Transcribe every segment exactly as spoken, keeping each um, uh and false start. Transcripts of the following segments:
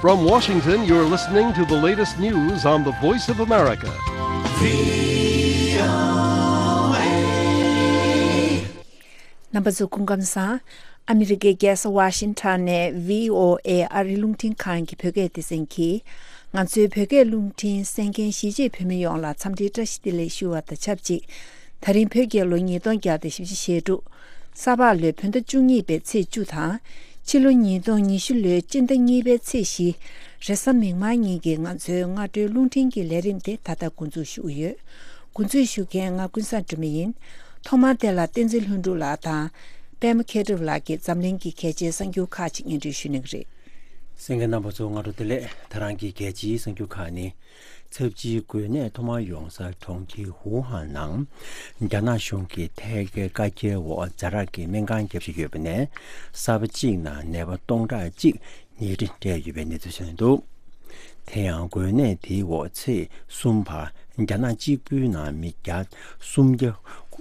From Washington, you're listening to the latest news on the Voice of America. རྣམ་པ་ཚོ་སྐུ་ཁམས་བཟང་། ཨ་མི་རི་ཀའི་རྒྱལ་ས་ཝ་ཤིང་ཊོན་ནས་བྷི་ཨོ་ཨེ་ཨ་རིའི་རླུང་འཕྲིན་ཁང་གི་བོད་སྐད་སྡེ་ཚན་གྱིས། ང་ཚོའི་བོད་སྐད་རླུང་འཕྲིན་གསན་མཁན་གཞིས་བྱེས་བོད་མི་ཡོངས་ལ་འཚམས་འདྲིའི་བཀྲ་ཤིས་བདེ་ལེགས་ཞུ་བ་དང་ཆབས་ཅིག་ད་རིང་བོད་རྒྱལ་ལོ་ཉིས་སྟོང་བརྒྱ་དང་བཞི་བཅུ་ཞེ་དྲུག་ས་ཕག་ལོའི་བོད་ཟླ་བཅུ་གཉིས་པའི་ཚེས་བཅུ་དང་། ཕྱི་ལོ་ཉིས་སྟོང་ཉི་ཤུ་ལོའི་སྤྱི་ཟླ་གཉིས་པའི་ཚེས་བཞི། རེས་གཟའ་མིག་དམར་ཉིན་གྱི་ང་ཚོའི་སྔ་དྲོའི་རླུང་འཕྲིན་གྱི་ལས་རིམ་དེ་ད་ལྟ་འགོ་འཛུགས་ཞུ་གི་ཡོད། འགོ་འཛུགས་ཞུ་མཁན་ང་ཀུན་བཟང་སྒྲོལ་མ་ཡིན། ཐོག་མར་དེ་ལ་བསྟན་འཛིན་ལྷུན་གྲུབ་ལགས་དང་། པད་མ་མཁས་གྲུབ་ལགས་ཀྱིས་འཛམ་གླིང་གི་གལ་ཆེའི་གསར་འགྱུར་ཁག་ཅིག་སྙན་སྒྲོན་ཞུ་གནང་གི་རེད། གསན་མཁན་རྣམ་པ་ཚོ་སྔ་དྲོ་བདེ་ལེགས། ད་རང་གི་གལ་ཆེའི་གསར་འགྱུར་ཁག་ནི། ཚབས་ཆེའི་འགོས་ནད་ཐོག་མར་ཡོང་ས་གྲོང་ཁྱེར་ཝུ་ཧན་ནང་། རྒྱ་ནག་གཞུང་གིས་ཐད་ཀའི་བཀའ་རྒྱའི་འོག་ཛ་དྲག་གི་སྨན་ཁང་བརྒྱབ་བཞིན་ཡོད་པ་ནས། གསར་པ་གཅིག་ནང་ནད་པ་སྟོང་ཕྲག་གཅིག་ཉལ་ཁྲི་སྤྲད་ཡོད་པའི་གནས་ཚུལ་ཐོན་འདུག་དེ་ཡང་འགོས་ནད་དེའི་འོག་ཚེས་གསུམ་བར་རྒྱ་ནག་གཅིག་པུའི་ནང་མི་བརྒྱ་སུམ་བརྒྱ་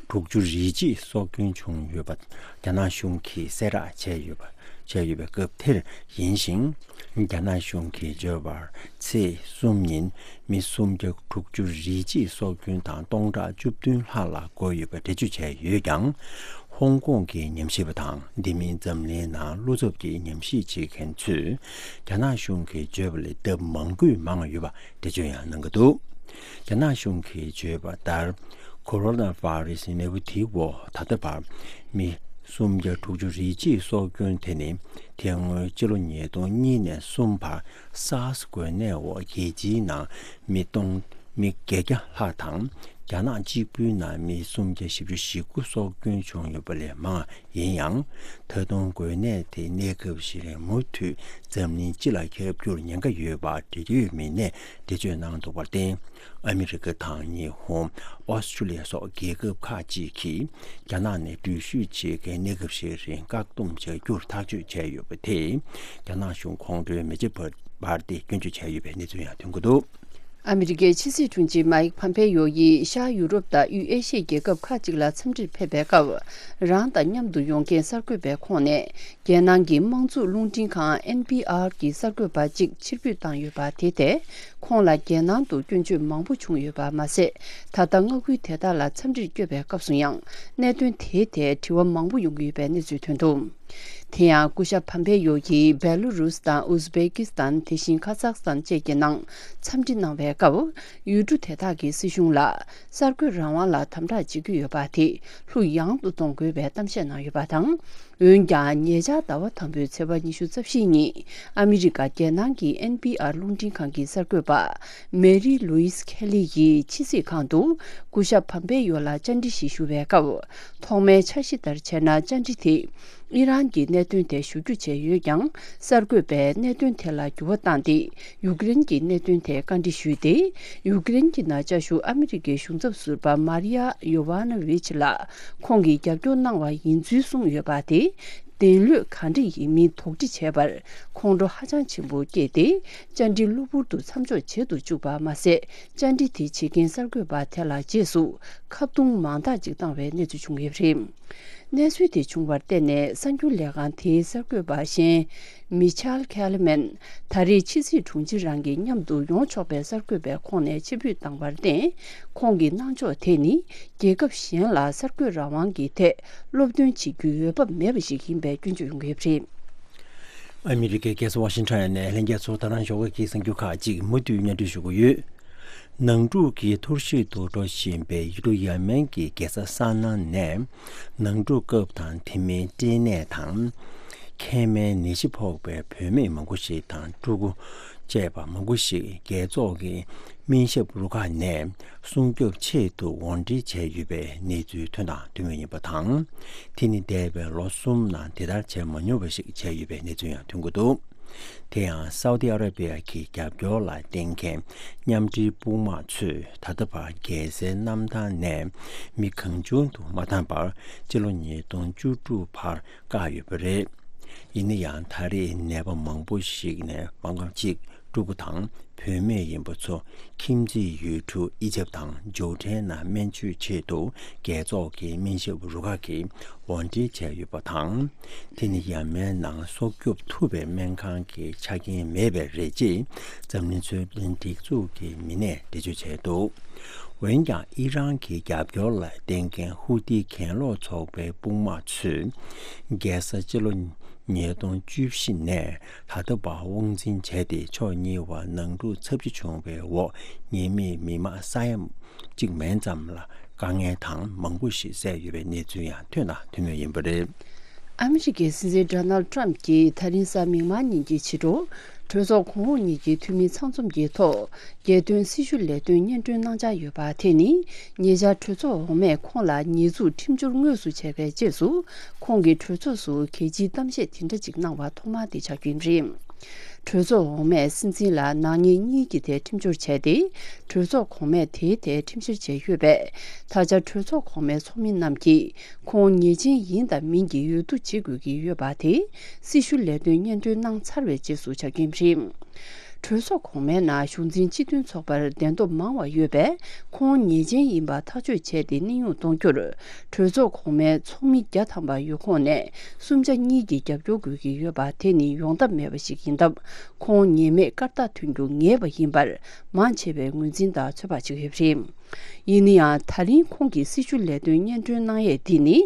དྲུག་ཅུ་རེ་གཅིག་སྲོག་སྐྱོན་བྱུང་ཡོད་པ་རྒྱ་ནག་གཞུང་གིས་གསལ་བསྒྲགས་བྱས་ཡོད་པ། བྱས་ཡོད་པའི་སྐབས་དེར་ཡིན་ཞིང་། རྒྱ་ནག་གཞུང་གིས་བརྗོད་པར། ཚེས་གསུམ་ཉིན་མི་སུམ་བརྒྱ་དྲུག་ཅུ་རེ་གཅིག་སྲོག་སྐྱོན་དང་སྟོང་ཕྲག་བཅུ་བདུན་ལྷག་ལ་འགོས་ཡོད་པ་འགྲེལ་བརྗོད་བྱས་ཡོད་ཀྱང་། ཧོང་ཀོང་གི་ཉམས་ཞིབ་པ་དང་དེ་མིན་འཛམ་གླིང་ནང་བློ་འཚབ་ཀྱི་ཉམས་ཞིབ་བྱེད་མཁན་ཚོས། རྒྱ་ནག་གཞུང་གིས་བརྗོད་པ་ལས་ལྡབ་མང་པོས་མང་ཡོད་པ་འགྲེལ་བརྗོད་ཡང་གནང་གི་འདུག་རྒྱ་ནག་གཞུང་གིས་བརྗོད་པ་ལྟར། ཁོ་རོ་ན་བྷ་རེ་སི་ནད་འབུ་དེའི་འོག་ད་ལྟ་བར་མི་སུམ་བརྒྱ་དྲུག་ཅུ་རེ་གཅིག་སྲོག་སྐྱོན་དེ་ནི། དེ་སྔོན་ཕྱི་ལོ་ཉིས་སྟོང་གཉིས་ནས་གསུམ་བར་སཱར་སི་འགོས་ནད་འོག་རྒྱལ་སྤྱིའི་ནང་མི་སྟོང་། མི་བརྒྱད་བརྒྱ་ལྷག་དང་། རྒྱ་ནག་གཅིག་པུའི་ནང་མི་སུམ་བརྒྱ་བཞི་བཅུ་ཞེ་དགུ་སྲོག་སྐྱོན་བྱུང་ཡོད་པ་ལས་མང་ཡིན་ཡང་། ད་དུང་འགོས་ནད་དེ་གནས་སྐབས་ཤིག་ལ་མུ་མཐུད་འཛམ་གླིང་སྤྱི་ལ་ཁྱབ་རྒྱུར་ཉེན་ཁ་ཡོད་པ་འབྲེལ་ཡོད་མི་སྣས་འགྲེལ་བརྗོད་གནང་འདུག་པར་བརྟེན། ཨ་མི་རི་ཀ་དང་ཉི་ཧོང་། ཨོ་སི་ཀྲུ་ལི་ཡ་སོགས་རྒྱལ་ཁབ་ཁག་ཅིག་གིས་རྒྱ་ནག་ནས་འགྲུལ་བཞུད་བྱེད་མཁན་གནས་སྐབས་ཤིག་རིང་བཀག་སྡོམ་བྱ་རྒྱུར་ཐག་གཅོད་བྱས་ཡོད་པ་དེས། རྒྱ་ནག་གཞུང་ཁོང་ཁྲོའི་མེ་ལྕེ་འབར་ཏེ་སྐྱོན་བརྗོད་བྱས་ཡོད་པའི་གནས་ཚུལ་ཡང་ཐོན་གྱི་འདུག་ཨ་མི་རི་ཀའི་ཕྱི་སྲིད་དྲུང་ཆེ་མཱིག་ཕམ་པེ་ཡོ་ཡིས་ཤར་ཡུ་རོབ་དང་དབུས་ཨེ་ཤི་ཡའི་རྒྱལ་ཁབ་ཁག་ཅིག་ལ་འཚམས་འདྲིར་ཕེབས་པའི་སྐབས། རང་དང་མཉམ་དུ་ཡོང་མཁན་གསར་འགོད་པའི་ཁོངས་ནས། རྒྱལ་ནང་གི་དམངས་གཙོ་རླུང་འཕྲིན་ཁང་ཨེན་པི་ཨར་གྱི་གསར་འགོད་པ་གཅིག་ཕྱིར་འབུད་བཏང་ཡོད་པ་དེ་ཐད། ཁོང་ལ་རྒྱལ་ནང་དུ་སྐྱོན་བརྗོད་མང་པོ་བྱུང་ཡོད་པ་མ་ཟད། ད་ལྟ་མངའ་ཁུལ་དེ་དག་ལ་འཚམས་འདྲིར་བསྐྱོད་པའི་སྐབས་སུ་ཡང་། གནད་དོན་དེའི་ཐད་དྲི་བ་མང་པོ་ཡོང་གི་ཡོད་པའི་གནས་ཚུལ་ཐོན་འདུག་དེ་ཡང་སྐུ་ཞབས་ཕམ་པེ་ཡོ་ཡིས་བེ་ལུ་རུས་དང་ཨུ་ཛི་བེ་ཀི་སི་ཐན། དེ་བཞིན་ཁ་ཛག་སི་ཐན་བཅས་ཀྱི་ནང་འཚམས་འདྲི་གནང་བའི་སྐབས། ཡུལ་གྲུ་དེ་དག་གི་སྲིད་གཞུང་ལ་གསར་འགོད་རང་དབང་ལ་དམ་དྲག་བྱེད་ཀྱི་ཡོད་པ་དེ་ལྷུག་ཡངས་སུ་གཏོང་དགོས་པའི་གཏམ་བཤད་གནང་ཡོད་པ་དང་། འོན་ཀྱང་། ཉེ་ཆར་ཟླ་བ་དང་པོའི་ཚེས་པ་ཉི་ཤུ་རྩ་བཞི་ཉིན། ཨ་མི་རི་ཀ་རྒྱལ་ནང་གི་ཨེན་པི་ཨར་རླུང་འཕྲིན་ཁང་གི་གསར་འགོད་པ། མེ་རི་ལུའི་སི་ཁེ་ལི་ཡིས་ཕྱི་སྲིད་ཁང་དུ། སྐུ་ཞབས་ཕམ་པེ་ཡོ་ལ་བཅར་འདྲི་ཞིག་ཞུ་བའི་སྐབས། ཐོག་མའི་འཆར་གཞི་ལྟར་བྱས་ན། བཅར་འདྲི་དེ། ཨི་རན་གྱི་གནད་དོན་ཐད་ཞུ་རྒྱུ་བྱས་ཡོད་ཀྱང་། གསར་འགོད་པས་གནད་དོན་དེ་ལ་འགྱུར་བ་བཏང་སྟེ། ཡུཀ་རེན་གྱི་གནད་དོན་ཐད་བཀའ་འདྲི་ཞུས་ཏེ། ཡུཀ་རེན་གྱི་ནང་བཅའ་བཞུགས་ཨ་མི་རི་ཀའི་གཞུང་ཚབ་ཟུར་པ་མཱ་རི་ཡ་ཡོ་ཝ་ན་ཝི་ཆི་ལ་ཁོང་གིས་རྒྱབ་སྐྱོར་གནང་བ་ཡིན་ཚུལ་གསུངས་ཡོད་པ་དེ། བདེན་ལུགས་གང་འདྲ་ཡིན་མིན་དོགས་འདྲི་བྱས་པར། ཁོང་ཁྲོ་ཧ་ཅང་ཆེན་པོ་སྐྱེས་ཏེ། བཅར་འདྲི་གློ་བུར་དུ་མཚམས་འཇོག་བྱེད་དུ་བཅུག་པ་མ་ཟད། བཅར་འདྲི་དེ་བྱེད་མཁན་གསར་འགོད་པ་དེ་ལ་རྗེས་སུ་ཁ་རྡུང་མང་དག་ཅིག་བཏང་བའི་གནས་ཚུལ་བྱུང་ཡོད་པ་རེད། གནས་ཚུལ་དེ་བྱུང་བར་བརྟེན་ནས། གསར་འགྱུར་ལས་ཁང་དེའི་གསར་འགོད་པ་གཞན། མི་ཆལ་ཁེ་ལི་མན། ད་རེས་ཕྱི་སྲིད་དྲུང་ཆེ་རང་གིས་མཉམ་དུ་ཡོང་ཆོག་པའི་གསར་འགོད་པའི་ཁོངས་ནས་ཕྱིར་འབུད་བཏང་བར་བརྟེན། ཁོང་གི་གནང་ཕྱོགས་དེ་ནི། རྒྱལ་ཁབ་གཞན་ལ་གསར་འགོད་རང་དབང་གི་ཐད་སློབ་སྟོན་བྱེད་རྒྱུའི་འོས་བབ་མེད་པ་ཞིག་ཡིན་པའི་སྐྱོན་བརྗོད་ཡོང་གི་ཡོད་པ་རེད། ཨ་མི་རི་ཀའི་རྒྱལ་ས་ཝ་ཤིང་ཊོན་ནས་ལྷན་རྒྱས་ཚོར་ད་རང་ཞོགས་ཀྱི་གསར་འགྱུར་ཁག་ཅིག་མུ་མཐུད་སྙན་སྒྲོན་ཞུ་གི་ཡོད། ནང་འཁྲུག་གིས་འཐོར་ཞིག་ཏུ་འགྲོ་བཞིན་པའི་ཡུལ་གྲུ་ཡ་མེན་གྱི་རྒྱལ་ས་ས་ན་ནས། ནང་འཁྲུག་སྐབས་དང་དེ་མིན་སྐྲན་ནད་དང་། མཁལ་མའི་ནད་གཞི་ཕོག་པའི་བུད་མེད་མང་པོ་ཞིག་དང་ཕྲུ་གུ་བཅས་པ་མང་པོ་ཞིག་རྒྱལ་ཚོགས་ཀྱི་སྨན་ཞབས་རུ་ཁག་ནས་སྲུང་སྐྱོབ་ཆེད་དུ་དབོར་འདྲེན་བྱས་ཡོད་པའི་གནས་ཚུལ་ཐོན་དང་ཐོན་མུས་ཡིན་པ་དང་། དེ་ནི་འདས་པའི་ལོ་གསུམ་ནང་དེ་ལྟར་བྱས་མ་མྱོང་བ་ཞིག་བྱས་ཡོད་པའི་གནས་ཚུལ་ཡང་ཐོན་གྱི་འདུག་དེ་ཡང་སའུ་ཏི་ཨ་ར་པི་ཡ་གི་རྒྱབ་སྐྱོར་ལ་བརྟེན་མཁན་མཉམ་འབྲེལ་དཔུང་དམག་ཚོས་ད་ལྟ་བར་རྒྱལ་སའི་གནམ་ཐང་ནས་མི་གང་བྱུང་དུ་མ་བཏང་བར་སྤྱི་ལོ་ཉིས་སྟོང་བཅུ་དྲུག་བར་བཀག་ཡོད་པ་རེད། ཡིན་ན་ཡང་ད་རེས་ནད་པ་མང་པོ་ཞིག་ནས་མང་ཙམ་ཅིག་ཕྲུ་གུ་དང་བུད་མེད་ཡིན་པ་ཚོ་ཁྱིམ་མཚེས་ཡུལ་གྲུ་ཨི་ཇེབ་དང་ཇོར་ཌན་ནང་སྨན་བཅོས་ཆེད་དུ་རྒྱལ་ཚོགས་ཀྱི་སྨན་ཞབས་རུ་ཁག་གིས་དབོར་འདྲེན་བྱས་ཡོད་པ་དང་། དེ་ནི་ཡ་མལ་ནང་སྲོག་སྐྱོབ་ཐུབ་པའི་སྨན་ཁང་གི་ཆ་རྐྱེན་མེད་པས་རེད་ཅེས་འཛམ་གླིང་འཕྲོད་བསྟེན་སྒྲིག་འཛུགས་ཀྱི་མི་སྣས་འགྲེལ་བརྗོད་བྱས་འདུག་འོན་ཀྱང་ཨི་རན་གྱི་རྒྱབ་སྐྱོར་ལ་བརྟེན་མཁན་ཧུ་ཏི་གྱེན་ལོག་ཚོགས་པའི་དཔུང་དམག་ཚོས་རྒྱལ་ས་ཕྱི་ལོ་ཉིས་སྟོང་བཅུ་བཞི་ནས་ད་ལྟ་བར་དབང་འཛིན་བྱས་ཏེ་ཕྱོགས་གཉིས་བར་ནང་འཁྲུག་ཚབས་ཆེ་བྱུང་བའི་འོག་ཉེས་མེད་མི་མང་ས་ཡ་གཅིག་མན་ཙམ་ལ་དཀའ་ངལ་དང་མང་པོ་ཞིག་བསལ་ཡོད་པའི་གནས་ཚུལ་ཡང་ཐོན་དང་ཐོན་མུས་ཡིན་པ་རེད། ཨ་མི་རི་ཀའི་སྲིད་འཛིན་ཌོ་ནལ་ཊམ་གྱིས་ད་རིང་གཟའ་མིག་དམར་ཉིན་གྱི་ཕྱི་དྲོ་གྲོས་ཚོགས་གོང་འོག་གཉིས་ཀྱི་འཐུས་མི་ཚང་འཛོམས་ཀྱི་ཐོག་རྒྱལ་དོན་སྲི་ཞུ་ལས་དོན་སྙན་སྒྲོན་གནང་འཆར་ཡོད་པ་དེ་ནི་ཉེ་ཆར་གྲོས་ཚོགས་འོག་མས་ཁོང་ལ་ཉེས་འཛུགས་ཁྲིམས་སྦྱོར་དངོས་སུ་བྱས་པའི་རྗེས་སུ་ཁོང་གིས་གྲོས་ཚོགས་སུ་གལ་ཆེའི་གཏམ་བཤད་དེ་འདྲ་ཅིག་གནང་བ་ཐོག་མ་དེ་ཆགས་རྒྱུ་ཡིན་པ་རེད། གྲོས་ཚོགས་འོག་མས་སྲིད་འཛིན་ལ་ནག་ཉེས་གཉིས་ཀྱི་ཐད་ཁྲིམས་སྦྱོར་བྱས་ཏེ། གྲོས་ཚོགས་གོང་མས་དེའི་ཐད་ཁྲིམས་བཤེར་བྱས་ཡོད་པས། ད་ཆ་གྲོས་ཚོགས་གོང་མའི་ཚོགས་མི་རྣམས་ཀྱིས་ཁོང་ཉེས་ཅན་ཡིན་དང་མིན་གྱི་འོས་བསྡུ་བྱེད་དགོས་ཀྱི་ཡོད་པ་དེ་སྲི་ཞུ་ལས་དོན་སྙན་སྒྲོན་གནང་ཚར་བའི་རྗེས་སུ་ཆགས་རྒྱུ་ཡིན་པ་རེད། གྲོས་ཚོགས་གོང་མའི་ནང་གཞུང་འཛིན་སྤྱི་མཐུན་ཚོགས་པར་གདན་ཐོབ་མང་བ་ཡོད་པས། ཁོང་ཉེས་ཅན་ཡིན་པ་ཐག་གཅོད་བྱས་ཏེ་གནས་དབྱུང་གཏོང་རྒྱུར། གྲོས་ཚོགས་གོང་མའི་ཚོགས་མི་བརྒྱ་ཐམ་པ་ཡོད་ཁོངས་ནས་གསུམ་ཆ་གཉིས་ཀྱིས་རྒྱབ་སྐྱོར་དགོས་ཀྱི་ཡོད་པ་དེ་ནི་ཡོང་ཐབས་མེད་པ་ཞིག་ཡིན་སྟབས། ཁོང་ཉེས་མེད་སྐར་རྟགས་ཐོན་རྒྱུ་ངེས་པ་ཡིན་པར་མང་ཆེ་བས་ངོས་འཛིན་དང་ཚོད་དཔག་བྱེད་ཀྱི་ཡོད་པ་རེད། ཡིན་ན་ཡང་། ད་རིང་ཁོང་གིས་སྲི་ཞུ་ལས་དོན་སྙན་སྒྲོན་གནང་ཡས་འདི་ནི།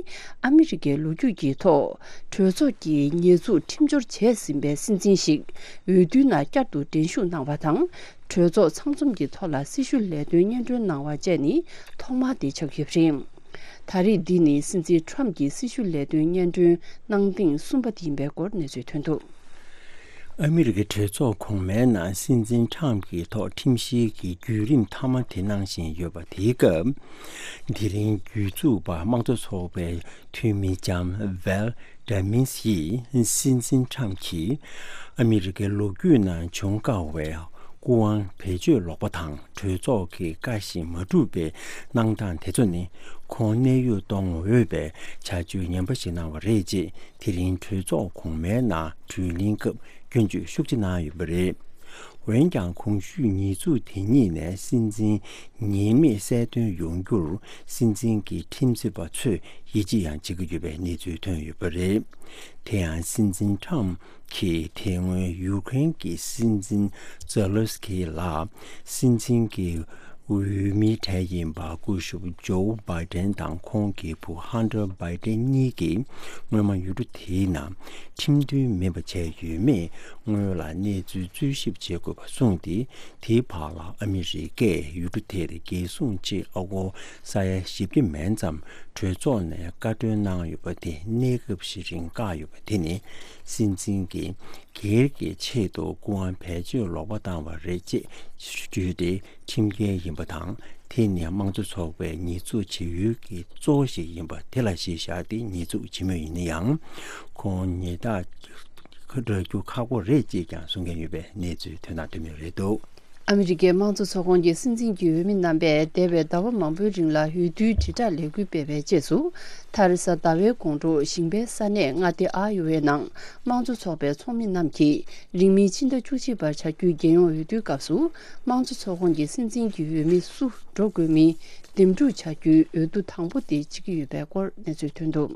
ཨ་མི་རི་ཀའི་ལོ་རྒྱུས་ཀྱི་ཐོག་གྲོས་ཚོགས་ཀྱིས་ཉེས་འཛུགས་ཁྲིམས་སྦྱོར་བྱས་ཟིན་པའི་སྲིད་འཛིན་ཞིག་འོས་བསྡུའི་ནང་བསྐྱར་དུ་འགྲན་ཞུགས་གནང་བ་དང་། གྲོས་ཚོགས་ཚང་འཛོམས་ཀྱི་ཐོག་ལ་སྲི་ཞུ་ལས་དོན་སྙན་སྒྲོན་གནང་བ་བཅས་ནི་ཐོག་མ་དེ་ཆགས་ཡོད་པ་རེད། ད་རེས་འདི་ནི་སྲིད་འཛིན་ཊམ་གྱིས་སྲི་ཞུ་ལས་དོན་སྙན་སྒྲོན་གནང་ཐེངས་གསུམ་པ་དེ་ཡིན་པའི་སྐོར་གནས་ཚུལ་ཐོན་འདུག་ཨ་མི་རི་ཀའི་གྲོས་ཚོགས་གོང་མའི་ནང་སྲིད་འཛིན་ཊམ་གྱི་ཐོག་ཁྲིམས་བཤེར་གྱི་བརྒྱུད་རིམ་མཐའ་མ་དེ་གནང་བཞིན་ཡོད་པ་དེའི་སྐབས། དེ་རིང་རྒྱུད་འཛུགས་པ་དམངས་གཙོ་ཚོགས་པའི་འཐུས་མི་ལྕམ་ཝལ་ཌ་མིས་ཡིས་སྲིད་འཛིན་ཊམ་གྱིས་ཨ་མི་རི་ཀའི་ལོ་རྒྱུས་ནང་བྱུང་དཀའ་བའི་སྐུ་དབང་བེད་སྤྱོད་ལོག་པ་དང་། གྲོས་ཚོགས་ཀྱི་བཀའ་བཞིན་མ་བསྒྲུབས་པའི་གནང་སྟངས་དེ་ཚོ་ནི་ཁོང་གནས་དབྱུང་གཏོང་འོས་པའི་བྱ་སྤྱོད་ངན་པ་ཞིག་གནང་བ་རེད་ཅེས། དེ་རིང་གྲོས་ཚོགས་གོང་མའི་ནང་གྲོས་གླེང་སྐབས་སྐྱོན་བརྗོད་ཤུགས་ཆེ་གནང་ཡོད་པ་རེད། འོན་ཀྱང་། གོང་ཞུས་ཉེས་འཛུགས་དེ་གཉིས་ནས་སྲིད་འཛིན་ཉེས་མེད་གསལ་སྟོན་ཡོང་རྒྱུར་སྲིད་འཛིན་གྱི་ཁྲིམས་རྩོད་པ་ཚོས་ཡིད་ཆེས་ཡང་བྱེད་ཀྱི་ཡོད་པའི་གནས་ཚུལ་ཐོན་ཡོད་པ་རེད། དེ་ཡང་སྲིད་འཛིན་ཊམ་གྱིས་དེ་སྔོན་ཡུ་ཀེ་རེན་གྱི་སྲིད་འཛིན་ཛེ་ལེན་སི་ཀི་ལ་སྲིད་འཛིན་གྱི་འོས་མིའི་གྲས་ཡིན་པ་སྐུ་ཞབས་ཇོ་བྷའི་ཏན་དང་ཁོང་གི་བུ་ཧན་ཏར་བྷའི་ཏན་གཉིས་ཀྱིས་སྔོན་མ་ཡུལ་གྲུ་དེའི་ནང་ཁྲིམས་མཐུན་མིན་པ་བྱས་ཡོད་མེད་སྔོན་ལ་གནས་ཚུལ་འཚོལ་ཞིབ་བྱེད་དགོས་པ་གསུངས་ཏེ། དེའི་བར་ལ་ཨ་མི་རི་ཀས་ཡུལ་གྲུ་དེར་རྒྱལ་སྲུང་ཆེད་ཨ་སྒོར་ས་ཡ་བཞི་བརྒྱ་མན་ཙམ་གྲོས་ཚོགས་ནས་བཀའ་འཁྲོལ་གནང་ཡོད་པ་དེ་གནས་སྐབས་ཤིག་རིང་བཀག་ཡོད་པ་དེ་ནི་སྲིད་འཛིན་གྱི་སྒེར་གྱི་ཆེད་དུ་སྐུ་དབང་བེད་སྤྱོད་ལོག་པ་བཏང་བ་རེད་ཅེས་བརྗོད་དེ་ཁྲིམས་འགལ་ཡིན་པ་དང་། དེ་ནི་དམངས་གཙོ་ཚོགས་པའི་ཉེས་འཛུགས་བྱེད་ཡུལ་གྱི་གཙོ་བོ་ཞིག་ཡིན་པ་དེ་ལ་གཞི་བཞག་སྟེ་ཉེས་འཛུགས་བྱེད་མུས་ཡིན་ན་ཡང་། ཁོང་ཉེས་རྟགས་རག་རྒྱུ་ཁག་པོ་རེད་ཅེས་ཀྱང་གསུང་མཁན་ཡོད་པའི་གནས་ཚུལ་ཐོན་དང་ཐོན་མུས་རེད་འདུག་ཨ་མི་རི་ཀའི་དམངས་གཙོ་ཚོགས་ཁོངས་ཀྱི་སྲིད་འཛིན་གྱི་འོས་མི་རྣམ་པས་འདས་པའི་ཟླ་བ་མང་པོའི་རིང་ལ་འོས་བསྡུའི་དྲིལ་བསྒྲགས་ལས་འགུལ་སྤེལ་བའི་རྗེས་སུ། མཐར་གཟའ་ཟླ་བའི་དགོང་དྲོ་ཞིང་པའི་ས་གནས་མངའ་སྡེ་ཨ་ཡོ་ཝའི་ནང་དམངས་གཙོ་ཚོགས་པའི་ཚོགས་མི་རྣམས་ཀྱིས་རིང་མིན་ཕྱི་ཟླ་བཅུ་གཅིག་པར་བྱ་རྒྱུའི་རྒྱལ་ཡོངས་འོས་བསྡུའི་སྐབས་སུ་དམངས་གཙོ་ཚོགས་ཁོངས་ཀྱི་སྲིད་འཛིན་གྱི་འོས་མི་སུ་འགྲོ་དགོས་མིན་འདེམས་སྒྲུག་བྱ་རྒྱུའི་འོས་བསྡུ་དང་པོ་དེ་བྱེད་ཀྱི་ཡོད་པའི་སྐོར་གནས་ཚུལ་ཐོན་འདུག་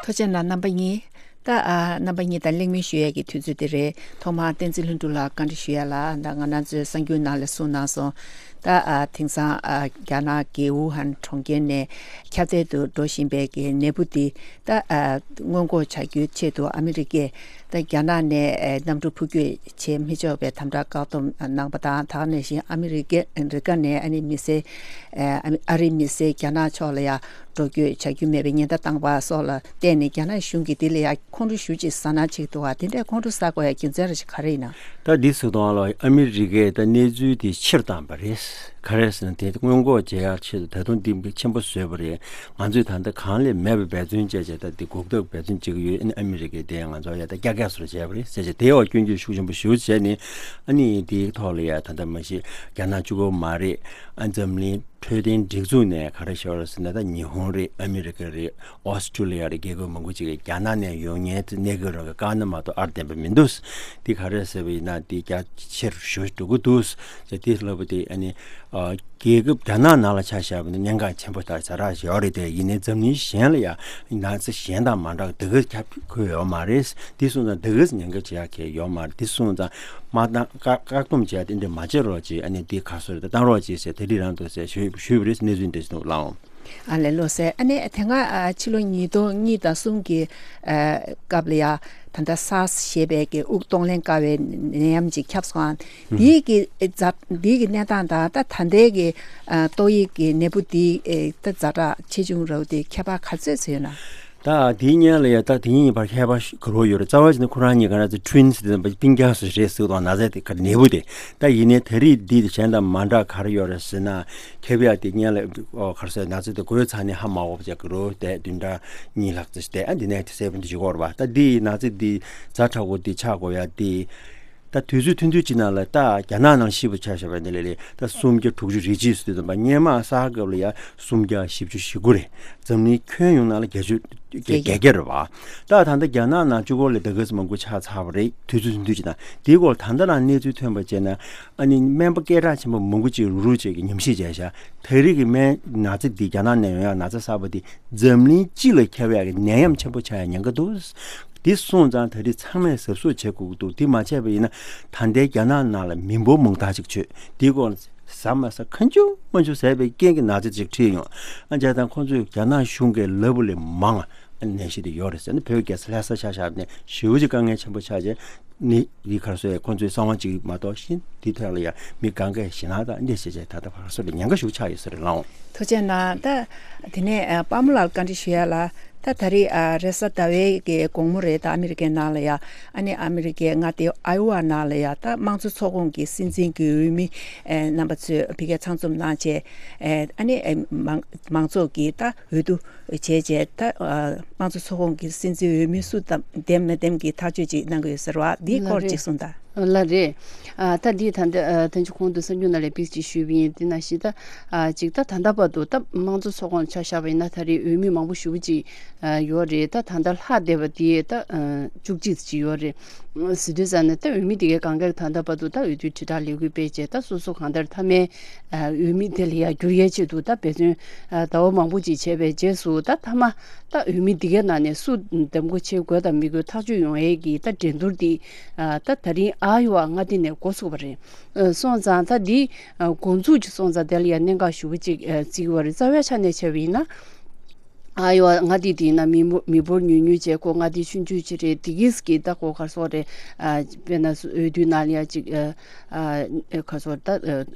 ཐུགས་རྗེ་གནང་རྣམ་པ་གཉིས། ད་ཨ་རྣམ་པ་གཉིས་དང་གླེང་མོལ་ཞུ་ཡས་ཀྱི་དུས་ཚོད་དེ་རེད། ཐོག་མར་བསྟན་འཛིན་ལྷུན་གྲུབ་ལགས་བཀའ་འདྲི་ཞུ་ཡ་ལ། ད་ང་རང་ཚོའི་གསར་འགྱུར་ནང་ལ་གསུངས་གནང་སོང་། ད་ཨ་དེང་སང་ཨ་རྒྱ་ནག་གི་ཝུ་ཧན་གྲོང་ཁྱེར་ནས་ཁྱབ་གདལ་དུ་འགྲོ་བཞིན་པའི་གི་ནད་འབུ་འདི་ད་ཨ་སྔོན་འགོག་བྱ་རྒྱུའི་ཆེད་དུ་ཨ་མི་རི་ཀས་ད་རྒྱ་ནག་ནས་ཨ་གནམ་གྲུ་འཕུར་སྐྱོད་བྱེད་མི་ཆོག་པའི་དམ་དྲག་བཀག་སྡོམ་གནང་པ་དང་། ད་ག་ནང་བཞིན་ཨ་མི་རི་ཀ་རི་ཀ་ནས་ཨ་ནི་མི་སེར་ཨ་ཨ་རིའི་མི་སེར་རྒྱ་ནག་ཕྱོགས་ལ་ཡ་འགྲོ་སྐྱོད་བྱ་རྒྱུ་མེད་པའི་ཉེན་བརྡ་བཏང་པ་སོགས་ལ་བརྟེན་ནས། རྒྱ་ནག་གཞུང་གིས་འདི་ལ་ཡ་ཁོང་ཁྲོ་ཞེ་པོ་ཅིག་ཟ་སྣང་བྱེད་ཀྱི་འདུག་བ། དེ་འདྲའི་ཁོང་ཁྲོ་ཟ་དགོས་ཡ་རྒྱུ་མཚན་རེ་ཞིག་ག་རེ་ཡིན་ན། ད་འདི་ཟེར་དུས་ལ་ཨ་མི་རི་ཀས་ད་གནས་ཚུལ་དེ་ཕྱིར་བཏང་པ་རེད། ག་རེ་ཟེར་ན། དེ་སྔོན་འགོག་བྱེད་ཡ་ཆེད་དུ་ད་དུང་འདི་ཆེན་པོ་བཟོས་པ་རེད། ང་ཚོས་ད་ལྟ་གང་ལས་མེད་པའི་འབད་བརྩོན་བྱས་བྱས། ད་འདི་འགོག་ཐབས་འབད་བརྩོན་བྱེད་ཀྱི་ཡོད། ཨ་ནི་ཨ་མི་རི་ཀས་དེ་ང་ཚོ་ཡ་ད་རྒྱག་རྒྱ་སོར་བྱས་པ་རེད་ཟེར་བྱས། དེའི་འོག་སྐྱོན་བརྗོད་ཤུགས་ཆེན་པོ་ཞེ་པོ་བྱས་ནས། ཨ་ནི་དེའི་ཐོག་ལ་ཡ་ད་ལྟ་མ་གཞི་རྒྱ་ནག་གཅིག་པོ་མ་རེད། ཨ་འཛམ་གླིང་འཕྲོད་བསྟེན་སྒྲིག་འཛུགས་ནས་ག་རེ་ཤོར་ཟེར་ན། ད་ཉི་ཧོང་རེད། ཨ་མི་རི་ཀ་རེད། ཨོ་སི་ཀྲུ་ལི་ཡ་རེད། རྒྱལ་ཁབ་མང་པོ་ཅིག་གིས་རྒྱ་ནག་ནས་ཡོང་མཁན་གནས་སྐབས་རང་གི་བཀག་ན་མ་གཏོགས་ཨར་བདེན་པ་མི་འདུག། འདི་ག་རེ་ཟེར་བ་ཡིན་ན། འདི་རྒྱ་ཆེར་ཞུ་འགྲོ་གི་འདུག་ཟེར། དེ་ལབ་པ་དེ་ཨ་ནི་ཨ་རྒྱལ་ཁབ་རྒྱ་ནག་ནང་ལ་ཆ་བཞག་པ་ན་གནད་འགག་ཆེན་པོ་དང་ཛ་དྲག་ཡོད་རེད། དེ་ཡིན་ནའི་འཛམ་གླིང་གཞན་ལ་ཡང་ན་ཚ་གཞན་དང་མ་འདྲ་བ་དེ་ག་ཁྱབ་ཁུལ་ཡོད་མ་རེད། འདི་སོང་ཙང་དེ་ག་ཉེན་ཁ་ཆེ་ཡག་གི་ཡོད་མ་རེད། འདི་སོང་ཙང་མ་བཏང་། བཀག་བཀག་སྡོམ་བྱས་ཏེ་འདི་མ་བྱེད་རོགས་བྱེད། ཨ་ནི་འདི་ག་སོ་རེད། བཏང་རོགས་བྱེད་ཟེར། དེ་རིགས་རང་འདུག་ཟེར་ཞུས་ཞུས་པ་རེད། གནས་ཚུལ་འདི་ཞིག་འདུག་ལགས་འོང་། ཨ་ལས་ལོ་ཟེར། ཨ་ནི་དེ་སྔ་ཨ་ཕྱི་ལོ་ཉིས་སྟོང་གཉིས་དང་གསུམ་གྱི་ཨ་སྐབས་ལ་ཡ་ད་ལྟ་སཱར་སི་ཞེས་པའི་གི་དབུགས་གཏོང་ལེན་དཀའ་བའི་ནད་ཡམས་ཅིག་ཁྱབ་སོང་། ཨ་འདིའི་གི་ཛ་འདིའི་གི་གནས་སྟངས་དང་ད་ད་ལྟའི་གི་ཨ་ཏོག་དབྱིབས་གི་ནད་འབུ་འདིའི་ཨེ་ད་ཛ་དྲག་ཆེ་ཆུང་རབ་དེ་ཁྱད་པར་ག་ཚོད་ཚོད་ཡོད་ན། ད་དེའི་སྔོན་ལ་ཡ་ད་དེ་གཉིས་བར་ཁྱད་པར་ག་རེ་ཡོད་རེད། རྩ་བ་བྱས་ན་ཁོ་རང་གཉིས་ག་རེ་ཟེར། ཊུ་ཝིན་སི་དེ་སྤུན་ཀྱག་སོ་རེད་ཟེར་དང་། ན་ཚ་དེ་ག་ནད་འབུ་དེ། ད་ཡིན་ནའི་ད་རེས་འདི་གཞན་དང་མ་འདྲ་ག་རེ་ཡོད་རེད་ཟེར་ན། ཁྱབ་ཡག་དེ་སྔོན་ལ་ཨོ་ག་རེ་ཟེར། ན་ཚ་དེ་འགོས་ཚར་ནས་ཧ་མ་གོ་བ་ཅིག་ག་རེ་བསྡད། བདུན་ཕྲག་གཉིས་ལྷག་ཙམ་བསྡད། ཨ་འདི་ནས་དེ་སེ་བ་འདི་བྱེད་ཀྱི་ཡོད་རེད་པ། ད་འདི་ན་ཚ་འདི་ཛ་དྲག་པོ་འདི་ཆགས་དགོས་ཡ་འདི། ད་དུས་ཚོད་ཐུང་ཐུང་ཅིག་ནང་ལ། ད་རྒྱ་ནག་ནང་ཤི་བ་ཆ་བཞག་པ་ཡིན་ན་ལས་ལས་ད་སུམ་བརྒྱ་དྲུག་ཅུ་རེ་གཅིག་ཟེར་དུས་ཙམ་པ། སྔོན་མ་སཱར་སྐབས་ལ་ཡ་སུམ་བརྒྱ་བཞི་བཅུ་ཞེ་དགུ་རེད། འཛམ་གླིང་ཁྱོན་ཡོངས་ནང་ལ་བརྒྱད་ཅུ་བརྒྱད་བརྒྱད་བརྒྱ་རེད་པ། ད་ད་ལྟ་རྒྱ་ནག་ནང་གཅིག་པོ་ལ་ད་ག་ཙམ་མང་པོ་ཆགས་ཚར་བ་རེད། དུས་ཚོད་ཐུང་ཐུང་ཅིག་ནང་། དེའི་སྐོར་ད་ལྟ་རང་གནས་ཚུལ་ཐོན་པ་བྱས་ན། ཨ་ནི་སྨན་པ་སྐད་གྲགས་ཆེན་པོ་མང་པོ་ཅིག་རུག་རུག་བྱས་ཀྱི་ཉམས་ཞིབ་བྱས་ཤག། ད་རེས་ཀྱི་སྨན་ན་ཚ་འདི། རྒྱ་ནག་ནས་ཡོང་ཡག་ན་ཚ་གསར་པ་འདི་འཛམ་གླིང་སྤྱི་ལ་ཁྱབ་ཡག་གི་ནད་ཡམས་ཆེན་པོ་ཆགས་ཡག་ཉེན་ཁ་འདུག། དེ་སོང་ཙང་ད་རེས་ཚང་མས་གཟབ་གཟབ་བྱེད་དགོས་ཀྱི་འདུག། དེ་མ་བྱས་པ་ཡིན་ན་ད་ལྟའི་རྒྱ་ནག་ནང་ལ་མི་འབོར་མང་དག་ཅིག་ཆགས། དེའི་སྐོར་ཟ་མ་ཟ། གང་བྱུང་མང་བྱུང་ཟས་པའི་རྐྱེན་གྱིས་ན་ཚ་ཅིག་འཁྲིད་ཡོང་། ཨ་བྱས་ཙང་ཁོང་ཚོས་རྒྱ་ནག་གཞུང་གིས་ལབ་པ་ལས་མང་ནད་གཞི་དེ་ཡོད་རེད་ཟེར་ནས། བོད་རྒྱལ་ས་ལྷ་ས་ཆ་བཞག་ནས་ཞེ་པོ་ཅིག་དཀའ་ངལ་ཆེན་པོ་ཆགས་བྱས། ནི་འདི་ག་རེ་ཟེར། ཁོང་ཚོའི་གསང་བ་ཅིག་མ་གཏོགས་གཞན་འདི་ཐད་ལ་ཡང་མི་གང་གས་ཞེད་སྣང་དང་འདི་བྱས་བྱས། ད་ལྟ་ག་རེ་ཟེར་རེད། ཉེན་ཁ་ཞེ་པོ་ཆགས་ཡོད་ས་རེད་ལགས་འོང་། ཐུགས་རྗེ་གནང་། ད་དེ་ནས་ཨ་དཔའ་མོ་ལགས་ལ་བཀའ་འདྲི་ཞུ་ཡ་ལ། ད་ད་རེས་ཨ་རེས་གཟའ་ཟླ་བའི་གི་དགོང་མོ་རེད། ད་ཨ་མི་རི་ཀའི་ནང་ལ་ཡ། ཨ་ནི་ཨ་མི་རི་ཀའི་མངའ་སྡེ་ཨའི་ཝ་ནང་ལ་ཡ། ད་དམངས་གཙོ་ཚོགས་ཁོངས་ཀྱི་སྲིད་འཛིན་གྱི་འོས་མི། ཨེ་རྣམ་པ་ཚོས་ཕ་གིར་ཚང་འཛོམས་གནང་བྱས། ཨེ་ཨ་ནི་ཨེ་མང་མང་ཚོགས་ཀྱི་ད་འོས་བསྡུ་བྱས་བྱས། ད་ཨ་དམངས་གཙོ་ཚོགས་ཁོངས་ཀྱི་སྲིད་འཛིན་འོས་མི་སུ་འདེམས་མི་འདེམས་ཀྱི་ཐག་གཅོད་ཅིག་གནང་གི་ཡོད་ཟེར་བ། འདིའི་སྐོར་ཅིག་གསུངས་དང་། ལགས་རེད། ཨ་ད་འདི་ད་ལྟ་ཨ་ཐེངས་གཅིག་གོང་དུ་གསར་འགྱུར་ནང་ལ་ཕེབས་ཅིག་ཞུས་པ་ཡིན། དེ་ནང་བཞིན་ད་ཨ་ཅིག་ད་ད་ལྟ་བར་དུ་ད་དམངས་གཙོ་ཚོགས་ཁོངས་ཆ་བཞག་པ་ཡིན་ན། ད་རེས་འོས་མི་མང་པོ་ཞེ་པོ་ཅིག་ཨ་ཡོད་རེད། ད་ད་ལྟ་ལྷག་བསྡད་པ་དེ་ད་ཨ་བཅུ་གཅིག་ཅིག་ཡོད་རེད། ཟེར་དུས་ཙམ་ནས་ད་འོས་མི་དེ་གའི་གང་ག་ད་ལྟ་བར་དུ་ད་འོས་བསྡུའི་དྲིལ་བསྒྲགས་ལས་འགུལ་སྤེལ་བྱས། ད་སོ་སོ་གང་ལྟར་མཐའ་མའི་ཨ་འོས་མི་དེ་ལ་ཡར་འགྱུར་ཡས་ཆེད་དུ་ད་འབད་བརྩོན་ཨ་ཟླ་བ་མང་པོ་ཅིག་བྱས་པའི་རྗེས་སུ། ད་མཐའ་མ་ད་འོས་མི་འདི་གའི་ནང་ནས་སུ་འདེམས་བསྐོ་བྱེད་དགོས་དང་མི་དགོས་ཐག་གཅོད་ཡོང་ཡས་ཀྱི་ད་འགྲན་བསྡུར་འདི་ཨ་ད་ད་རིང་ཨ་ཡོ་ཝ་མངའ་སྡེ་ནས་འགོ་ཚུགས་པ་རེད། ཨ་སོང་ཙང་ད་འདི་ཨ་འགོ་འཛུགས་ཀྱི་སོང་ཙང་དེ་ལ་ཡང་གནད་འགག་ཞེ་པོ་ཅིག་ཨ་བརྩི་གི་ཡོད་རེད། རྩ་བའི་ཆ་ནས་བྱས་པ་ཡིན་ན། ཨ་ཡོ་ཝ་མངའ་སྡེ་འདི་ཡིན་ན་མི་འབོར་མི་འབོར་ཉུང་ཉུང་བྱས། ཁོ་མངའ་སྡེ་ཆུང་ཆུང་ཅིག་རེད། འདི་གིས་ཀྱི་ད་ཁོ་ག་རེ་ཟེར་རེད། ཨ་དཔེར་ན་འོས་བསྡུ་ནང་ལ་ཡ་ཅིག་ཨ་ཨ་ག་རེ་ཟེར། ད་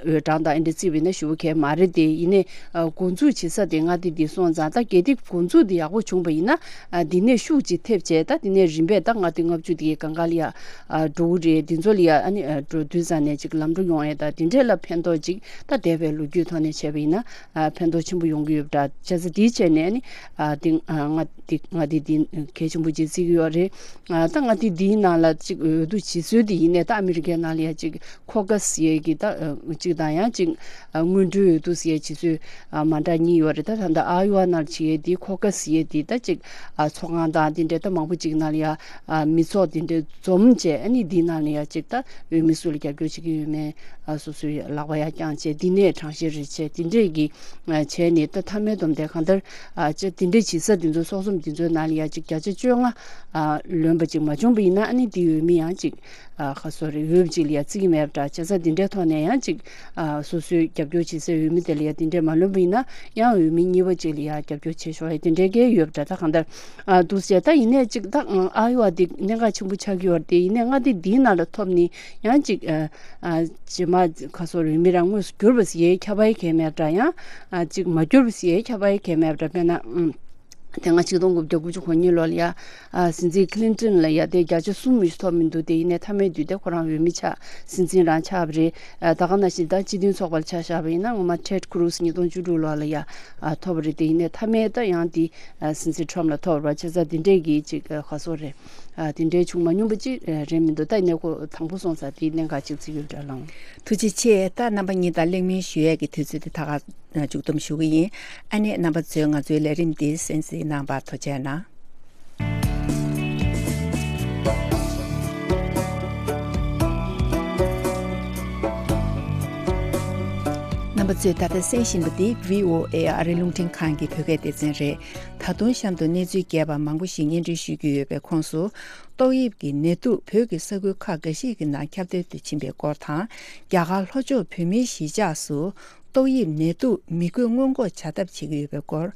འོས་གྲངས་དང་ཨེ་འདྲ་བརྩིས་པ་ཡིན་ན་ཞེ་པོ་གལ་མ་རེད་དེ། ཡིན་ནའི་ཨ་འགོ་འཛུགས་བྱེད་ས་དེ་མངའ་སྡེ་འདི་སོང་ཙང་། ད་གལ་ཏེ་འགོ་འཛུགས་འདི་ཡག་པོ་བྱུང་པ་ཡིན་ན། ཨ་འདི་ནས་ཤུགས་ཅིག་ཐེབས་བྱས། ད་འདི་ནས་རིམ་པས་ད་མངའ་སྡེ་ལྔ་བཅུ་དེ་གའི་གང་ག་ལ་ཡ་ཨ་འགྲོ་གི་རེད། འདི་ཚོ་ལ་ཡ་ཨ་ནི་ཨ་འགྲོ་དུས་ཙམ་ནས་ཅིག་ལམ་འགྲོ་ཡོང་ཡས་དང་དེ་འདྲས་ལ་ཕན་ཐོགས་ཅིག་ད་འདས་པའི་ལོ་རྒྱུས་ཐོག་ནས་བྱས་པ་ཡིན་ན། ཨ་ཕན་ཐོགས་ཆེན་པོ་ཡོང་གི་ཡོད་པ་འདྲ། བྱས་ཙང་དེའི་ཆ་ནས་ནི་ཨ་འདི་ཨ་མངའ་སྡེ་མངའ་སྡེ་འདི་གལ་ཆེན་པོ་ཅིག་བརྩི་གི་ཡོད་རེད། ཨ་ད་མངའ་སྡེ་འདིའི་ནང་ལ་ཅིག་འོས་བསྡུ་བྱེད་སྲོལ་འདི་ཡིན་ནའི། ད་ཨ་མི་རི་ཀའི་ནང་ལ་ཡ་ཅིག་ཁོ་ཀ་སི་ཟེར་ཡས་ཀྱི་ད་ཨ་གཅིག་དང་། ཡང་ཅིག་ཨ་སྔོན་འགྲོའི་འོས་བསྡུ་ཟེར་ཡས་བྱེད་སྲོལ་ཨ་མ་འདྲ་གཉིས་ཡོད་རེད། ད་ད་ལྟ་ཨ་ཡོ་ཝ་ནང་བྱེད་ཡས་འདི་ཁོ་ཀ་སི་ཟེར་ཡས་འདི་ད་ཅིག་ཨ་ཚོགས་ཁང་དང་འདི་འདྲའི་ད་མང་པོ་ཅིག་ནང་ལ་ཡ་ཨ་མི་ཚོགས་འདི་འདྲའི་འཛོམས་བྱས། ཨ་ནི་འདིའི་ནང་ལ་ཡ་ཅིག་ད་འོས་མི་སུ་ལ་རྒྱབ་སྐྱོར་བྱེད་ཀྱི་ཡོད་མེད་ཨ་སོ་སོའི་ལག་པ་ཡར་བརྐྱངས་བྱས། འདི་ནས་གྲངས་བཤེར་རེ་བྱས། འདི་འདྲས་ཀྱི་ཨ་བྱས་ནས་ད་མཐའ་མའི་བསྡོམས་ཏེ་གང་ལྟར་ཨ་ཅིག་འདི་འདྲས་བྱེད་ས་འདི་ཚོ་ཚོགས་ཚོམས་འདི་ཚོའི་ནང་ལ་ཡ་ཅིག་བརྒྱ་ཆ་བཅོ་ལྔ་ཨ་ལོན་པ་ཅིག་མ་བྱུང་པ་ཡིན་ན། ཨ་ནི་འདི་འོས་མི་ཡང་ཅིག་ཨ་ཁ་སོ་རེ་འོས་ཅིག་ལ་ཡ་བརྩི་གི་མེད་པ་འདྲ། བྱས་ཙང་འདི་འདྲའི་ཐོག་ནས་ཡང་ཅིག་ཨ་སོ་སོའི་རྒྱབ་སྐྱོར་བྱེད་སའི་འོས་མི་དེ་ལ་ཡ་འདི་འདྲས་མ་ལོན་པ་ཡིན་ན། ཡང་འོས་མི་གཉིས་པ་ཅིག་ལ་ཡ་རྒྱབ་སྐྱོར་བྱེད་ཆོག་ཡ་དེ་འདྲའི་གལ་ཡོད་པ་འདྲ། ད་གང་ལྟར་ཨ་འདུག་ཟེར། ད་ཡིན་ནའི་ཅིག་ད་ཨ་ཡོ་ཝ་འདི་གནད་འགག་ཆེན་པོ་ཆགས་ཀྱི་ཡོད་རེད་དེ། ཡིན་ནའི་མངའ་སྡེ་འདིའི་ནང་ལ་ཐོབ་ནི་ཡང་ཅིག་ཨ་ཨ་རྗེས་མ་ཁ་སོ་རེ་འོས་མི་རང་དངོས་སུ་གྱུར་པ་ཟེར་ཡའི་ཁྱབ་པ་ཡི་གལ་མེད་པ་འདྲ། ཡང་ཨ་ཅིག་མ་གྱུར་པ་ཟེར་ཡའི་ཁྱབ་པ་ཡི་གལ་མེད་པ་འདྲ། དཔེར་ན་ཨམ། དེ་སྔ་ཆིག་སྟོང་དགུ་བརྒྱ་དགུ་བཅུ་གོ་གཉིས་ལོ་ལ་ཡ། ཨ། སྲིད་འཛིན་ཁི་ལིན་ཏོན་ལ་ཡ་དེ་བརྒྱ་ཆ་གསུམ་མི་ཐོབ་མི་འདུག་དེ་ཡིན་ནའི་མཐའ་མའི་དུས་དེ་ཁོ་རང་འོས་མི་ཆགས། སྲིད་འཛིན་རང་ཆགས་པ་རེད། ཨ། ད་ག་ནང་བཞིན་ད་སྤྱི་མཐུན་ཚོགས་པར་ཆ་བཞག་པ་ཡིན་ན་ངོ་མ་ཊེཌ་ཁུ་རུ་སི་ཉིས་སྟོང་བཅུ་དྲུག་ལོ་ལ་ཡ། ཨ། ཐོབ་པ་རེད། དེ་ཡིན་ནའི་མཐའ་མའི་ད་ཡང་དེ། ཨ། སྲིད་འཛིན་ཊམ་ལ་ཐོབ་པ་བྱས་ཙང་དེ་འདྲའི་གི་ཅིག་ཨ། ག་ཚོད་རེད། ཨ། དེ་འདྲའི་བྱུང་མ་མྱོང་པ་ཅིག་རེད་མི་འདུག་ད་ཡིན་ནའི་ཁོ་དང་པོ་སོང་ཙང་དེའི་གནད་འགག་ཅིག་ཅིག་ཡོད་འདྲ་ལང་། ཐུགས་རྗེ་ཆེ། ད་རྣམ་པ་གཉིས་དང་གླེང་མོལ་ཞུ་ཡས་ཀྱི་དུས་ཚོད་དེ་ད་ག་མཇུག་བསྡོམས་ཞུ་གི་ཡིན། ཨ་ནི་རྣམ་པ་ཚོས་ང་ཚོའི་ལས་རིམ་འདི་གསན་གཟིགས་གནང་བར་ཐུགས་རྗེ་གནང་། རྣམ་པ་ཚོས་ད་ལྟ་གསན་བཞིན་པ་འདི་བྷི་ཨོ་ཨེ་ཨ་རིའི་རླུང་འཕྲིན་ཁང་གི་བོད་སྐད་སྡེ་ཚན་རེད། ད་དུང་གཤམ་དུ་གནས་ཚུལ་རྒྱས་པ་མང་པོ་ཞིག་སྙན་སྒྲོན་ཞུ་རྒྱུ་ཡོད་པའི་ཁོངས་སུ། ཏོག་དབྱིབས་ཀྱི་ནད་དུག་བོད་ཀྱི་ས་ཁུལ་ཁག་འགའ་ཞིག་གི་ནང་ཁྱབ་གདལ་དུ་ཕྱིན་པའི་སྐོར་དང་། རྒྱ་གར་ལྷོ་ཕྱོགས་བོད་མིའི་གཞིས་ཆགས་སུ་ཏོག་དབྱིབས་ནད་དུག་མི་འགོས་སྔོན་འགོག་བྱ་ཐབས་བྱེད་ཀྱི་ཡོད་པའི་སྐོར།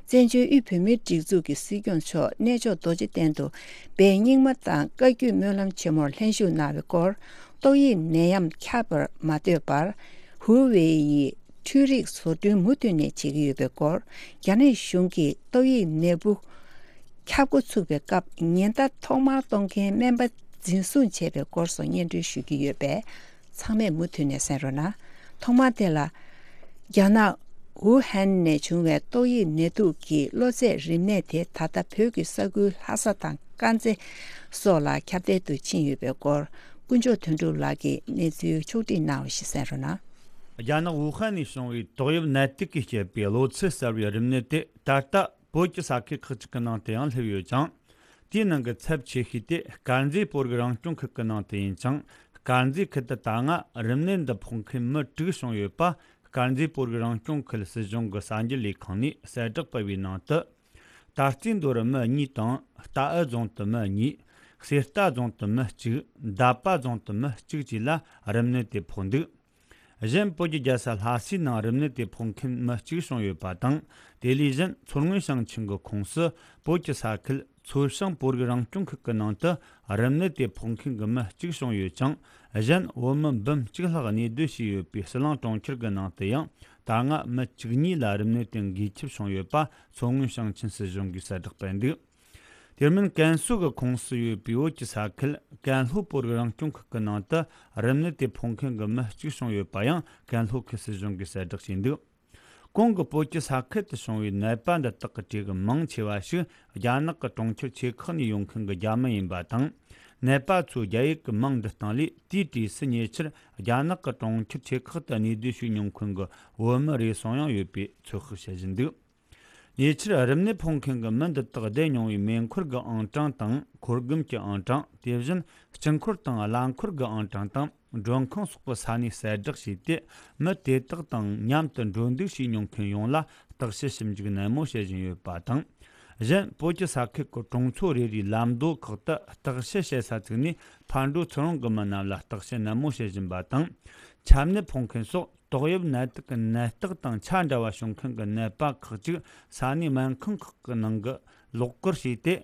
བཙན་བྱོལ་དབུས་བོད་མིའི་སྒྲིག་འཛུགས་ཀྱི་སྲིད་སྐྱོང་མཆོག་གནས་མཆོག་རྡོ་རྗེ་གདན་དུ་སྦས་རྙིང་མ་དང་བཀའ་བརྒྱུད་སྨོན་ལམ་ཆེན་མོར་ལྷན་ཞུགས་གནང་བའི་སྐོར། ཏོག་དབྱིབས་ནད་ཡམས་ཁྱབ་པར་མ་ལྟོས་པར། ཧུའུ་ཝེ་ཡི་འཕྲུལ་རིག་བཟོ་སྐྲུན་མུ་མཐུད་ནས་བྱེད་ཀྱི་ཡོད་པའི་སྐོར། རྒྱ་ནག་གཞུང་གིས་ཏོག་དབྱིབས་ནད་འབུ་ཁྱབ་འགོ་ཚུགས་པའི་སྐབས་ཉེན་བརྡ་ཐོག་མར་གཏོང་མཁན་སྨན་པ་འཛིན་བཟུང་བྱས་པའི་སྐོར་སོགས་སྙན་སྒྲོན་ཞུ་གི་ཡོད་པས། ཚང་མས་མུ་མཐུད་ནས་གསན་རོགས་གནང་། ཐོག་མར་དེ་ལ། རྒྱ་ནག་ཝུ་ཧན་ནས་བྱུང་བའི་ཏོག་དབྱིབས་ནད་དུག་གི་གློ་ཚད་རིམས་ནད་དེ་ད་ལྟ་བོད་ཀྱི་ས་ཁུལ་ལྷ་ས་དང་དཀར་མཛེས་སོགས་ལ་ཁྱབ་གདལ་དུ་ཕྱིན་ཡོད་པའི་སྐོར། དཀོན་མཆོག་དོན་གྲུབ་ལགས་ཀྱིས་གནས་ཚུལ་ཕྱོགས་བསྒྲིགས་གནང་བ་ཞིག་གསན་རོགས་གནང་། རྒྱ་ནག་ཝུ་ཧན་ནས་བྱུང་བའི་ཏོག་དབྱིབས་ནད་དུག་གིས་བསྐྱེད་པའི་གློ་ཚད་གསར་བའི་རིམས་ནད་དེ་ད་ལྟ་བོད་ཀྱི་ས་ཁུལ་ཁག་ཅིག་གི་ནང་དུ་ཡང་སླེབས་ཡོད་ཅིང་། དེའི་ནང་གི་ཚབས་ཆེ་ཤོས་དེ་དཀར་མཛེས་བོད་རིགས་རང་སྐྱོང་ཁུལ་གྱི་ནང་དུ་ཡིན་ཅིང་། དཀར་མཛེས་ཁུལ་དུ་ད་སྔ་རིམས་ནད་འདི་ཕོག་མཁན་མི་དྲུག་བྱུང་ཡོད་པ། དཀར་མཛེས་བོད་རིགས་རང་སྐྱོང་ཁུལ་སྲིད་གཞུང་གི་གསར་འགྱུར་ལས་ཁང་ནས་གསལ་བསྒྲགས་སྤེལ་བའི་ནང་དུ། ད་རྩིས་མདོ་རུ་མི་གཉིས་དང་རྟའུ་རྫོང་དུ་མི་གཉིས། གསེར་རྟ་རྫོང་དུ་མི་གཅིག། འདབ་པ་རྫོང་དུ་མི་གཅིག་བཅས་ལ་རིམས་ནད་དེ་ཕོག་འདུག་གཞན་བོད་ཀྱི་རྒྱལ་ས་ལྷ་སའི་ནང་རིམས་ནད་དེ་ཕོག་མཁན་མི་གཅིག་བྱུང་ཡོད་པ་དང་། དེ་ལས་གཞན་མཚོ་སྔོན་ཞིང་ཆེན་གྱི་ཁོངས་སུ་བོད་ཀྱི་ས་ཁུལ་མཚོ་བྱང་བོད་རིགས་རང་སྐྱོང་ཁུལ་གྱི་ནང་དུ་རིམས་ནད་དེ་ཕོག་མཁན་གྱི་མི་གཅིག་བྱུང་ཡོད་ཅིང་། གཞན་བོད་མི་འབུམ་གཅིག་ལྷག་གནས་སྡོད་བྱས་ཡོད་པའི་ཟི་ལིང་གྲོང་ཁྱེར་གྱི་ནང་དུ་ཡང་ད་སྔ་མི་བཅུ་གཉིས་ལ་རིམས་ནད་དེ་འགོས་ཁྱབ་བྱུང་ཡོད་པ་མཚོ་སྔོན་ཞིང་ཆེན་སྲིད་གཞུང་གིས་གསལ་བསྒྲགས་སྤེལ་འདུག་དེ་མིན་ཀན་སུའུ་གི་ཁོངས་སུ་ཡོད་པའི་བོད་ཀྱི་ས་ཁུལ་ཀན་ལྷོ་བོད་རིགས་རང་སྐྱོང་ཁུལ་གྱི་ནང་དུ་རིམས་ནད་དེ་ཕོག་མཁན་གྱི་མི་གཅིག་བྱུང་ཡོད་པ་ཡང་ཀན་ལྷོ་ཁུལ་སྲིད་གཞུང་གིས་གསལ་བསྒྲགས་བྱས་འདུག་གོང་གི་བོད་ཀྱི་ས་ཁུལ་དུ་བྱུང་བའི་ནད་པ་འདི་དག་གི་གྲས་ཀྱི་མང་ཆེ་བ་ཞིག་རྒྱ་ནག་གི་གྲོང་ཁྱེར་ཆེ་ཁག་ནས་ཡོང་མཁན་གྱི་རྒྱ་མི་ཡིན་པ་དང་། ནད་པ་ཚོས་རྒྱ་ཡིག་གི་མིང་འབྲི་སྟངས་ལས་དེའི་གྲས་སུ་ཉེ་ཆར་རྒྱ་ནག་གི་གྲོང་ཁྱེར་ཆེ་ཁག་ཏུ་གནས་སྡོད་བྱས་མྱོང་མཁན་གྱི་བོད་མི་རེ་ཟུང་ཡང་ཡོད་པའི་ཚོད་དཔག་བྱེད་བཞིན་འདུག་ཉེ་ཆར་རིམས་ནད་ཕོག་མཁན་གྱི་མི་འདི་དག་བསྡད་མྱོང་བའི་མེ་འཁོར་གྱི་ཨང་གྲངས་དང་། འཁོར་སྒམ་གྱི་ཨང་གྲངས། དེ་བཞིན་དཀྱིལ་འཁོར་དང་རླངས་འཁོར་གྱི་ཨང་གྲངས་དང་། མགྲོན་ཁང་སོགས་པའི་ས་གནས་གསལ་བསྒྲགས་བྱས་ཏེ། མི་དེ་དག་དང་མཉམ་དུ་འགྲོ་འདུག་བྱས་མྱོང་མཁན་ཡོངས་ལ་བརྟག་དཔྱད་ཞིབ་འཇུག་ནན་མོ་བྱེད་བཞིན་ཡོད་པ་དང་། གཞན་བོད་ཀྱི་ས་ཁུལ་གྱི་གྲོང་ཚོ་རེ་རེའི་ལམ་མདོ་ཁག་ཏུ་བརྟག་དཔྱད་བྱེད་ས་བཙུགས་ནས། ཕར་འགྲོ་ཚུར་འོང་གི་མི་རྣམས་ལ་བརྟག་དཔྱད་ནན་མོ་བྱེད་བཞིན་པ་དང་། ཆམ་ནད་ཕོག་མཁན་སོགས། ཏོག་དབྱིབས་ནད་དུག་གི་ནད་རྟགས་དང་ཆ་འདྲ་བ་བྱུང་མཁན་གྱི་ནད་པ་ཁག་ཅིག་ས་གནས་སྨན་ཁང་ཁག་གི་ནང་གི་ལོགས་བཀར་བྱས་ཏེ།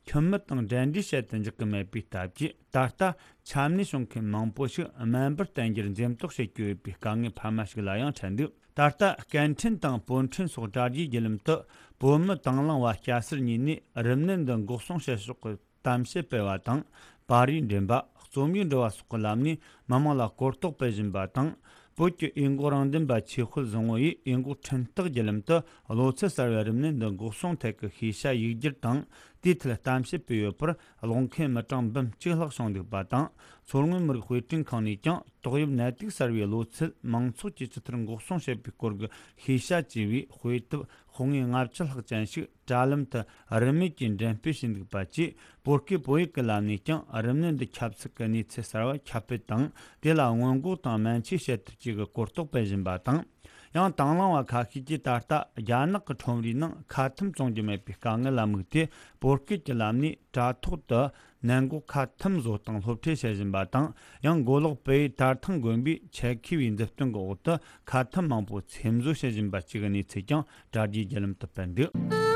ཁྱིམ་མི་དང་འབྲེལ་འདྲིས་བྱེད་དུ་འཇུག་གི་མེད་པའི་སྟབས་ཀྱིས། ད་ལྟ་ཆམ་ནད་བྱུང་མཁན་མང་པོ་ཞིག་སྨན་པར་བསྟེན་རྒྱུར་འཛེམ་དོགས་བྱེད་ཀྱི་ཡོད་པའི་དཀའ་ངལ་འཕར་མ་ཞིག་ལ་ཡང་འཕྲད་འདུག་ད་ལྟ་སྐད་འཕྲིན་དང་པོད་འཕྲིན་སོགས་དྲ་རྒྱའི་བརྒྱུད་ལམ་དུ་བོད་མི་དང་བླངས་པ་སྐྱ་སེར་གཉིས་ནས་རིམས་ནད་འདི་འགོག་སྲུང་བྱེད་ཕྱོགས་ཀྱི་གཏམ་བཤད་སྤེལ་བ་དང་། པར་རིས་འགྲེམས་པ། རྩོམ་ཡིག་འབྲི་བ་སོགས་ཀྱི་ལམ་ནས་མི་མང་ལ་གོ་རྟོགས་སྤེལ་བཞིན་པ་དང་། བོད་ཀྱི་འོས་འགོག་རང་བདེན་པ་ཆོས་དཔལ་བཟང་བོ་ཡིས་འོས་འགོག་འཕྲིན་སྟེགས་བརྒྱུད་ལམ་དུ་གློ་ཚད་གསར་བའི་རིམས་ནད་འདི་འགོག་སྲུང་ཐད་ཀྱི་ཤེས་བྱ་ཡིག་སྒྱུར་དང་། དེའི་ཐད་གཏམ་བཤད་སྤེལ་ཡོད་པར་ཀློག་མཁན་མི་གྲངས་འབུམ་གཅིག་ལྷག་བྱུང་འདུག་པ་དང་། མཚོ་སྔོན་མི་རིགས་དཔེ་སྐྲུན་ཁང་ནས་ཀྱང་ཏོག་དབྱིབས་ནད་དུག་གསར་བའི་གློ་ཚད་མང་ཚོགས་ཀྱིས་ཇི་ལྟར་འགོག་སྲུང་བྱེད་པའི་སྐོར་གྱི་ཤེས་བྱ་ཅེས་པའི་དཔེ་དེབ་དཔོན་ངོས་ལྔ་བཅུ་ལྷག་ཅན་ཞིག་དྲ་ལམ་དུ་རིན་མེད་ཀྱིས་འགྲེམས་སྤེལ་བྱས་འདུག་པ་བཅས། བོད་སྐད་བོད་ཡིག་གི་ལམ་ནས་ཀྱང་རིམས་ནད་འདི་ཁྱབ་ཚུལ་གྱི་གནས་ཚུལ་གསར་བ་ཁྱབ་སྤེལ་དང་། དེ་ལ་སྔོན་འགོག་དང་སྨན་བཅོས་བྱེད་ཐབས་བཅས་ཀྱི་གོ་རྟོགས་སྤེལ་བཞིན་པ་དང་། ཡང་དང་བླངས་པ་ཁ་ཤས་ཀྱིས་ད་ལྟ་རྒྱ་ནག་གི་ཁྲོམ་རའི་ནང་ཁ་ཐུམ་བཙོང་རྒྱུ་མེད་པའི་དཀའ་ངལ་ལ་དམིགས་ཏེ། བོད་སྐད་ཀྱི་ལམ་ནས་དྲ་ཐོག་ཏུ་ནད་འགོག་ཁ་ཐུམ་བཟོ་སྟངས་སློབ་ཁྲིད་བྱེད་བཞིན་པ་དང་། ཡང་མགོ་ལོག་བལ་ཡུལ་དར་ཐང་དགོན་པའི་ཆེད་མཁས་པའི་མཛུབ་སྟོན་གྱི་འོག་ཏུ་ཁ་ཐུམ་མང་པོ་ཚེམ་བཟོ་བྱེད་བཞིན་པ་བཅས་ཀྱི་གནས་ཚུལ་ཀྱང་དྲ་རྒྱའི་བརྒྱུད་ལམ་དུ་སྤེལ་འདུག་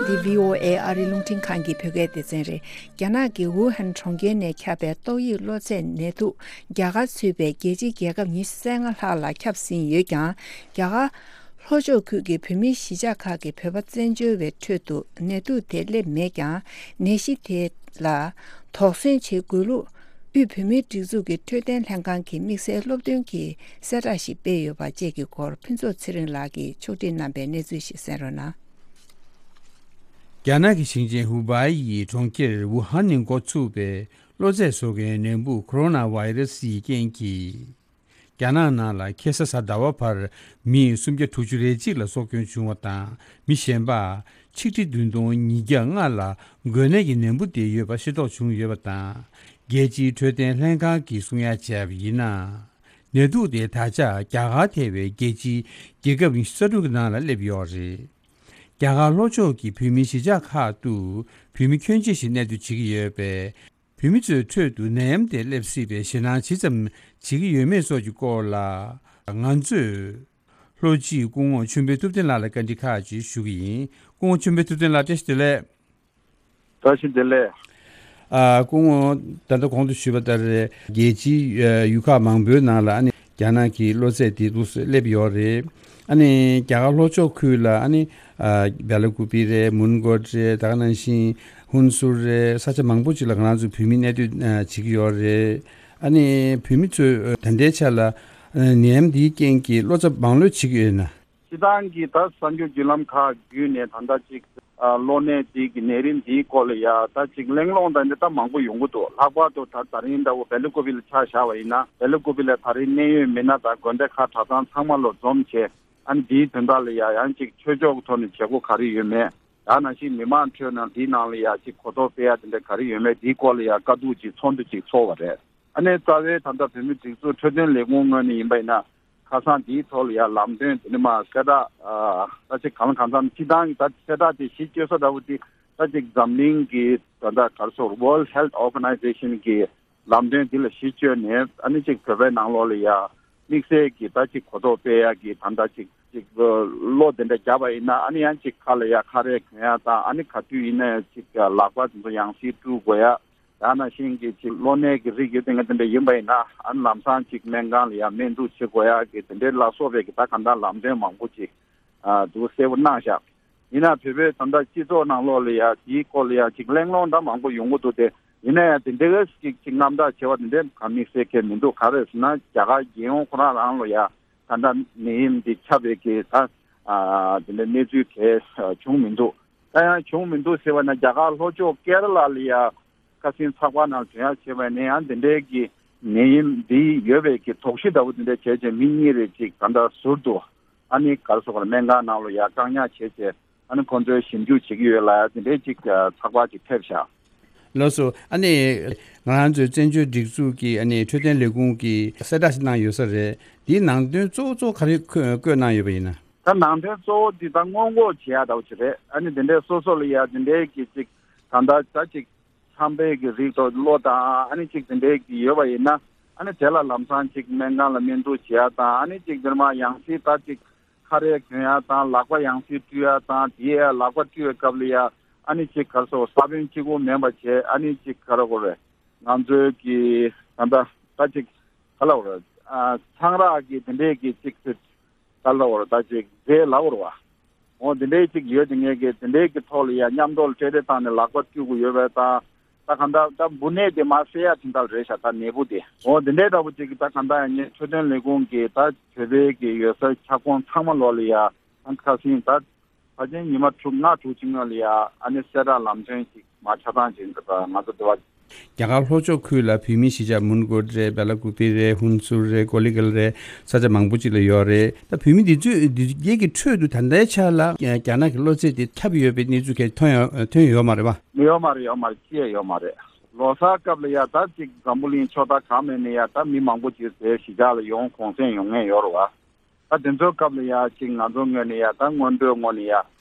འདི་བྷི་ཨོ་ཨེ་ཨ་རིའི་རླུང་འཕྲིན་ཁང་གི་བོད་སྐད་སྡེ་ཚན་རེད། རྒྱ་ནག་གི་ཝུ་ཧན་གྲོང་ཁྱེར་ནས་ཁྱབ་པའི་ཏོག་དབྱིབས་གློ་ཚད་ནད་དུག་རྒྱ་གར་ཚུད་པའི་རྒྱལ་སྤྱིའི་རྒྱལ་ཁབ་ཉི་ཤུ་རྩ་ལྔ་ལྷག་ལ་ཁྱབ་ཟིན་ཡོད་ཀྱང་། རྒྱ་གར་ལྷོ་ཕྱོགས་ཁུལ་གྱི་བོད་མིའི་གཞིས་ཆགས་ཁག་གི་བོད་པ་བཙན་བྱོལ་བའི་ཁྲོད་དུ་ནད་དུག་དེ་སླེབས་མེད་ཀྱང་། ནད་གཞི་དེ་ལ་དོགས་ཟོན་བྱེད་དགོས་ལུགས། དབུས་བོད་མིའི་སྒྲིག་འཛུགས་ཀྱི་འཕྲོད་བསྟེན་ལྷན་ཁང་གི་དམིགས་བསལ་སློབ་སྟོན་གྱི་གསལ་བསྒྲགས་ཤིག་སྤེལ་ཡོད་པ་བཅས་ཀྱི་སྐོར་ཕུན་ཚོགས་ཚེ་རིང་ལགས་ཀྱིས་ཕྱོགས་སྒྲིག་གནང་པའི་གནས་ཚུལ་ཞིག་གསན་རོགས་གནང་། རྒྱ་ནག་གི་ཞིང་ཆེན་ཧུ་པའེ་ཡི་གྲོང་ཁྱེར་ཝུ་ཧན་ནས་འགོ་ཚུགས་པའི་གློ་ཚད་བཟོ་མཁན་ནད་འབུ་ཁོ་རོ་ན་བྷའི་རེ་སི་ཡི་རྐྱེན་གྱིས། རྒྱ་ནག་ནང་ལ་ཁ་སང་གཟའ་ཟླ་བ་བར་མི་སུམ་བརྒྱ་དྲུག་ཅུ་རེ་གཅིག་ལ་སྲོག་སྐྱོན་བྱུང་བ་དང་། མི་གཞན་པ་ཆིག་ཁྲི་བདུན་སྟོང་ཉིས་བརྒྱ་ལྔ་ལ་འགོས་ནད་ཀྱི་ནད་འབུ་དེ་ཡོད་པ་ཤེས་རྟོགས་བྱུང་ཡོད་པ་དང་། རྒྱལ་སྤྱིའི་འཕྲོད་བསྟེན་ལྷན་ཁང་གིས་གསུང་ཡ་བྱས་པ་ཡིན་ན། ནད་དུག་དེ་ད་ཆ་རྒྱ་གར་ཐེ་བའི་རྒྱལ་སྤྱིའི་རྒྱལ་ཁབ་ཉི་ཤུ་རྩ་དྲུག་གི་ནང་ལ་སླེབས་ཡོད་རེད། རྒྱ་གར་ལྷོ་ཕྱོགས་ཀྱི་བོད་མིའི་གཞིས་ཆགས་ཁག་ཏུ་བོད་མི་ཁྱོན་ཆེ་ཞིག་གནས་སྡོད་བྱེད་ཀྱི་ཡོད་པས། བོད་མི་ཚོའི་ཁྲོད་དུ་ནད་ཡམས་དེ་སླེབས་སྲིད་པའི་ཞེད་སྣང་ཇི་ཙམ་བྱེད་ཀྱི་ཡོད་མེད་སོགས་ཀྱི་སྐོར་ལ། ང་ཚོས་ལྷོ་སྤྱིའི་སྐུ་ངོ་ཆོས་འཕེལ་ཐུབ་བསྟན་ལགས་ལ་བཀའ་འདྲི་ཁག་ཅིག་ཞུ་གི་ཡིན། སྐུ་ངོ་ཆོས་འཕེལ་ཐུབ་བསྟན་ལགས། བཀྲ་ཤིས་བདེ་ལེགས། བཀྲ་ཤིས་བདེ་ལེགས། ཨ། སྐུ་ངོ། ད་ལྟ་གོང་དུ་ཞུས་པ་ལྟར། རྒྱལ་སྤྱིའི་ཡུལ་ཁག་མང་པོའི་ནང་ལ་ཨ་ནི་རྒྱ་ནག་གི་གློ་ཚད་དེ་འདུག་སེ་སླེབས་ཡོད་རེད། ཨ་ནི་རྒྱ་གར་ལྷོ་ཕྱོགས་ཁུལ་ལ་ཨ་ནི། ཨ། བེ་ལ་ཀུ་པི་རེད། མོན་གྷོ་རེད། ད་ག་ནང་བཞིན་ཧུན་སུར་རེད། ས་ཆ་མང་པོ་ཅིག་ལ་ང་རང་ཚོ་བོད་མི་གནས་སྡོད་བྱེད་ཀྱི་ཡོད་རེད། ཨ་ནི་བོད་མི་ཚོས་ད་ལྟའི་ཆ་ལ་ནད་ཡམས་འདིའི་རྐྱེན་གྱིས་བློ་འཚབ་མང་ལོས་བྱེད་ཀྱི་ཡོད་ན། སྤྱིར་བཏང་གི་ད་གསར་འགྱུར་བརྒྱུད་ལམ་ཁག་བརྒྱུད་ནས་ད་ལྟ་ཅིག་ཨ། གློ་ནད་འདི་གི་ནད་རིམས་འདིའི་སྐོར་ལ་ཡ་ད་ཅིག་གླེང་སློང་དང་འདི་ད་མང་པོ་ཡོང་གི་འདུག་ལྷག་པར་དུ་ད་ད་རིང་འདྲ་བོ་བེ་ལ་ཀུ་པི་ལ་ཆ་བཞག་པ་ཡིན་ན། བེ་ལ་ཀུ་པི་ལ་ད་རིང་གནད་ཡོད་མི་སྣ་དང་དགོན་སྡེ་ཁག་གྲྭ་ཚང་ཚང་མ་ལོ་འཛོམས་བྱས། ཨ་ནི་འདིའི་དོན་དག་ལ་ཡ་ཡང་ཅིག་ཆོས་ཕྱོགས་ཀྱི་ཐོག་ནས་བྱེད་སྒོ་ག་རེ་ཡོད་མེད། ད་ནང་བཞིན་མི་མང་ཁྲོད་ནང་འདིའི་ནང་ལ་ཡ་ཅིག་གོ་རྟོགས་སྤེལ་ཡ་དེ་འདྲ་ག་རེ་ཡོད་མེད། འདིའི་སྐོར་ལ་ཡ་བཀའ་བསྡུར་ཅིག་ཚོགས་འདུ་ཅིག་ཚོགས་པ་རེད། ཨ་ནི་རྩ་བའི་ད་ལྟ་བོད་མི་སྒྲིག་འཛུགས་འཕྲོད་བསྟེན་ལས་ཁུངས་ངོས་ནས་ཡིན་པ་ཡིན་ན། ཁ་སང་འདིའི་ཐོག་ལ་ཡ་ལམ་སྟོན་དེ་ནི་མ་གསལ་བསྒྲགས། ཨ། ད་ཅིག་གང་ལ་གང་འཚམ་སྤྱིར་བཏང་གི་ད་གསལ་བསྒྲགས་དེ་གཞི་བཅོལ་ས་འདྲ་བོ་དེ་ད་ཅིག་འཛམ་གླིང་གི་ད་ལྟ་ག་རེ་ཟེར། World Health Organization གི་ལམ་སྟོན་འདི་ལ་གཞི་བཅོལ་ནས། ཨ་ནི་ཅིག་བོད་པའི་ནང་ལོགས་ལ་ཡ་དམིགས་བསལ་གྱི་ད་ཅིག་གོ་རྟོགས་སྤེལ་ཡ་གི་ད་ལྟ་ཅིག་ཅིག་བློ་དེ་འདྲ་བརྒྱབ་པ་ཡིན་ན། ཨ་ནི་ཡང་ཅིག་ཁ་ལ་ཡ་ཁ་རས་གྱོན་ཡ་དང་། ཨ་ནི་ག་དུས་ཡིན་ན་ཡང་ཅིག་ལག་པ་དེ་ཚོ་ཡང་སེ་བཀྲུ་དགོས་ཡ། ཡང་ན་ཤིང་གི་ཅིག་གློ་ནད་ཀྱི་རིགས་ཡོད་དེ་འདྲ་ཡིན་པ་ཡིན་ན། ཨ་ནི་ལམ་སང་ཅིག་སྨན་ཁང་ལ་ཡ་སྨན་བསྡུར་བྱེད་དགོས་ཡ་གི་དེ་འདྲའི་ལ་སོགས་པའི་གི་ད་གང་ལྟར་ལམ་སྟོན་མང་པོ་ཅིག་ཨ་འདུག་གསལ་པོ་གནང་བཞག་ཡིན་ན་བོད་པའི་ད་ལྟ་སྤྱི་ཚོགས་ནང་ལོགས་ལ་ཡ་དེའི་སྐོར་ལ་ཡ་ཅིག་གླེང་སློང་ད་མང་པོ་ཡོང་གི་འདུག་སྟེ། ཡིན་ན་ཡང་དེ་འདྲའི་ཅིག་ཅིག་རྣམ་དག་ཆེ་བ་དེ་འདྲའི་ག་དམིགས་བསལ་གང་མི་འདུག་ག་རེ་ཟེར་ན། རྒྱ་གར་རྒྱལ་ཡོངས་ཁོ་རང་རང་ལ་ཡ་ད་ལྟ་ནད་ཡམས་འདི་ཁྱབ་པའི་གི་ད་ཨ་དེ་འདྲའི་གནས་ཚུལ་གང་བྱུང་མི་འདུག་ད་ཡང་བྱུང་མི་འདུག་ཟེར་བ་ན། རྒྱ་གར་ལྷོ་ཕྱོགས་ཀེ་ར་ལ་ལ་ཡ་ཁ་སང་ཚགས་པར་ནང་ཐོན་ཡ་བྱས་པ་ནས་ཡང་དེ་འདྲའི་གི་ནད་ཡམས་འདི་ཡོད་པའི་གི་དོགས་གཞི་འདྲ་བོ་དེ་འདྲ་བྱས་བྱས། མི་གཉིས་རེ་ཅིག་ད་ལྟ་ཟུར་དུ་ཨ་ནི་ག་རེ་ཟེར་དགོས་རེད། སྨན་ཁང་ནང་ལ་ཡ་བཀག་ཉར་བྱས་བྱས། ཨ་ནི་ཁོང་ཚོས་ཞིབ་འཇུག་བྱེད་ཀྱི་ཡོད་ལ་ཡ་དེ་འདྲའི་ཅིག་ཚགས་པར་ཅིག་ཕེབས་ཤག་ལགས་སོ། ཨ་ནི་ང་རང་ཚོའི་བཙན་བྱོལ་སྒྲིག་འཛུགས་ཀྱི་ཨ་ནི་འཕྲོད་བསྟེན་ལས་ཁུངས་ཀྱིས་གསལ་བསྒྲགས་ཤིག་གནང་ཡོད་ས་རེད། དེའི་ནང་དོན་གཙོ་བོ་གཙོ་བོ་ག་རེ་བཀོད་བཀོད་གནང་ཡོད་པ་ཡིན་ན། ད་ནང་དོན་གཙོ་བོ་འདི་ད་སྔོན་འགོག་བྱེད་ཡ་འདྲ་བོ་ཅིག་རེད། ཨ་ནི་དེ་འདྲའི་སོ་སོ་ལ་ཡ་དེ་འདྲའི་གི་ཅིག་ད་ལྟ་ད་ཅིག་ཆམ་པའི་གི་རིགས་དང་གློ་དང་ཨ་ནི་ཅིག་དེ་འདྲའི་གི་ཡོད་པ་ཡིན་ན། ཨ་ནི་དེ་ལ་ལམ་སང་ཅིག་སྨན་ཁང་ལ་སྨན་བསྡུར་བྱེད་ཡ་དང་། ཨ་ནི་ཅིག་དེར་མ་ཡང་སྲིད་ད་ཅིག་ཁ་རས་གྱོན་ཡ་དང་། ལག་པ་ཡང་སྲིད་བཀྲུ་ཡ་དང་། དེ་ཡ་ལག་པ་བཀྲུ་བའི་སྐབས་ལ་ཡ་ཨ་ནི་ཅིག་ག་རེ་ཟེར། ས་བོན་གཅིག་པོ་མིན་པ་བྱས། ཨ་ནི་ཅིག་ག་རེ་ཟེར་དགོས་རེད། ང་ཚོའི་གི་ད་ལྟ་ད་ཅིག་ག་རེ་ཟེར་དགོས་རེད། ཨ། ཚང་རག་གི་དེ་འདྲའི་གི་ཅིག་ཅིག་ག་རེ་ཟེར་དགོས་རེད། ད་ཅིག་རྫས་ལབ་དགོས་རེད་བ། འོ་དེ་འདྲའི་ཅིག་ཡོད་དེ། ངས་གི་དེ་འདྲའི་གི་ཐོག་ལ་ཡ་མཉམ་དུ་ལ་སྤྲེལ་རེ་བཏང་ནས་ལག་པ་བཀྲུ་དགོས་ཡོད་པ་དང་། ད་གང་ལྟར་ད་འབུ་ནད་དེ་མར་སེལ་ཡ་དེ་འདྲ་རེད་ཤག་ད་ནད་འབུ་དེ། འོ་དེ་འདྲའི་འདྲ་བོ་ཅིག་གི་ད་གང་ལྟར་ཡང་ངས་འཕྲོད་བསྟེན་ལས་ཁུངས་ཀྱི་ད་བོད་པའི་གི་ཡོད་སའི་ཁྱབ་ཁོངས་ཚང་མ་ལོག་ལ་ཡ། ཨ། ཁ་སང་ད་ཕལ་ཆེར་ཉི་མ་དྲུག་ལྔ་དྲུག་ཅིག་སྔོན་ལ་ཡ་ཨ་ནི་གསལ་བསྒྲགས་ལམ་སྟོན་ཅིག་མར་ཆ་ཚང་ཅིག་ད་ང་ཚོ་འདི་བ། རྒྱ་གར་ལྷོ་ཕྱོགས་ཁུལ་ལ་བོད་མིའི་གཞིས་ཆགས་མོན་གྷོ་རེད། བེ་ལ་ཀུ་པི་རེད། ཧུན་སུར་རེད། ཀོ་ལི་གྷལ་རེད། ས་ཆ་མང་པོ་ཅིག་ལ་ཡོད་རེད། ད་བོད་མི་འདི་ཚོས་འདི་གའི་གི་ཁྲོད་དུ་ད་ལྟའི་ཆ་ལ་རྒྱ་ནག་གི་གློ་ཚད་དེ་ཁྱབ་ཡོད་པའི་གནས་ཚུལ་གང་ཐོན་ཡོད་ཐོན་ཡོད་མ་རེད་བ། ཡོད་མ་རེད། ཡོད་མ་རེད། ཅི་ཡང་ཡོད་མ་རེད། ལོ་གསར་སྐབས་ལ་ཡ་ད་ཅིག་འཛམ་བུ་གླིང་ཕྱོགས་མཐའ་གང་མེད་ནས་ཡ་ད་མི་མང་པོ་ཅིག་དེ་གཞིས་ཆགས་ལ་ཡོང་གུང་སེང་ཡོང་མཁན་ཡོད་རེད་བ། ད་དེ་ཚོའི་སྐབས་ལ་ཡ་ཅིག་ང་ཚོ་ངོས་ནས་ཡ་ད་སྔོན་འགྲོའི་ངོས་ནས་ཡ་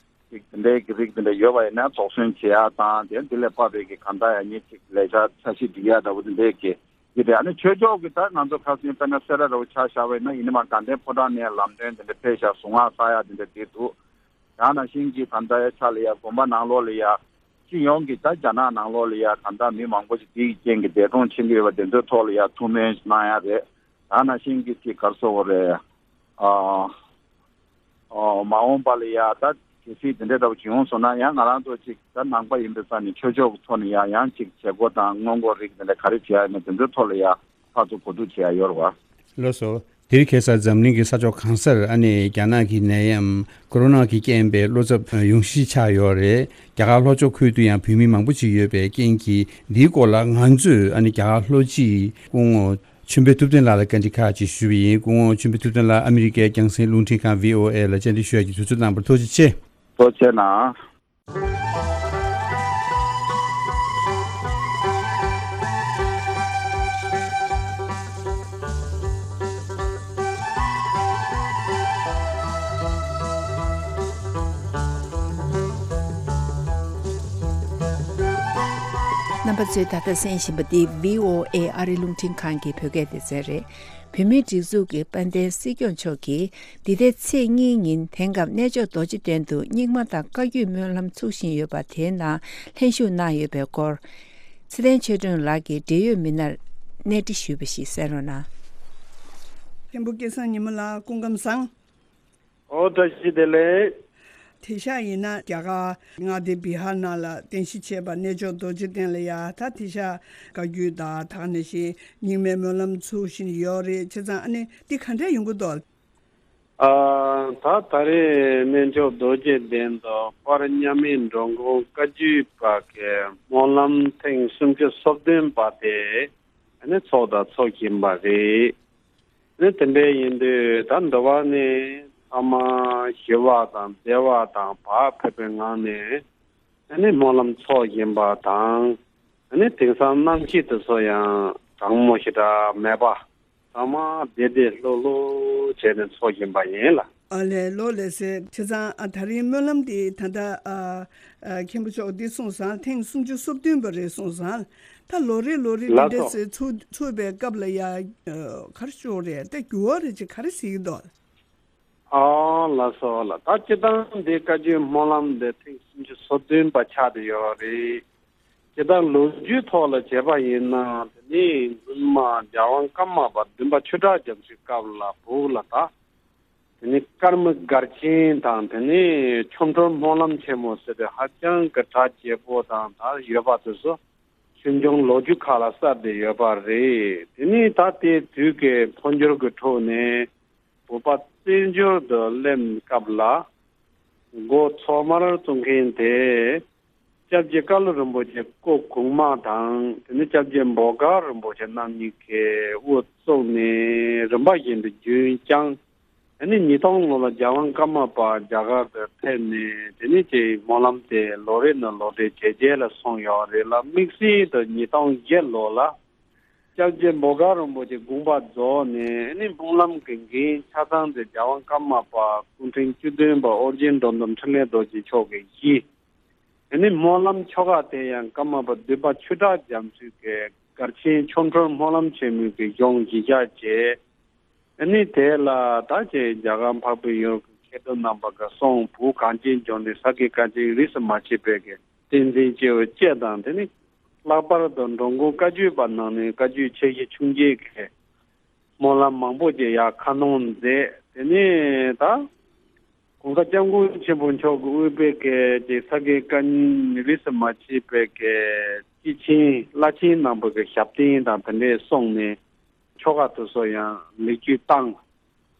ཅིག་དེ་འདྲའི་གི་རིགས་དེ་འདྲ་ཡོད་པ་ཡིན་ན་དོགས་ཟོན་བྱེད་ཡ་དང་། དེ་འདི་ལས་ཕབ་པའི་གི་གང་ལྟར་ཡ་ངས་ཅིག་ལས་འཆར་འཆར་གཞི་སྒྲིག་ཡ་འདྲ་བོ་དེ་འདྲའི་གི་ཡིན་ཏེ། ཨ་ནི་ཆོས་ཕྱོགས་ཀྱི་ད་ང་ཚོ་ཁ་སང་དཔེར་ན་སེ་ར་འདྲ་བོ་ཆ་བཞག་པ་ཡིན་ན། ཡིན་ནའི་མ་དགའ་ལྡན་ཕོ་བྲང་ནས་ལམ་སྟོན་དེ་འདྲ་ཕེབས་ཤག་གཟུངས་སྔགས་བསགས་ཡ་དེ་འདྲ་དེ་འདུག་ད་ནང་བཞིན་གྱི་ད་ལྟ་ཡ་ཆ་ལ་ཡ་དགོན་པ་ནང་ལོགས་ལ་ཡ་སྤྱི་ཡོངས་ཀྱི་ད་རྒྱ་ནག་ནང་ལོགས་ལ་ཡ་ད་ལྟ་མི་མང་པོ་ཞིག་འདི་ཡི་རྐྱེན་གྱིས་འདས་གྲོངས་ཕྱིན་གྱི་ཡོད་པ་དེ་ཚོའི་ཐོག་ལ་ཡ་ཐུགས་སྨོན་གནང་ཡ་རེད། ད་ནང་བཞིན་གྱི་ཅིག་ག་རེ་ཟེར་དགོས་རེད། ཨ། ཨོ། མ་འོངས་པ་ལ་ཡ་ད་གལ་སྲིད་དེ་འདྲའི་འདྲ་བོ་ཅིག་ཡོང་སོང་ན་ཡང་ང་རང་ཚོ་ཅིག་ད་ནང་པ་ཡིན་པའི་ས་ནས་ཆོས་ཕྱོགས་ཀྱི་ཐོག་ནས་ཡང་ཡང་ཅིག་བྱེད་སྒོ་དང་སྔོན་འགོག་རིགས་དེ་འདྲ་ག་རེ་བྱེད་ཡ་ཡིན་ན་དེ་ཚོའི་ཐོག་ལ་ཡ་ཕར་ཚུར་གོ་བསྡུར་བྱེད་ཡ་ཡོད་རེད་བ། ལགས་སོ། དེ་རིང་ཁ་སང་འཛམ་གླིང་གི་ས་ཕྱོགས་གང་སར་ཨ་ནི་རྒྱ་ནག་གི་ནད་ཡམས་ཀོ་རོ་ན་གི་རྐྱེན་པས་བློ་འཚབ་ཡོང་གཞི་ཆགས་ཡོད་རེད། རྒྱ་གར་ལྷོ་ཕྱོགས་ཁུལ་དུ་ཡང་བོད་མི་མང་པོ་ཅིག་ཡོད་པའི་རྐྱེན་གྱིས་འདིའི་སྐོར་ལ་ང་ཚོས་ཨ་ནི་རྒྱ་གར་ལྷོ་སྤྱི་སྐུ་ངོ་ཆོས་འཕེལ་ཐུབ་བསྟན་ལགས་ལ་བཀའ་འདྲི་ཁག་ཅིག་ཞུས་པ་ཡིན། སྐུ་ངོ་ཆོས་འཕེལ་ཐུབ་བསྟན་ལགས་ཨ་མི་རི་ཀའི་རྒྱང་སྲིང་རླུང་འཕྲིན་ཁང་བྷི་ཨོ་ཨེ་ལ་བཅར་འདྲི་ཞུ་ཡག་གི་དུས་ཚོད་གནང་བར་ཐུགས་རྗེ་ཆེ། ཐུགས་རྗེ་གནང་། རྣམ་པ་ཚོས་ད་ལྟ་གསན་བཞིན་པ་འདི་བྷི་ཨོ་ཨེ་ཨ་རི་རླུང་འཕྲིན་ཁང་གི་བོད་སྐད་སྡེ་ཚན་རེད། བོད་མིའི་སྒྲིག་འཛུགས་ཀྱི་དཔལ་ལྡན་སྲིད་སྐྱོང་མཆོག་གིས་འདི་ཟླའི་ཚེས་གཉིས་ཉིན་དེང་སྐབས་གནས་མཆོག་རྡོ་རྗེ་གདན་དུ་རྙིང་མ་དང་བཀའ་བརྒྱུད་སྨོན་ལམ་ཚུགས་བཞིན་ཡོད་པ་དེའི་ནང་ལྷན་ཞུགས་གནང་ཡོད་པའི་སྐོར། ཚེ་བརྟན་ཆོས་སྒྲོན་ལགས་ཀྱིས་འབྲེལ་ཡོད་མི་སྣར་གནས་འདྲི་ཞུས་པ་ཞིག་གསན་རོགས་གནང་། མཁན་པོ་སྐལ་བཟང་ཉི་མ་ལགས་སྐུ་ཁམས་བཟང་། ཨོ་བཀྲ་ཤིས་བདེ་ལེགས། དེང་སང་ཡིན་ན་རྒྱ་གར་མངའ་སྡེ་བི་ཧར་ནང་ལ་རྟེན་གཞི་བྱས་པ་གནས་མཆོག་རྡོ་རྗེ་གདན་ལ་ཡ་ད་དེང་སང་བཀའ་བརྒྱུད་དང་ད་ག་ནང་བཞིན་རྙིང་མའི་སྨོན་ལམ་ཚུགས་བཞིན་ཡོད་རེད། བྱས་ཙང་ཨ་ནི་འདི་ག་འདྲས་ཡོང་གི་འདུག་ཨ། ད་ད་རེས་གནས་མཆོག་རྡོ་རྗེ་གདན་དུ་དཔལ་མཉམ་མེད་འགྲོ་མགོན་བཀའ་བརྒྱུད་པ་གི་སྨོན་ལམ་ཐེངས་སུམ་ཅུ་སོ་བདུན་པ་དེ་ཨ་ནི་ཚོགས་དང་ཚོགས་བཞིན་པ་རེད། ནི་དེ་འདྲ་ཡིན་དུས་ད་འདི་བ་ནི་ཚང་མ་ཞི་བ་དང་བདེ་བ་དང་བག་ཕེབས་པའི་ངང་ནས་ཨ་ནི་སྨོན་ལམ་ཚོགས་བཞིན་པ་དང་། ཨ་ནི་དེང་སང་གནམ་གཤིས་དེ་ཚོ་ཡང་གྲང་མོ་ཞེ་དྲག་མེད་པ། ཚང་མ་བདེ་བདེ་ལྷོད་ལྷོད་བྱས་ནས་ཚོགས་བཞིན་པ་ཡིན་ལ། ཨ་ལས་ལོ་ལས་སེ་བྱས་ཙང་ཨ་ད་རིང་སྨོན་ལམ་འདི་ད་ལྟ་ཨ་ཨ་མཁན་པོ་མཆོག་འདི་གསུངས་སོང་། ཐེངས་སུམ་ཅུ་སོ་བདུན་པ་རེད་གསུངས་སོང་། ད་ལོ་རེ་ལོ་རེ་འདི་ལགས་འདྲ་སོ། སེ་ཚུགས་ཚུགས་པའི་སྐབས་ལ་ཡ་ཨ་ག་རེ་ཤོག་རེད་ད་འགྱུར་བ་རེད་ཅེས་ག་རེ་ཟེར་གྱི་འདུག་ཨ་ལགས་སོ་ལགས། ད་སྤྱིར་བཏང་འདི་བཀའ་བརྒྱུད་སྨོན་ལམ་འདི་ཐེངས་སུམ་ཅུ་སོ་བདུན་པ་ཆགས་བསྡད་ཡོད་རེད། སྤྱིར་བཏང་ལོ་རྒྱུས་ཐོག་ལ་བྱས་པ་ཡིན་ན་དེ་ནི་སྔོན་མ་རྒྱལ་དབང་ཀརྨ་པ་བདུན་པ་ཆོས་གྲགས་རྒྱ་མཚོའི་སྐབས་ལ་བོད་ལ་ད། དེ་ནི་ཀརྨ་སྒར་ཆེན་དང་དེ་ནི་ཆོ་འཕྲུལ་སྨོན་ལམ་ཆེན་མོ་ཟེར་ཏེ་ཧ་ཅང་གི་གྲགས་ཆེ་པོ་དང་ད་ཡོད་པ་དེ་ཚོ་ཆོས་འབྱུང་ལོ་རྒྱུས་ཁག་ལ་གསལ་ཏེ་ཡོད་པ་རེད། དེ་ནི་ད་ལྟའི་དུས་ཀྱི་འཕོ་འགྱུར་གྱི་ཁྲོད་ནས་བོད་པ་བཙན་བྱོལ་དུ་སླེབས་སྐབས་ལ་འགོ་ཐོག་མར་བཙུགས་མཁན་དེ། སྐྱབས་རྗེ་ཀ་ལུ་རིན་པོ་ཆེ་སྐུ་གོང་མ་དང་དེ་ནས་སྐྱབས་རྗེ་འབོ་དཀར་རིན་པོ་ཆེ་རྣམ་གཉིས་ཀྱིས་དབུ་བཙུགས་ནས་རིམ་པ་བཞིན་དུ་རྒྱུན་བསྐྱངས། དེ་ནས་ཉིས་སྟོང་ལོ་ལ་རྒྱལ་དབང་ཀརྨ་པ་རྒྱ་གར་དུ་ཕེབས་ནས་དེ་ནས་ཀྱི་སྨོན་ལམ་དེ་ལོ་རེ་ནས་ལོ་རེ་ཇེ་རྒྱས་ལ་སོང་ཡོད་རེད་ལ། དམིགས་བསལ་དུ་ཉིས་སྟོང་བརྒྱད་ལོ་ལ་སྐྱབས་རྗེ་འབོ་དཀར་རིན་པོ་ཆེ་དགོངས་པ་རྫོགས་ནས་དེ་ནས་སྨོན་ལམ་གྱི་འགན་ཆ་ཚང་དེ་རྒྱལ་དབང་ཀརྨ་པ་སྐུ་ཕྲེང་བཅུ་བདུན་པ་ཨོ་རྒྱན་འགྲོ་འདུལ་འཕྲིན་ལས་རྡོ་རྗེ་མཆོག་གིས་བཞེས། དེ་ནས་སྨོན་ལམ་ཆོ་ག་དེ་ཡང་ཀརྨ་པ་བདུན་པ་ཆོས་གྲགས་རྒྱ་མཚོས་ཀྱི་སྒར་ཆེན་ཆོ་འཕྲུལ་སྨོན་ལམ་ཆེན་མོའི་གི་གཞུང་གཞི་བཞག་བྱས། དེ་ནས་དེ་ལ་ད་ཅེ་རྒྱ་གར་འཕགས་པའི་ཡུལ་གྱི་མཁས་གྲུབ་རྣམ་པ་གི་གསུང་བོད་གངས་ཅན་ལྗོངས་ནས་ས་དགེ་བཀའ་དྲིན་རིས་སུ་མ་ཆད་པའི་གི་བསྟན་འཛིན་སྐྱེས་བུ་བཅས་དང་དེ་ནས་ལྷག་པར་དུ་འགྲོ་མགོན་བཀའ་བརྒྱུད་པ་ནང་ནས་བཀའ་བརྒྱུད་ཆེ་བཞི་ཆུང་བརྒྱད་ཀྱི་སྨོན་ལམ་མང་པོ་ཅིག་ཡར་ཁ་སྣོན་མཛད། དེ་ནས་ད་གོང་ས་སྐྱབས་མགོན་ཆེན་པོ་མཆོག་གིས་དབུས་པའི་གི་ཅིག་ས་དགེ་བཀའ་རྙིང་རིས་སུ་མ་ཆད་པའི་གི་སྐྱེས་ཆེན་བླ་ཆེན་རྣམ་པ་གི་ཞབས་བརྟན་དང་དེ་འདྲའི་གསུངས་ནས་ཆོ་ག་དེ་ཚོ་ཡང་ལེགས་བཅོས་བཏང་།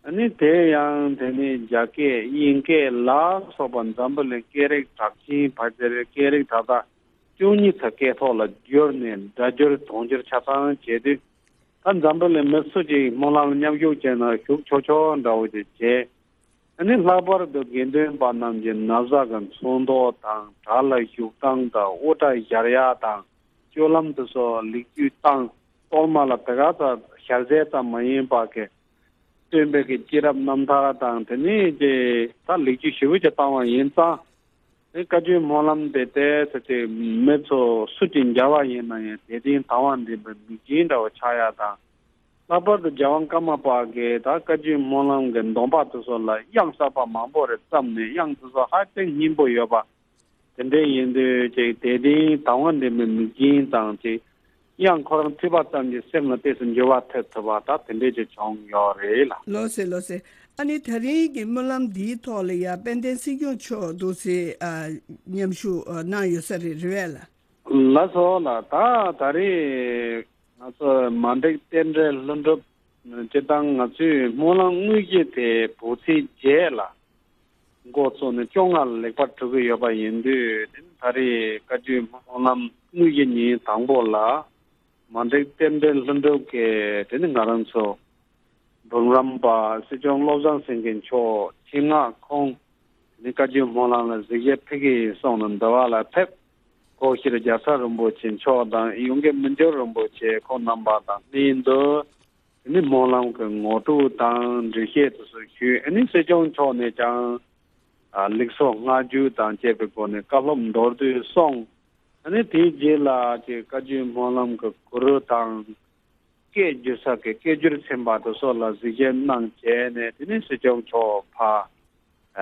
ཨ་ནི་དེ་ཡང་དེ་ནི་རྒྱ་སྐད་དབྱིན་སྐད་ལ་སོགས་པ་འཛམ་བུ་གླིང་སྐད་རིགས་གྲགས་ཅན་ཕལ་ཆེར་སྐད་རིགས་ད་ལྟ་བཅུ་གཉིས་ཚོ་སྐད་ཐོག་ལ་བསྒྱུར་ནས་སྒྲ་སྒྱུར་དུང་སྒྱུར་ཆ་ཚང་བྱས་དུས། ད་འཛམ་བུ་གླིང་མི་སུ་གཅིག་སྨོན་ལམ་མཉམ་ཞུགས་བྱས་ན་ཞུགས་ཆོག་ཆོག་འདྲ་བོ་ཅིག་བྱས། ཨ་ནི་ལྷག་པར་དུ་དགེ་འདུན་པ་རྣམས་ཀྱི་ན་བཟའ་གི་ཚོན་མདོག་དང་གྲྭ་ལ་བཞུགས་སྟངས་དང་དབུ་སྐྲ་བཞར་ཡག་དང་སྤྱོད་ལམ་དེ་ཚོ་ལེགས་བཅོས་བཏང་། གཏོར་མ་ལ་དེ་ག་ཙམ་ཞལ་ཟས་ཙམ་མ་ཡིན་པ་གི་སྟོན་པའི་གི་སྐྱེས་རབས་རྣམ་ཐར་དང་དེ་ནས་ཀྱི་ད་ལེགས་བཅོས་ཞེ་པོ་ཅིག་བཏང་བ་ཡིན་ཙང་། དེ་བཀའ་བརྒྱུད་སྨོན་ལམ་དེ་ཏོག་ཙམ་ཅིག་མི་ཚོ་སུ་གཅིག་མཇལ་བ་ཡིན་ན་ཡང་དད་ལྡན་དང་བ་འདྲེན་པའི་མིག་རྒྱན་འདྲ་བོ་ཆགས་ཡག་དང་། ལྷག་པར་དུ་རྒྱལ་དབང་ཀརྨ་པ་གིས་ད་བཀའ་བརྒྱུད་སྨོན་ལམ་གྱི་སྡོམ་པ་དེ་ཚོ་ལ་དབྱངས་གསར་པ་མང་པོ་རེ་བརྩམས་ནས། དབྱངས་དེ་ཚོ་ཧ་ཅང་སྙན་པོ་ཡོད་པ་དེ་འདྲ་ཡིན་དུས། ཅིག་དད་ལྡན་དང་བ་འདྲེན་པའི་མི་རྒན་དང་། ཅིག་དབྱངས་ཁོ་རང་ཐོས་པ་ཙམ་གྱིས་སེམས་ལ་ཏོག་ཙམ་འགྱུར་བ་ཐེབས་ཐུབ་པ་ད་དེ་འདྲས་ཅིག་བྱུང་ཡོད་རེད་ལགས། ལགས་སེ། ལགས་སེ། ཨ་ནི་ད་རིང་གི་སྨོན་ལམ་འདིའི་ཐོག་ལ་ཡ་དཔལ་ལྡན་སྲིད་སྐྱོང་མཆོག་འདུག་སེ་ཨ་མཉམ་ཞུགས་ཨ་གནང་ཡོད་ས་རེད། རེད་པས་ལགས། ལགས་སོ་ལགས། ད་ད་རེས་ང་ཚོ་མ་འགྲིག་རྟེན་འབྲེལ་ལྷུན་གྲུབ་སྤྱིར་བཏང་ང་ཚོའི་སྨོན་ལམ་དངོས་གཞི་དེ་བོད་ཚེས་བརྒྱད་ལ་འགོ་བཙུགས་ནས་བཅོ་ལྔ་ལ་ལེགས་པར་གྲུབ་ཀྱི་ཡོད་པ་ཡིན་དུས། དེ་ནི་ད་རེས་བཀའ་བརྒྱུད་སྨོན་ལམ་དངོས་གཞི་ཉིན་དང་པོ་ལ་མ་འགྲིག་རྟེན་འབྲེལ་ལྷུན་གྲུབ་ཀྱིས། དེ་ནི་ང་རང་ཚོ་འབུམ་རམས་པ་སྲིད་སྐྱོང་བློ་བཟང་སེང་གེ་མཆོག་ཆེད་མངགས་ཁོང་ནི་བཀའ་བརྒྱུད་སྨོན་ལམ་ལ་གཟིགས་ཞིབ་ཕེབས་ཀྱི་ཡིན་གསུངས་ནས་འདི་བ་ལ་ཕེབས། སྐུ་ཞབས་རྒྱལ་ཚབ་རིན་པོ་ཆེ་མཆོག་དང་། ཡོངས་དགེ་མི་འགྱུར་རིན་པོ་ཆེ་ཁོང་རྣམ་པ་དང་ལྷན་དུ། དེ་ནི་སྨོན་ལམ་གྱི་ངོ་སྤྲོད་དང་འགྲེལ་བཤད་དེ་ཚོ་ཞུས། ཨ་ནི་སྲིད་སྐྱོང་མཆོག་ནས་ཀྱང་ཨ་ལེགས་སོ་བསྔགས་བརྗོད་དང་བཅས་པའི་སྒོ་ནས་བཀའ་སློབ་མདོར་བསྡུས་གསུངས། ཨ་ནི་དེའི་རྗེས་ལ་ཅིག་བཀའ་བརྒྱུད་སྨོན་ལམ་གྱི་གུ་རུ་དང་། སྐད་བསྒྱུར་ས་གི་སྐད་བསྒྱུར་ཚན་པ་དེ་ཚོ་ལ་གཟིགས་ཞིབ་གནང་བྱས་ནས། དེ་ནས་སྲིད་སྐྱོང་མཆོག་ཕར་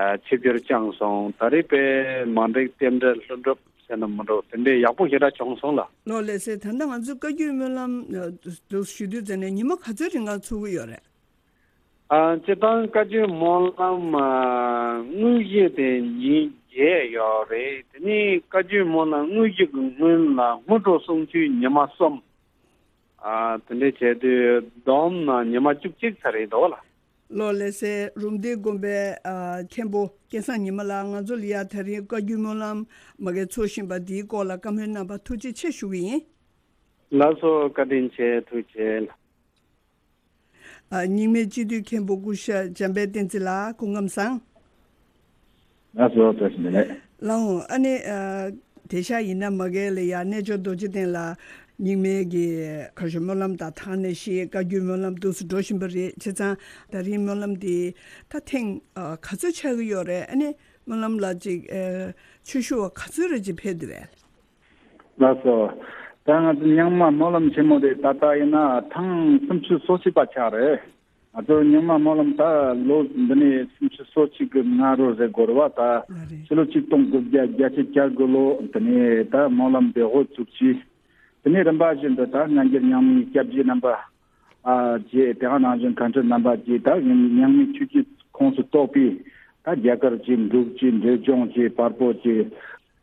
ཨ་ཆིབས་བསྒྱུར་བསྐྱངས་སོང་། ད་རེས་དཔེ་མ་འགྲིག་རྟེན་འབྲེལ་ལྷུན་གྲུབ་ཟེར་ན་མི་འགྲོ། དེ་འདྲའི་ཡག་པོ་ཞེ་དྲག་བྱུང་སོང་ལགས། ལགས་སེ། ད་ལྟ་ང་ཚོའི་བཀའ་བརྒྱུད་སྨོན་ལམ་ཨ་དུ་ཞུ་དུས་ཙམ་ནས་ཉི་མ་ག་ཚོད་རིང་ག་ཚུགས་ཀྱི་ཡོད་རེད། ཨ་སྤྱིར་བཏང་བཀའ་བརྒྱུད་སྨོན་ལམ་ཨ་དངོས་གཞི་དེ་ཉིན་བརྒྱད་ཡོད་རེད། དེ་ནས་བཀའ་བརྒྱུད་སྨོན་ལམ་དངོས་གཞི་གི་སྔོན་ལ་སྔོན་འགྲོ་གསུང་ཆོས་ཉི་མ་གསུམ། ཨ་དེ་འདྲ་བྱས་དུས་བསྡོམས་ན་ཉི་མ་བཅུ་གཅིག་ཚར་རེད་འདུག་ལགས། ལགས་སེ། རུམ་བཏེག་དགོན་པའི་ཨ་མཁན་པོ་སྐལ་བཟང་ཉི་མ་ལགས། ང་ཚོ་ལ་ཡ་ད་རིང་བཀའ་བརྒྱུད་སྨོན་ལམ་མ་གི་ཚོགས་བཞིན་པ་འདིའི་སྐོར་ལ་བཀའ་མོལ་གནང་བར་ཐུགས་རྗེ་ཆེ་ཞུ་གི་ཡིན། ལགས་སོ། བཀའ་དྲིན་ཆེ། ཐུགས་རྗེ་ཆེ། ཨ་རྙིང་མའི་སྤྱི་འཐུས་མཁན་པོ་སྐུ་ཞབས་འཇམ་དཔལ་བསྟན་འཛིན་ལགས། སྐུ་ཁམས་བཟང་། ལགས་སོ། བཀྲ་ཤིས་བདེ་ལེགས། ལགས་འོང་། ཨ་ནི་ཨ་དེང་སང་ཡིན་ན་མ་གི་ལ་ཡ་རྣལ་འབྱོར་རྡོ་རྗེ་གདན་ལ་རྙིང་མའི་གི་ག་ཞུ་སྨོན་ལམ་དང་། ཐང་ནས་ཤི་བཀའ་བརྒྱུད་སྨོན་ལམ་འདུག་སེ་འགྲོ་བཞིན་པ་རེད། བྱས་ཙང་ད་རིང་སྨོན་ལམ་འདི་ད་ཐེངས་ཨ་ག་ཚོད་ཆགས་ཀྱི་ཡོད་རེད། ཨ་ནི་སྨོན་ལམ་ལ་ཅིག་ཨ་ཆོས་ཞུ་བ་ག་ཚོད་རེ་ཅིག་ཕེབས་འདུག་གས། ལགས་སོ། ད་ང་ཚོ་རྙིང་མ་སྨོན་ལམ་ཆེན་མོ་དེ་ད་ལྟ་ཡིན་ན་ཐེངས་སུམ་ཅུ་སོ་གཅིག་པ་ཆགས་རེད། ང་ཚོ་རྙིང་མ་སྨོན་ལམ་ད་ལོ་འདི་ནས་སུམ་ཅུ་སོ་གཅིག་གི་སྔ་རོལ་ཟེར་དགོས་རེད་བ། ད་ལགས་རེད། ཕྱི་ལོ་ཆིག་སྟོང་དགུ་བརྒྱ་བརྒྱད་ཅུ་གྱ་དགུ་ལོ་འདི་ནས་ད་སྨོན་ལམ་དེ་འགོ་བཙུགས་ཀྱིས། དེ་ནས་རིམ་པ་བཞིན་དུ་ད་སྔ་འགྱུར་རྙིང་མའི་སྐྱབས་རྗེ་རྣམ་པ་ཨ་བཅས། དེ་ག་ནང་བཞིན་མཁན་སྤྲུལ་རྣམ་པ་བཅས། ད་རྙིང་མའི་ཆོས་བརྒྱུད་ཁོངས་སུ་གཏོགས་པའི་ད་རྒྱ་གར་གྱི་འབྲུག་གི་འབྲས་ལྗོངས་ཀྱི་བལ་པོ་གྱི་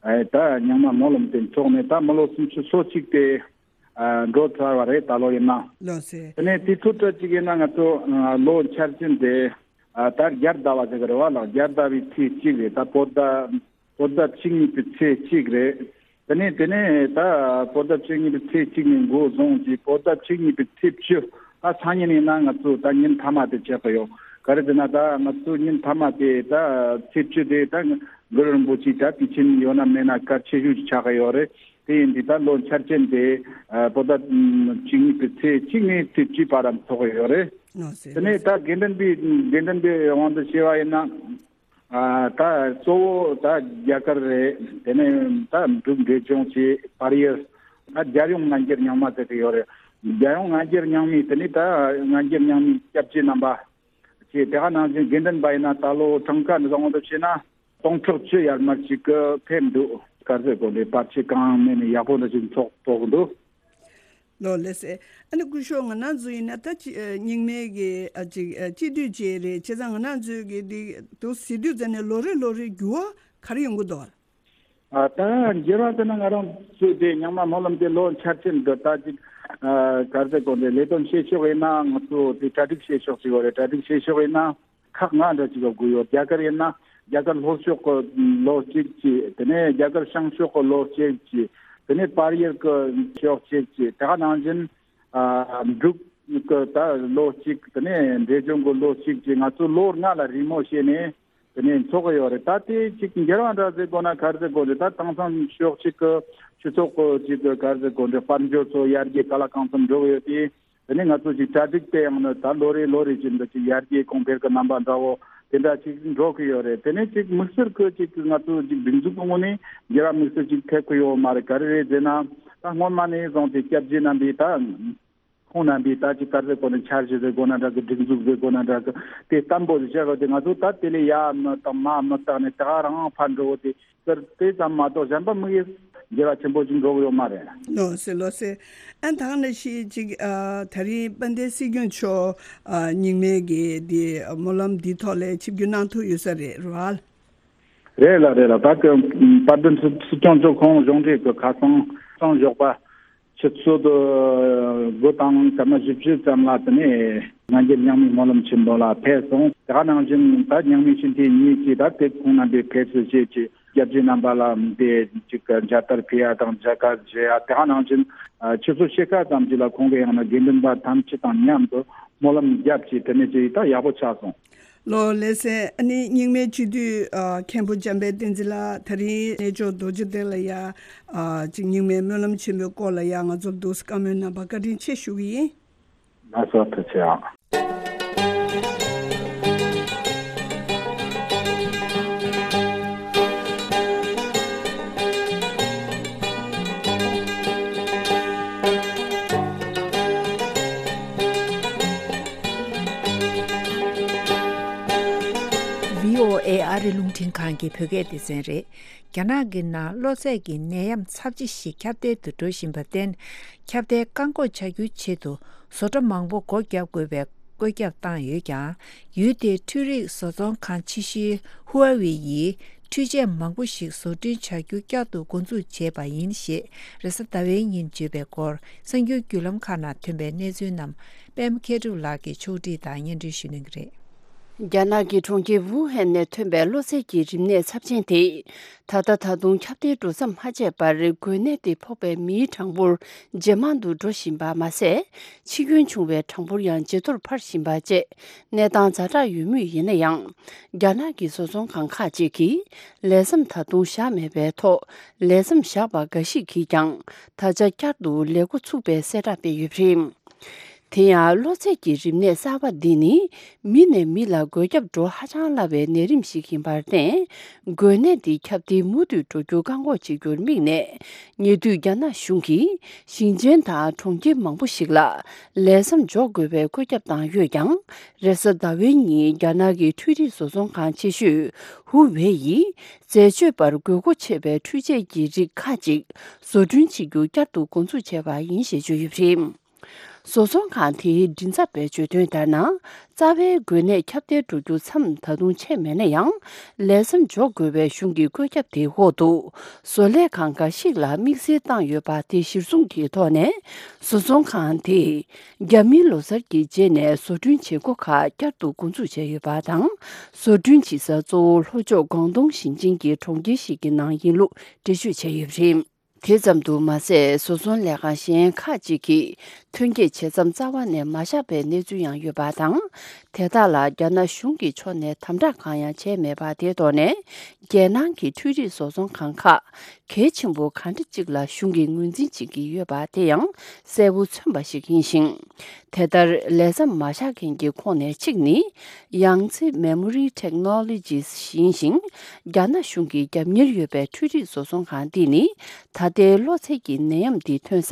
ཨེ་ད་རྙིང་མ་སྨོན་ལམ་དེ་འཚོགས་ནས་ད་མི་ལོ་སུམ་ཅུ་སོ་གཅིག་དེ་ཨ་འགྲོ་ཚར་བ་རེད། ད་ལོ་ཡིན་ན། ལགས་སེ། དེ་ནས་དེ་ཚོ་ཁྲོད་ཅིག་ཡིན་ན་ང་ཚོ་ཨ་ལོ་འཆར་ཅན་དེ་ཨ་ད་རྒྱལ་ཟླ་བ་ཟེར་གི་རེད་བ་ལགས། རྒྱལ་ཟླ་བའི་ཚེས་གཅིག་རེད། ད་བོད་ཟླ་བོད་ཟླ་བཅུ་གཉིས་པའི་ཚེས་གཅིག་རེད། དེ་ནས་དེ་ནས་ད་བོད་ཟླ་བཅུ་གཉིས་པའི་ཚེས་གཅིག་ནས་འགོ་བཟུང་གིས་བོད་ཟླ་བཅུ་གཉིས་པའི་ཚེས་བཅུ། ད་སང་ཉིན་ཡིན་ན་ང་ཚོ་ད་ཉིན་མཐའ་མ་དེ་ཆགས་ཀྱི་ཡོད། ག་རེ་ཟེར་ན་ད་ང་ཚོ་ཉིན་མཐའ་མ་དེ་ད་ཚེས་བཅུ་དེ་ད་གུ་རུ་རིན་པོ་ཆེ་ད་དུས་ཆེན་ཡོད་ན་མེད་ན་གལ་ཆེ་ཤོས་ཅིག་ཆགས་ཀྱི་ཡོད་རེད། དེ་ཡིན་དུས་ད་ལོ་འཆར་ཅན་དེ་ཨ་བོད་ཟླ་བཅུ་གཉིས་པའི་ཚེས་གཅིག་ནས་ཚེས་བཅུ་བར་འཚོགས་ཀྱི་ཡོད་རེད། ལགས་སེ། དེ་ནས་ད་དགེ་འདུན་པའི་དགེ་འདུན་པའི་དབང་དུ་བྱས་པ་ཡིན་ན། ཨ་ད་གཙོ་བོ་ད་རྒྱ་གར་རེད། དེ་ནས་ད་འབྲུག་འབྲས་ལྗོངས་ཀྱི་བལ་ཡུལ། ད་རྒྱལ་ཡོངས་སྔ་འགྱུར་རྙིང་མ་ཟེར་གྱི་ཡོད་རེད། རྒྱལ་ཡོངས་སྔ་འགྱུར་རྙིང་མའི་དེ་ནས་ད་སྔ་འགྱུར་རྙིང་མའི་སྐྱབས་རྗེ་རྣམ་པ་བཅས། དེ་ག་ནང་བཞིན་དགེ་འདུན་པ་ཡིན་ན་ད་ལོ་གྲངས་ཀ་འདི་དང་དབང་དུ་བྱས་ན་སྟོང་ཕྲག་བཅུ་ཡར་མར་ཞིག་གི་ཕེབས་འདུག། ག་རེ་ཟེར་དགོས་རེད། བར་ཆད་གང་མེད་ནས་ཡག་པོ་འདྲ་ཞིག་འཚོགས་ཐུབ་འདུག། ལགས་ལགས་སེ། ཨ་ནི་སྐུ་ཞབས་ང་རང་ཚོ་ཡིན་ན་ད་ཅི་ཨ་རྙིང་མའི་གི་ཨ་ཅིག་ཨ་སྤྱི་འཐུས་ཅིག་རེད། བྱས་ཙང་ང་རང་ཚོའི་གི་འདི་འདུག་ཟེར་དུས་ཙམ་ནས་ལོ་རེ་ལོ་རེ་འགྱུར་བ་ག་རེ་ཡོང་གི་འདུག། ཨ་ད་འགྱུར་བ་ཟེར་ན་ང་རང་ཚོའི་དེ་རྙིང་མ་སྨོན་ལམ་དེ་ལོ་འཆར་ཅན་དུ་ད་ཅིག་ཨ་ག་རེ་ཟེར་དགོས་རེད། ལས་དོན་བྱེད་ཕྱོགས་ཡིན་ན་ང་ཚོ་དེ་གྲ་སྒྲིག་བྱེད་ཕྱོགས་ཅིག་ཡོད་རེད། གྲ་སྒྲིག་བྱེད་ཕྱོགས་ཡིན་ན། ཁག་ལྔ་འདྲ་ཅིག་ལ་བགོས་ཡོད། རྒྱ་གར་ཡིན་ན་རྒྱ་གར་ལྷོ་ཕྱོགས་ཀྱི་ལོ་གཅིག་བྱས། དེ་ནས་རྒྱ་གར་བྱང་ཕྱོགས་ཀྱི་ལོ་གཅིག་བྱས། དེ་ནས་བལ་ཡུལ་གྱི་ཕྱོགས་གཅིག་བྱས། དེ་ག་ནང་བཞིན་ཨ་འབྲུག་གི་ད་ལོ་གཅིག། དེ་ནས་འབྲས་ལྗོངས་ཀྱི་ལོ་གཅིག་བྱས། ང་ཚོ་ལོ་ལྔ་ལ་རེས་མོས་བྱས་ནས་དེ་ནས་འཚོགས་ཀྱི་ཡོད་རེད། ད་དེ་ཅིག་འགྱུར་བ་འདྲ་ཟེར་དགོས་ན་ག་རེ་ཟེར་དགོས་རེད། ད་དེང་སང་ཕྱོགས་གཅིག་གི་སྤྱི་ཚོགས་ཀྱི་ཅིག་གི་ག་རེ་ཟེར་དགོས་རེད། དཔལ་འབྱོར་ཚོ་ཡར་རྒྱས་ག་ལ་གང་འཚམ་འགྲོ་གི་ཡོད་དེ། དེ་ནས་ང་ཚོ་ཅིག་གྲ་སྒྲིག་དེ་ཡང་ནི་ད་ལོ་རེ་ལོ་རེ་བཞིན་དུ་ཅིག་ཡར་རྒྱས་གོང་འཕེལ་གྱི་རྣམ་པ་འདྲ་བོ་དེ་འདྲ་ཅིག་འགྲོ་གི་ཡོད་རེད། དེ་ནས་ཅིག་དམིགས་བསལ་གྱི་ཅིག་ང་ཚོ་ཅིག་སྒྲིག་འཛུགས་ཀྱི་ངོས་ནས་འགྱུར་བ་དམིགས་བསལ་ཅིག་ཐེབས་ཀྱི་ཡོད་མ་རེད། ག་རེ་རེད་ཟེར་ན་ད་སྔོན་མ་ནས་བཟུང་སྟེ་སྐྱབས་རྗེ་རྣམ་པས་ད་ ཁོང་རྣམ་པས་ད་ཅིག་ག་རེ་ཟེར་དགོས་ན། འཆར་གཞི་ཟེར་དགོས་ན་འདྲ་གི། སྒྲིག་འཛུགས་ཟེར་དགོས་ན་འདྲ་གི། དེ་བརྟན་པོ་ཟིག་བྱེད་དགོས་ཏེ། ང་ཚོ་ད་དེ་ལས་ཡར་མི་བཏང་མར་མི་བཏང་ནས་དེ་ག་རང་ཕར་འགྲོ་དེ་ཟེར། དེ་ཙམ་མ་གཏོགས་གཞན་པ་དམིགས་ཡུལ་འགྱུར་བ་ཆེན་པོ་ཅིག་འགྲོ་གི་ཡོད་མ་རེད། ལགས་སེ། ལགས་སེ། ཨ་ད་ག་ནང་བཞིན་ཅིག་ཨ་ད་རིང་དཔལ་ལྡན་སྲིད་སྐྱོང་མཆོག་ཨ་རྙིང་མའི་གི་དེ་སྨོན་ལམ་འདིའི་ཐོག་ལ་ཆིབས་བསྒྱུར་གནང་ཐུབ་ཡོད་ས་རེད་རེད་བ། རེད་ལགས། རེད་ལགས། ད་གི་དཔལ་ལྡན་སྲིད་སྲིད་སྐྱོང་མཆོག་ཁོང་གཞུང་འབྲེལ་གི་ཁ་སང་སང་ཞོགས་པ་ཆུ་ཚོད་དགུ་དང་སྐར་མ་བཞི་བཅུ་ཙམ་ལ་དེ་ནས་སྔ་འགྱུར་རྙིང་མའི་སྨོན་ལམ་ཆེན་མོ་ལ་ཕེབས་སོང་། དེ་ག་ནང་བཞིན་ད་རྙིང་མའི་སྤྱི་འཐུས་གཉིས་ཀྱིས་ད་དེ་ཁོང་རྣམ་པས་ཕེབས་བསུ་བྱས་ཀྱི་རྒྱལ་སྤྱིའི་རྣམ་པ་ལ་དེ་ཅིག་མཇལ་དར་ཕུལ་ཡ་དང་མཇལ་ཁ་བཞེས་ཡ། དེ་ག་ནང་བཞིན་ཆུ་ཚོད་ཕྱེད་ཀ་ཙམ་ཅིག་ལ་ཁོང་གི་ཡང་ན་དགེ་འདུན་པ་ཐམས་ཅད་དང་མཉམ་དུ་སྨོན་ལམ་བརྒྱབ་ཀྱི་དེ་ནས་ཅིག་ད་ཡག་པོ་ཆགས་སོང་། ལགས་སེ། ཨ་ནི་རྙིང་མའི་སྤྱི་འཐུས་ཨ་མཁན་པོ་འཇམ་དཔལ་བསྟན་འཛིན་ལགས། ད་རིང་གནས་མཆོག་རྡོ་རྗེ་གདན་ལ་ཡ་ཨ་ཅིག་རྙིང་མའི་སྨོན་ལམ་ཆེན་མོའི་སྐོར་ལ་ཡ་ང་ཚོར་འདུག་སེ་བཀའ་མོལ་གནང་བར་བཀའ་དྲིན་ཆེ་ཞུ་གི་ཡིན། ལགས་སོ། ཐུགས་རྗེ་ཆེ། བྷི་ཨོ་ཨེ་ཨ་རི་རླུང་འཕྲིན་ཁང་གི་བོད་སྐད་སྡེ་ཚན་རེད། རྒྱ་ནག་གི་ནང་གློ་ཚད་ཀྱི་ནད་ཡམས་ཚབས་ཆེ་ཞིག་ཁྱབ་གདལ་དུ་འགྲོ་བཞིན་པར་བརྟེན། ཁྱབ་གདལ་བཀག་འགོག་བྱ་རྒྱུའི་ཆེད་དུ་བཟོ་གྲྭ་མང་པོ་སྒོ་བརྒྱབ་དགོས་པའི་བཀོད་ཁྱབ་བཏང་ཡོད་ཀྱང་། ཡུལ་དེའི་འཕྲུལ་རིག་བཟོ་ཚོང་ཁང་ཆེ་ཤོས་ཧུའེ་ཝེ་ཡིས་འཕྲུལ་ཆས་མང་པོ་ཞིག་བཟོ་སྐྲུན་བྱ་རྒྱུ་བསྐྱར་དུ་འགོ་འཛུགས་བྱས་པ་ཡིན་ཞེས་རེས་གཟའ་ཟླ་བའི་ཉིན་བརྗོད་པའི་སྐོར། གསར་འགྱུར་བརྒྱུད་ལམ་ཁག་ནང་ཐོན་པའི་གནས་ཚུལ་རྣམས་པད་མ་མཁས་གྲུབ་ལགས་ཀྱིས་ཕྱོགས་སྒྲིག་དང་སྙན་སྒྲོན་ཞུ་གནང་གི་རེད། རྒྱ་ནག་གི་གྲོང་ཁྱེར་ཝུ་ཧན་ནས་ཐོན་པའི་གློ་ཚད་ཀྱི་རིམས་ནད་ཚབས་ཆེན་དེ། ད་ལྟ་ད་དུང་ཁྱབ་གདལ་འགྲོ་མཚམས་མ་ཆད་པར། འགོས་ནད་དེ་ཕོག་པའི་མིའི་གྲངས་འབོར་ཇེ་མང་དུ་འགྲོ་བཞིན་པ་མ་ཟད། འཆི་སྐྱོན་བྱུང་བའི་གྲངས་འབོར་ཡང་ཇེ་མཐོར་འཕར་བཞིན་པ་བཅས་གནས་སྟངས་ཛ་དྲག་ཡོད་མུས་ཡིན་ན་ཡང་། རྒྱ་ནག་གི་བཟོ་ཚོང་ཁང་ཁག་ཅིག་གིས་ལས་མཚམས་ད་དུང་བཞག་མེད་པའི་ཐོག་ལས་མཚམས་བཞག་པ་འགའ་ཞིག་གིས་ཀྱང་ད་ཆ་བསྐྱར་དུ་ལས་འགོ་ཚུགས་པའི་གསལ་བསྒྲགས་སྤེལ་ཡོད་པ་རེད། དེ་ཡང་གློ་ཚད་ཀྱི་རིམས་ནད་གསར་པ་འདི་ནི་མི་ནས་མི་ལ་འགོས་ཁྱབ་འགྲོ་ཧ་ཅང་སླ་བའི་ནད་རིམས་ཤིག་ཡིན་པར་བརྟེན། འགོས་ནད་འདི་ཁྱབ་གདལ་མུ་མཐུད་འགྲོ་རྒྱུ་བཀག་འགོག་བྱེད་རྒྱུར་དམིགས་ནས། ཉེ་དུས་རྒྱ་ནག་གཞུང་གིས་ཞིང་ཆེན་དང་གྲོང་ཁྱེར་མང་པོ་ཞིག་ལ་ལས་མཚམས་འཇོག་དགོས་པའི་བཀོད་ཁྱབ་བཏང་ཡོད་ཀྱང་། རེས་གཟའ་ཟླ་བའི་ཉིན་རྒྱ་ནག་གི་འཕྲུལ་རིག་བཟོ་ཚོང་ཁང་ཆེ་ཤོས་ཧུའུ་ཝེ་ཡིས་འཛད་སྤྱོད་པར་དགོས་མཁོ་ཆེ་བའི་འཕྲུལ་ཆས་ཀྱི་རིགས་ཁག་ཅིག་བཟོ་སྐྲུན་བྱེད་རྒྱུ་བསྐྱར་དུ་འགོ་འཛུགས་བྱས་པ་ཡིན་ཞེས་བརྗོད་ཡོད་པ་རེད། བཟོ་ཚོང་ཁང་དེའི་མགྲིན་ཚབ་པས་བརྗོད་དོན་ལྟར་ན། རྩ་བའི་འགོས་ནད་ཁྱབ་གདལ་འགྲོ་རྒྱུ་མཚམས་ད་དུང་ཆད་མེད་ན་ཡང་། ལས་མཚམས་འཇོག་དགོས་པའི་གཞུང་གི་བཀོད་ཁྱབ་དེའི་འོག་ཏུ། བཟོ་ལས་ཁང་འགའ་ཞིག་ལ་དམིགས་བསལ་བཏང་ཡོད་པ་དེ་གཞིར་བཟུང་གི་ཐོག་ནས། བཟོ་ཚོང་ཁང་དེས་རྒྱ་མིའི་ལོ་གསར་གྱི་རྗེས་ནས་བཟོ་སྐྲུན་བྱེད་སྒོ་ཁག་བསྐྱར་དུ་འགོ་འཛུགས་བྱས་ཡོད་པ་དང་། བཟོ་སྐྲུན་བྱེད་ས་གཙོ་བོ་ལྷོ་ཕྱོགས་ཀོང་ཏུང་ཞིང་ཆེན་གྱི་གྲོང་ཁྱེར་ཞིག་གི་ནང་ཡིན་ལུགས་འགྲེལ་བརྗོད་བྱས་ཡོད་པ་རེད། དེ་ཙམ་དུ་མ་ཟད། བཟོ་ཚོང་ལས་ཁང་གཞན་ཁག་ཅིག་གིས་ཐོན་སྐྱེད་བྱེད་མཚམས་རྩ་བ་ནས་མ་བཞག་པའི་གནས་ཚུལ་ཡང་ཡོད་པ་དང་། དེ་དག་ལ་རྒྱ་ནག་གཞུང་གི་ཕྱོགས་ནས་དམ་དྲག་གང་ཡང་བྱས་མེད་པ་དེའི་ཐོག་ནས། རྒྱལ་ནང་གི་འཕྲུལ་རིག་བཟོ་ཚོང་ཁང་ཁག་གལ་ཆེན་པོ་གང་འདྲ་ཅིག་ལ་གཞུང་གིས་ངོས་འཛིན་བྱེད་ཀྱི་ཡོད་པ་དེ་ཡང་གསལ་པོ་མཚོན་པ་ཞིག་ཡིན་ཞིང་། དེ་ལྟར་ལས་མཚམས་མ་བཞག་མཁན་གྱི་ཁོངས་ནས་གཅིག་ནི། Yangtze Memory Technologies ཡིན་ཞིང་། རྒྱ་ནག་གཞུང་གི་རྒྱབ་གཉེར་ཡོད་པའི་འཕྲུལ་རིག་བཟོ་ཚོང་ཁང་འདི་ནི། ད་ལྟའི་གློ་ཚད་ཀྱི་ནད་ཡམས་འདི་ཐོན་ས་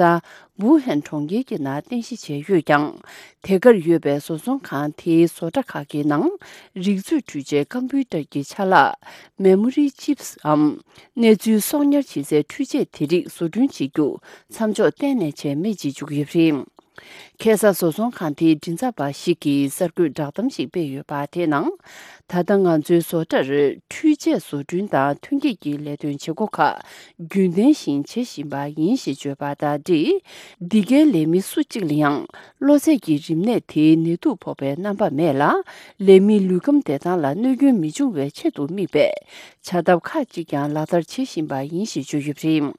ཝུ་ཧན་གྲོང་ཁྱེར་གྱི་ནང་རྟེན་གཞི་བྱས་ཡོད་ཀྱང་། དེ་གར་ཡོད་པའི་བཟོ་ཚོང་ཁང་དེའི་བཟོ་གྲྭ་ཁག་གི་ནང་། རིག་མཛོད་འཕྲུལ་ཆས་ཀམ་པུའུ་ཏར་གྱི་ཆ་ལག Memory Chips འམ། གནས་ཚུལ་གསོག་ཉར་བྱེད་སའི་འཕྲུལ་ཆས་དེ་རིགས་བཟོ་སྐྲུན་བྱེད་རྒྱུ་མཚམས་འཇོག་གཏན་ནས་བྱས་མེད་ཅེས་བརྗོད་ཀྱི་ཡོད་པ་རེད། ཁ་སང་བཟོ་ཚོང་ཁང་དེའི་མགྲིན་ཚབ་པ་ཞིག་གིས་གསར་འགོད་བསྒྲགས་གཏམ་ཞིག་སྤེལ་ཡོད་པ། དེའི་ནང་། ད་ལྟ་ང་ཚོའི་བཟོ་གྲྭར་འཕྲུལ་ཆས་བཟོ་སྐྲུན་དང་ཐོན་སྐྱེད་ཀྱི་ལས་དོན་བྱེད་སྒོ་ཁག་རྒྱུན་ལྡན་བཞིན་བྱེད་བཞིན་པ་ཡིན་ཞེས་བརྗོད་པ་དང་འབྲེལ། འདི་གའི་ལས་མི་སུ་གཅིག་ལ་ཡང་གློ་ཚད་ཀྱི་རིམས་ནད་དེའི་ནད་དུག་ཕོག་པའི་རྣམ་པ་མེད་ལ། ལས་མིའི་ལུས་ཁམས་བདེ་ཐང་ལ་གནོད་སྐྱོན་མི་འབྱུང་བའི་ཆེད་དུ་དམིགས་པའི་བྱ་ཐབས་ཁག་ཅིག་ཀྱང་ལག་བསྟར་བྱེད་བཞིན་པ་ཡིན་ཞེས་བརྗོད་ཡོད་པ་རེད།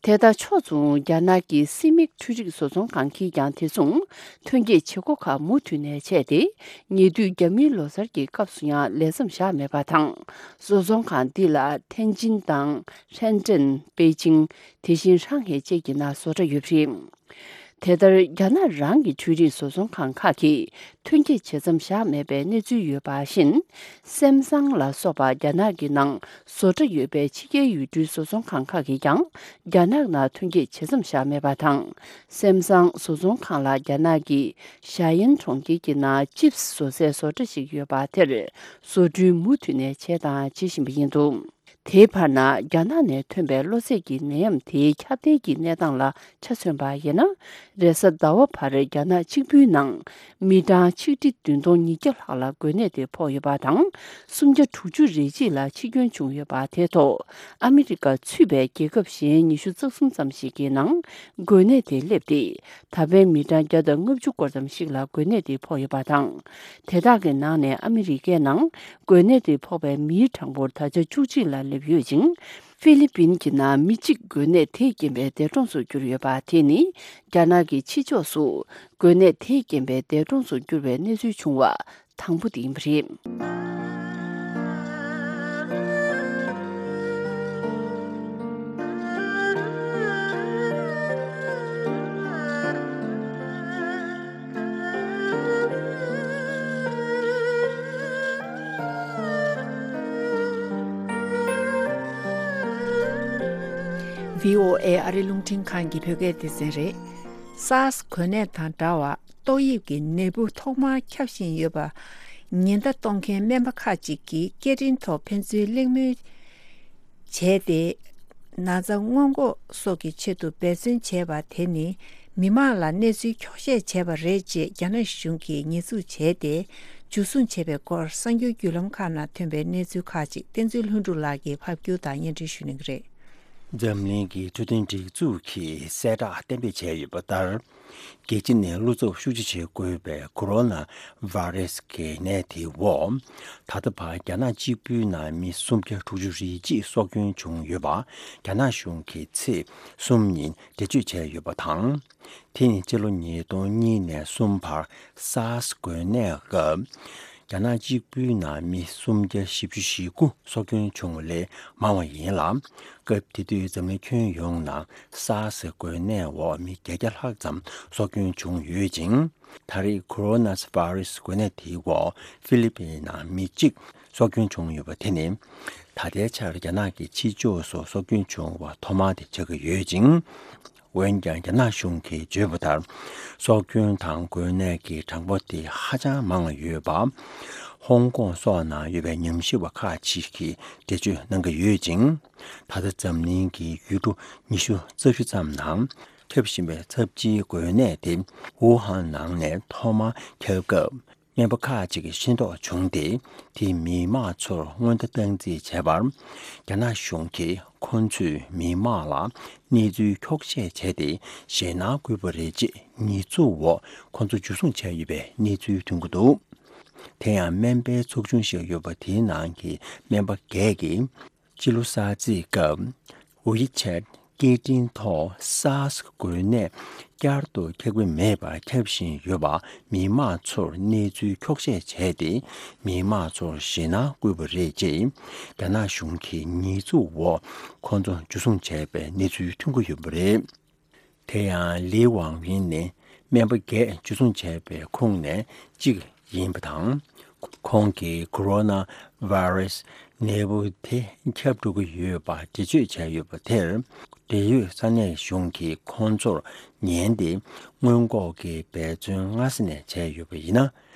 དེ་དང་ཕྱོགས་མཚུངས། རྒྱ་ནག་གི་སི་མིག་འཕྲུལ་རིག་བཟོ་ཚོང་ཁང་གིས་ཀྱང་དེ་མཚུངས་ཐོན་སྐྱེད་བྱེད་སྒོ་ཁག་མུ་མཐུད་ནས་བྱས་ཏེ། ཉེ་དུས་རྒྱ་མིའི་ལོ་གསར་གྱི་སྐབས་སུ་ཡང་ལས་མཚམས་བཞག་མེད་པ་དང་། བཟོ་ཚོང་ཁང་འདི་ལ་ཐེན་ཅིན་དང་ཧྲེན་ཀྲེན། པེ་ཅིང་། དེ་བཞིན་ཧྲང་ཧའེ་བཅས་ཀྱི་ནང་བཟོ་གྲྭ་ཡོད་པ་རེད། དེ་ལྟར་རྒྱ་ནག་རང་གི་འཕྲུལ་རིག་བཟོ་ཚོང་ཁང་ཁག་གིས་ཐོན་སྐྱེད་བྱེད་མཚམས་བཞག་མེད་པའི་གནས་ཚུལ་ཡོད་པ་བཞིན། སེམ་སང་ལ་སོགས་པ་རྒྱ་ནག་གི་ནང་བཟོ་གྲྭ་ཡོད་པའི་ཕྱི་རྒྱལ་ཡུལ་གྲུའི་བཟོ་ཚོང་ཁང་ཁག་གིས་ཀྱང་རྒྱ་ནག་ནང་ཐོན་སྐྱེད་བྱེད་མཚམས་བཞག་མེད་པ་དང་། སེམ་སང་བཟོ་ཚོང་ཁང་ལ་རྒྱ་ནག་གི་ཞ་ཡན་གྲོང་ཁྱེར་གྱི་ནང་ཅིབས་བཟོ་སའི་བཟོ་གྲྭ་ཞིག་ཡོད་པ་དེར་བཟོ་སྐྲུན་མུ་མཐུད་ནས་བྱས་དང་བྱེད་བཞིན་པ་ཡིན་འདུག་དེའི་བར་ན། རྒྱ་ནག་ནས་ཐོན་པའི་གློ་ཚད་ཀྱི་ནད་ཡམས་དེའི་ཁྱབ་གདལ་གྱི་གནས་སྟངས་ལ་ཆ་མཚོན་པ་ཡིན་ན། རེས་གཟའ་ཟླ་བ་བར་རྒྱ་ནག་གཅིག་པུའི་ནང་མི་གྲངས་ཆིག་ཁྲི་བདུན་སྟོང་ཉིས་བརྒྱ་ལྷག་ལ་འགོས་ནད་དེ་ཕོག་ཡོད་པ་དང་། སུམ་བརྒྱ་དྲུག་ཅུ་རེ་གཅིག་ལ་འཆི་སྐྱོན་བྱུང་ཡོད་པ་དེའི་ཐོག་ཨ་མི་རི་ཀ་ཚུད་པའི་རྒྱལ་ཁབ་གཞན་ཉི་ཤུ་རྩ་གསུམ་ཙམ་ཞིག་གི་ནང་འགོས་ནད་དེ་སླེབས་ཏེ། ད་ཕན་མི་གྲངས་བརྒྱ་དང་ལྔ་བཅུ་སྐོར་ཙམ་ཞིག་ལ་འགོས་ནད་དེ་ཕོག་ཡོད་པ་དང་། དེ་དག་གི་ནང་ནས་ཨ་མི་རི་ཀའི་ནང་འགོས་ནད་དེ་ཕོག་པའི་མིའི་གྲངས་འབོར་ད་ཆ་བཅུ་གཅིག་ལ་སླེབས་ཡོད་ཅིང་། ཧྥི་ལི་པིན་གྱི་ནང་མི་གཅིག་འགོས་ནད་དེས་རྐྱེན་པས་འདས་གྲོངས་སུ་གྱུར་ཡོད་པ་དེ་ནི། རྒྱ་ནག་གི་ཕྱི་ཕྱོགས་སུ་འགོས་ནད་དེས་རྐྱེན་པས་འདས་གྲོངས་སུ་གྱུར་བའི་གནས་ཚུལ་བྱུང་བ་དང་པོ་དེ་ཡིན་པ་རེད། བྷི་ཨོ་ཨེ་ཨ་རི་རླུང་འཕྲིན་ཁང་གི་བོད་སྐད་སྡེ་ཚན་རེད། སཱར་སི་འགོས་ནད་དང་འདྲ་བར་ཏོག་དབྱིབས་ཀྱི་ནད་འབུ་ཐོག་མར་ཁྱབ་བཞིན་ཡོད་པ་ཉེན་བརྡ་གཏོང་མཁན་སྨན་པ་ཁག་ཅིག་གིས་སྐད་འཕྲིན་ཐོག་ཕན་ཚུན་གླེང་མོལ་བྱས་ཏེ། ན་ཚ་སྔོན་འགོག་སོགས་ཀྱི་ཆེད་དུ་འབད་བརྩོན་བྱས་པ་དེ་ནི་མི་མང་ལ་གནས་ཚུལ་འཁྱོག་བཤད་བྱས་པ་རེད་ཅེས་རྒྱ་ནག་གཞུང་གིས་ཉེས་འཛུགས་བྱས་ཏེ། འཇུ་བཟུང་བྱས་པའི་སྐོར་གསར་འགྱུར་བརྒྱུད་ལམ་ཁག་ནང་ཐོན་པའི་གནས་ཚུལ་ཁག་ཅིག་བསྟན་འཛིན་ལྷུན་གྲུབ་ལགས་ཀྱིས་ཕབ་སྒྱུར་དང་སྙན་སྒྲོན་ཞུ་གནང་གི་རེད། འཛམ་གླིང་གི་འཕྲོད་བསྟེན་སྒྲིག་འཛུགས་ཀྱིས་གསལ་བསྒྲགས་གཏན་འབེབས་བྱས་ཡོད་པ་ལྟར། རྒྱལ་སྤྱི་ནས་བློ་འཚབ་ཤུགས་ཆེ་བྱེད་དགོས་པའི་ཀོ་རོ་ན་ཝེ་རེ་སི་གི་ནད་དེའི་འོག་ད་ལྟ་བར་རྒྱ་ནག་གཅིག་པུའི་ནང་མི་སུམ་བརྒྱ་དྲུག་ཅུ་རེ་གཅིག་སྲོག་སྐྱོན་བྱུང་ཡོད་པ་རྒྱ་ནག་གཞུང་གིས་ཚེས་གསུམ་ཉིན་འགྲེལ་བརྗོད་བྱས་ཡོད་པ་དང་། དེ་ནི་སྤྱི་ལོ་ཉིས་སྟོང་གཉིས་ནས་གསུམ་བར་སཱར་སི་འགོས་ནད་སྐབས། རྒྱ་ནག་གཅིག་པུའི་ནང་མི་སུམ་བརྒྱ་བཞི་བཅུ་ཞེ་དགུ་སྲོག་སྐྱོན་བྱུང་བ་ལས་མང་བ་ཡིན་ལ། སྐབས་དེ་དུས་འཛམ་གླིང་ཁྱོན་ཡོངས་ནང་སཱར་སི་འགོས་ནད་འོག་མི་བརྒྱད་བརྒྱ་ལྷག་ཙམ་སྲོག་སྐྱོན་བྱུང་ཡོད་ཅིང་། ད་རེས་ཀོ་རོ་ན་ཝེ་རེ་སི་འགོས་ནད་དེའི་འོག་ཧྥི་ལི་པིན་ནང་མི་གཅིག་སྲོག་སྐྱོན་བྱུང་ཡོད་པ་དེ་ནི། ད་ལྟའི་ཆར་རྒྱ་ནག་གི་ཕྱི་ཕྱོགས་སུ་སྲོག་སྐྱོན་བྱུང་བ་ཐོག་མ་དེ་ཆགས་ཀྱི་ཡོད་ཅིང་། འོན་ཀྱང་རྒྱ་ནག་གཞུང་གིས་བརྗོད་པ་ལྟར། སྲོག་སྐྱོན་དང་འགོས་ནད་ཀྱི་གྲངས་འབོར་དེ་ཧ་ཅང་མང་བ་ཡོད་པ། ཧོང་ཀོང་སོགས་ནང་ཡོད་པའི་ཉམས་ཞིབ་པ་ཁག་ཅིག་གིས་འགྲེལ་བརྗོད་གནང་གི་ཡོད་ཅིང་། ད་ལྟ་འཛམ་གླིང་གི་ཡུལ་གྲུ་ཉི་ཤུ་རྩ་བཞི་ཙམ་ནང་ཁྱབ་བཞིན་པའི་ཚབས་ཆེའི་འགོས་ནད་དེ་ཝུ་ཧན་ནང་ནས་ཐོག་མར་ཁྱབ་སྐབས། སྨན་པ་ཁག་ཅིག་གིས་ཤེས་རྟོགས་བྱུང་སྟེ། དེས་མི་མང་ཚོར་སྔོན་བརྡ་བཏང་རྩིས་བྱས་པར། རྒྱ་ནག་གཞུང་གིས་ཁོ་ཚོས་མི་མང་ལ་གནས་ཚུལ་འཁྱོག་བཤད་བྱས་ཏེ། ཞེད་སྣང་བསྐུལ་བ་རེད་ཅེས་ཉེས་འཛུགས་འོག་ཁོ་ཚོ་འཇུ་བཟུང་བྱས་ཡོད་པའི་གནས་ཚུལ་ཐོན་གྱི་འདུག་དེ་ཡང་སྨན་པའི་ཚོགས་ཆུང་ཞིག་ཡོད་པ་དེའི་ནང་གི་སྨན་པ་འགས་ཀྱིས། སྤྱི་ལོ་གསར་ཚེས་སྐབས་ཝི་ཆེད་སྐད་འཕྲིན་ཐོག་སཱར་སི་འགོས་ནད་བསྐྱར་དུ་ཁྱབ་ཀྱི་མེད་པར་ཁྱབ་བཞིན་ཡོད་པ་མི་མང་ཚོར་གནས་ཚུལ་འཁྱོག་བཤད་བྱས་ཏེ། མི་མང་ཚོར་ཞེད་སྣང་བསྐུལ་བ་རེད་ཅེས་རྒྱ་ནག་གཞུང་གིས་ཉེས་འཛུགས་འོག་ཁོ་ཚོ་འཇུ་བཟུང་བྱས་པའི་གནས་ཚུལ་ཐོན་གྱི་ཡོད་པ་རེད། དེ་ཡང་ལི་ཝང་ཝིན་ནི་སྨན་པ་འགས་འཇུ་བཟུང་བྱས་པའི་ཁོངས་ནས་གཅིག་ཡིན་པ་དང་། ཁོང་གིས་ཀོ་རོ་ན་ཝེ་རེ་སི་ནད་འབུ་དེ་ཁྱབ་འགྲོ་གི་ཡོད་པ་འགྲེལ་བརྗོད་བྱས་ཡོད་པ་དེར། འབྲེལ་ཡོད་ས་གནས་གཞུང་གིས་ཁོང་ཚོར་ཉན་ཏེ། སྔོན་འགོག་གི་འབད་བརྩོན་སྔ་ས་ནས་བྱས་ཡོད་པ་ཡིན་ན།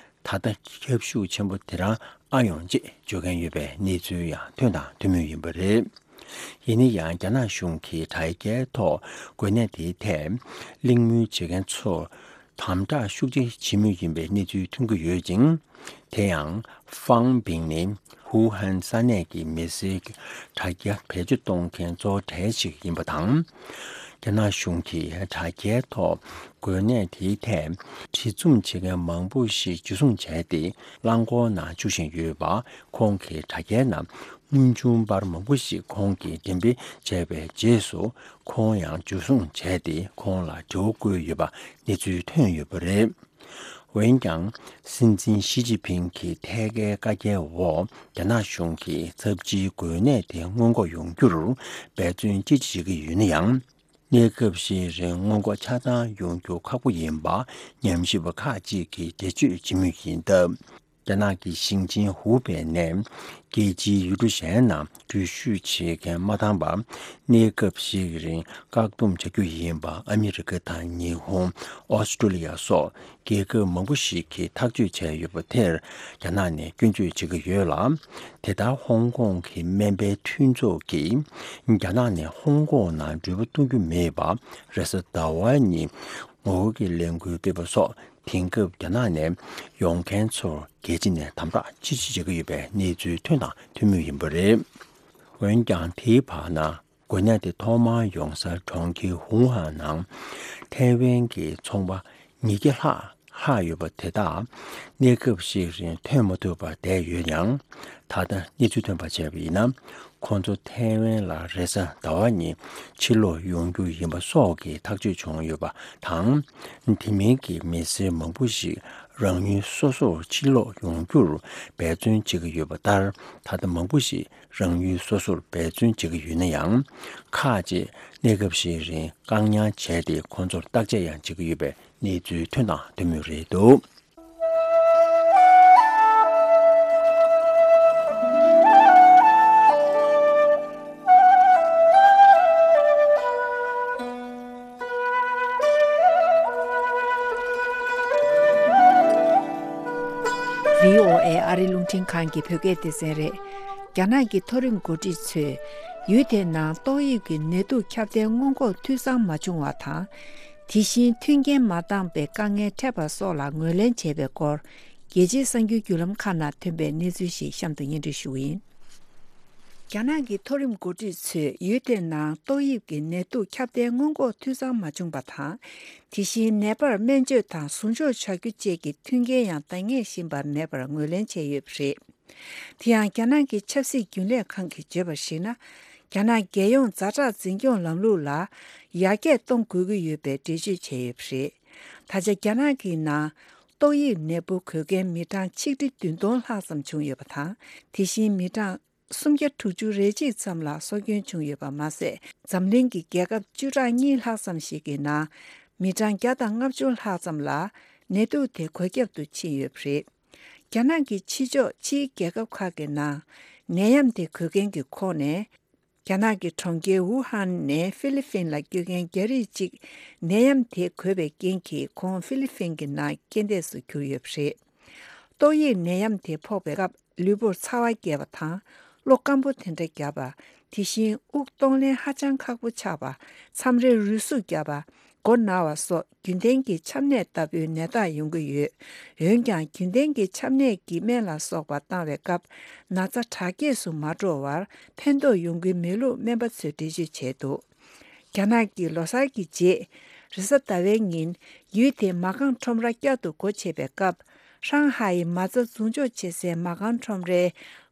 ད་ལྟ་ཁྱབ་ཤུགས་ཆེན་པོ་དེ་རང་ཨ་ཡོང་ཅེས་བརྗོད་མཁན་ཡོད་པའི་གནས་ཚུལ་ཡང་ཐོན་དང་ཐོན་མུས་ཡིན་པ་རེད། ཡིན་ན་ཡང་། རྒྱ་ནག་གཞུང་གིས་དྲ་རྒྱའི་ཐོག་འགོས་ནད་དེའི་ཐད་གླེང་མོལ་བྱེད་མཁན་ཚོར་དམ་དྲག་ཤུགས་ཆེ་བྱེད་མུས་ཡིན་པའི་གནས་ཚུལ་ཐོན་གྱི་ཡོད་ཅིང་། དེ་ཡང་། ཧྥང་པིང་ནི་ཧུའུ་ཧན་ས་གནས་ཀྱི་མི་སེར་གྱི་དྲ་རྒྱ་བེད་སྤྱོད་གཏོང་མཁན་གཙོ་བོ་གྲས་ཤིག་ཡིན་པ་དང་། རྒྱ་ནག་གཞུང་གིས་དྲ་རྒྱའི་ཐོག་འགོས་ནད་དེའི་ཐད་བྲིས་རྩོམ་བྱེད་མཁན་མང་པོ་ཞིག་འཇུ་བཟུང་བྱས་ཏེ། རླངས་འཁོར་ནང་བཅུག་བཞིན་ཡོད་པ། ཁོང་གི་དྲ་རྒྱའི་ནང་དངོས་བྱུང་པར་མང་པོ་ཞིག་ཁོང་གིས་འགྲེམས་སྤེལ་བྱས་པའི་རྗེས་སུ། ཁོང་ཡང་འཇུ་བཟུང་བྱས་ཏེ། ཁོང་ལ་དྲི་བ་བཀོད་ཡོད་པ་གནས་ཚུལ་ཐོན་ཡོད་པ་རེད། འོན་ཀྱང་། སྲིད་འཛིན་ཞི་ཅིན་ཕིང་གིས་ཐད་ཀའི་བཀའ་རྒྱའི་འོག་རྒྱ་ནག་གཞུང་གིས་ཚབས་ཆེའི་འགོས་ནད་དེ་སྔོན་འགོག་ཡོང་རྒྱུར་འབད་བརྩོན་ཅི་ཆེ་བྱེད་ཀྱི་ཡོད་ན་ཡང་། གནས་སྐབས་ཤིག་རིང་སྔོན་འགོག་ཆ་ཚང་ཡོང་རྒྱུ་ཁག་པོ་ཡིན་པ་ཉམས་ཞིབ་པ་ཁག་ཅིག་གིས་འགྲེལ་བརྗོད་བྱེད་མུས་ཡིན་སྟབས། རྒྱ་ནག་གི་ཞིང་ཆེན་ཧུའུ་པེ་ནས་རྒྱལ་སྤྱིའི་ཡུལ་གྲུ་གཞན་ནང་འགྲུལ་བཞུད་བྱེད་མཁན་མ་འདང་བར་གནས་སྐབས་ཤིག་རིང་བཀག་སྡོམ་བྱ་རྒྱུ་ཡིན་པ་ཨ་མི་རི་ཀ་དང་ཉི་ཧོང་། ཨོ་སི་ཀྲོ་ལི་ཡ་སོགས་རྒྱལ་ཁབ་མང་པོ་ཞིག་གིས་ཐག་གཅོད་བྱས་ཡོད་པ་དེར་རྒྱ་ནག་ནས་སྐྱོན་བརྗོད་བྱེད་ཀྱི་ཡོད་ལ། དེ་ལྟར་ཧོང་ཀོང་གི་སྨན་པའི་མཐུན་ཚོགས་ཀྱིས་རྒྱ་ནག་ནས་ཧོང་ཀོང་ནང་འགྲུལ་པ་གཏོང་རྒྱུ་མེད་པ་རེས་གཟའ་ཟླ་བ་ཉིན་ངོ་རྒོལ་གྱི་ལས་འགུལ་སྤེལ་བ་སོགས། དེང་སྐབས་རྒྱ་ནག་ནས་ཡོང་མཁན་ཚོར་རྒྱལ་སྤྱི་ནས་དམ་དྲག་ཆེ་ཆེ་བྱེད་ཀྱི་ཡོད་པའི་གནས་ཚུལ་ཐོན་དང་ཐོན་མུས་ཡིན་པ་རེད། འོན་ཀྱང་དེའི་བར་ན། འགོས་ནད་དེ་ཐོག་མར་ཡོང་ས་གྲོང་ཁྱེར་ཝུ་ཧན་ནང་ཐའེ་ཝན་གྱི་ཚོང་པ་ཉིས་བརྒྱ་ལྷག་ལྷག་ཡོད་པ་དེ་དག་གནས་སྐབས་ཤིག་རིང་ཐོན་མ་ཐུབ་པར་བསྡད་ཡོད་ཡང་། ད་ལྟ་གནས་ཚུལ་ཐོན་པར་བྱས་པ་ཡིན་ན། ཁོང་ཚོ་ཐའེ་ཝན་ལ་རེས་གཟའ་ཟླ་བ་ཉིན་ཕྱིར་ལོག་ཡོང་རྒྱུ་ཡིན་པ་སོགས་ཀྱི་ཐག་གཅོད་བྱུང་ཡོད་པ་དང་། དེ་མིན་གྱི་མི་སེར་མང་པོ་ཞིག་རང་ཡུལ་སོ་སོར་ཕྱིར་ལོག་ཡོང་རྒྱུར་འབད་བརྩོན་བྱེད་ཀྱི་ཡོད་པ་ལྟར། ད་ལྟ་མང་པོ་ཞིག་རང་ཡུལ་སོ་སོར་འབད་བརྩོན་བྱེད་ཀྱི་ཡོད་ན་ཡང་། ཁག་ཅིག་གནས་སྐབས་ཤིག་རིང་བཀག་ཉར་བྱས་ཏེ་ཁོང་ཚོར་བརྟག་དཔྱད་ཡང་བྱེད་ཀྱི་ཡོད་པའི་གནས་ཚུལ་ཐོན་དང་ཐོན་མུས་རེད་འདུག། བྷི་ཨོ་ཨེ་ཨ་རི་རླུང་འཕྲིན་ཁང་གི་བོད་སྐད་སྡེ་ཚན་རེད། རྒྱ་ནག་གི་མཐོ་རིམ་འགོ་ཁྲིད་ཚོས་ཡུལ་དེའི་ནང་ཏོག་དབྱིབས་ཀྱི་ནད་དུག་ཁྱབ་གདལ་སྔོན་འགོག་འཐུས་ཚང་མ་བྱུང་བ་དང་། དེ་བཞིན་མཐུན་རྐྱེན་མ་འདང་པའི་དཀའ་ངལ་འཕྲད་པ་སོགས་ལ་ངོས་ལེན་བྱས་པའི་སྐོར། རྒྱལ་སྤྱིའི་གསར་འགྱུར་བརྒྱུད་ལམ་ཁག་ནང་ཐོན་པའི་གནས་ཚུལ་ཞིག་གཤམ་དུ་སྙན་སྒྲོན་ཞུ་གི་ཡིན། རྒྱ་ནག་གི་མཐོ་རིམ་འགོ་ཁྲིད་ཚོས་ཡུལ་དེའི་ནང་ཏོག་དབྱིབས་ཀྱི་ནད་དུག་ཁྱབ་གདལ་སྔོན་འགོག་འཐུས་ཚང་མ་བྱུང་བ་དང་། དེ་བཞིན་ནད་པར་སྨན་བཅོས་དང་ཟུར་འཇོག་བྱ་རྒྱུ་བཅས་ཀྱི་མཐུན་རྐྱེན་ཡང་འདང་ངེས་བཞིན་པ་མེད་པར་ངོས་ལེན་བྱས་ཡོད་པ་རེད། དེ་ཡང་རྒྱ་ནག་གི་ཆབ་སྲིད་རྒྱུན་ལས་ཁང་གིས་བརྗོད་པར་གཞིགས་ན། རྒྱ་ནག་རྒྱལ་ཡོངས་ཛ་དྲག་འཛིན་སྐྱོང་ལམ་ལུགས་ལ་ཡར་རྒྱས་གཏོང་དགོས་ཀྱི་ཡོད་པའི་འགྲེལ་བརྗོད་བྱས་ཡོད་པ་རེད། ད་ཆ་རྒྱ་ནག་གི་ནང་ཏོག་དབྱིབས་ནད་འབུ་འགོས་མཁན་མི་གྲངས་ཆིག་ཁྲི་བདུན་སྟོང་ལྷག་ཙམ་བྱུང་ཡོད་པ་དང་། དེ་བཞིན་མི་གྲངས་སུམ་བརྒྱ་དྲུག་ཅུ་རེ་གཅིག་ཙམ་ལ་སྲོག་སྐྱོན་བྱུང་ཡོད་པ་མ་ཟད། འཛམ་གླིང་གི་རྒྱལ་ཁབ་བཅུ་ཕྲག་གཉིས་ལྷག་ཙམ་ཞིག་གི་ནང་མི་གྲངས་བརྒྱ་དང་ལྔ་བཅུ་ལྷག་ཙམ་ལ་ནད་དུག་དེ་འགོས་ཁྱབ་ཏུ་ཕྱིན་ཡོད་པ་རེད། རྒྱ་ནག་གི་ཕྱི་ཕྱོགས་ཕྱིའི་རྒྱལ་ཁབ་ཁག་གི་ནང་ནད་ཡམས་དེ་འགོས་མཁན་གྱི་ཁོངས་ནས། རྒྱ་ནག་གི་གྲོང་ཁྱེར་ཝུ་ཧན་ནས་ཧྥི་ལི་ཕིན་ལ་སྐྱོད་མཁན་རྒྱ་རིགས་གཅིག་ནད་ཡམས་དེ་འགོས་པའི་རྐྱེན་གྱིས་ཁོང་ཧྥི་ལི་ཕིན་གྱི་ནང་རྐྱེན་འདས་སུ་གྱུར་ཡོད་པ་རེད། ཏོག་དབྱིབས་ནད་ཡམས་དེ་ཕོག་པའི་སྐབས་ལུས་པོར་ཚ་བ་རྒྱས་པ་དང་། གློ་སྐམ་པོ་དེ་འདྲ་བརྒྱབ་པ། དེ་བཞིན་དབུགས་གཏོང་ལེན་ཧ་ཅང་ཁག་པོ་ཆགས་པ། མཚམས་རེ་རུས་ཟུག་བརྒྱབ་པ། མགོ་ན་བ་སོགས་རྒྱུན་ལྡན་གྱི་ཆམ་ནད་ལྟ་བུའི་ནད་རྟགས་ཡོང་གི་ཡོད། འོན་ཀྱང་རྒྱུན་ལྡན་གྱི་ཆམ་ནད་ཀྱི་སྨན་ལ་སོགས་པ་བཏང་བའི་སྐབས་ན་ཚ་དྲག་སྐྱེད་སུ་མ་འགྲོ་བར་ཕན་ཐོགས་ཡོང་གི་མེད་ལུགས་སྨན་པ་ཚོས་འགྲེལ་བརྗོད་བྱས་འདུག། རྒྱ་ནག་གི་ལོ་གསར་གྱི་རྗེས་རེས་གཟའ་ཟླ་བའི་ཉིན་ཡུལ་དེའི་མ་རྐང་ཁྲོམ་ར་བསྐྱར་དུ་སྒོ་ཕྱེ་བའི་སྐབས། ཧྲང་ཧའེ་མ་རྩ་འཛུགས་འཇོག་བྱེད་སའི་མ་རྐང་ཁྲོམ་རའི་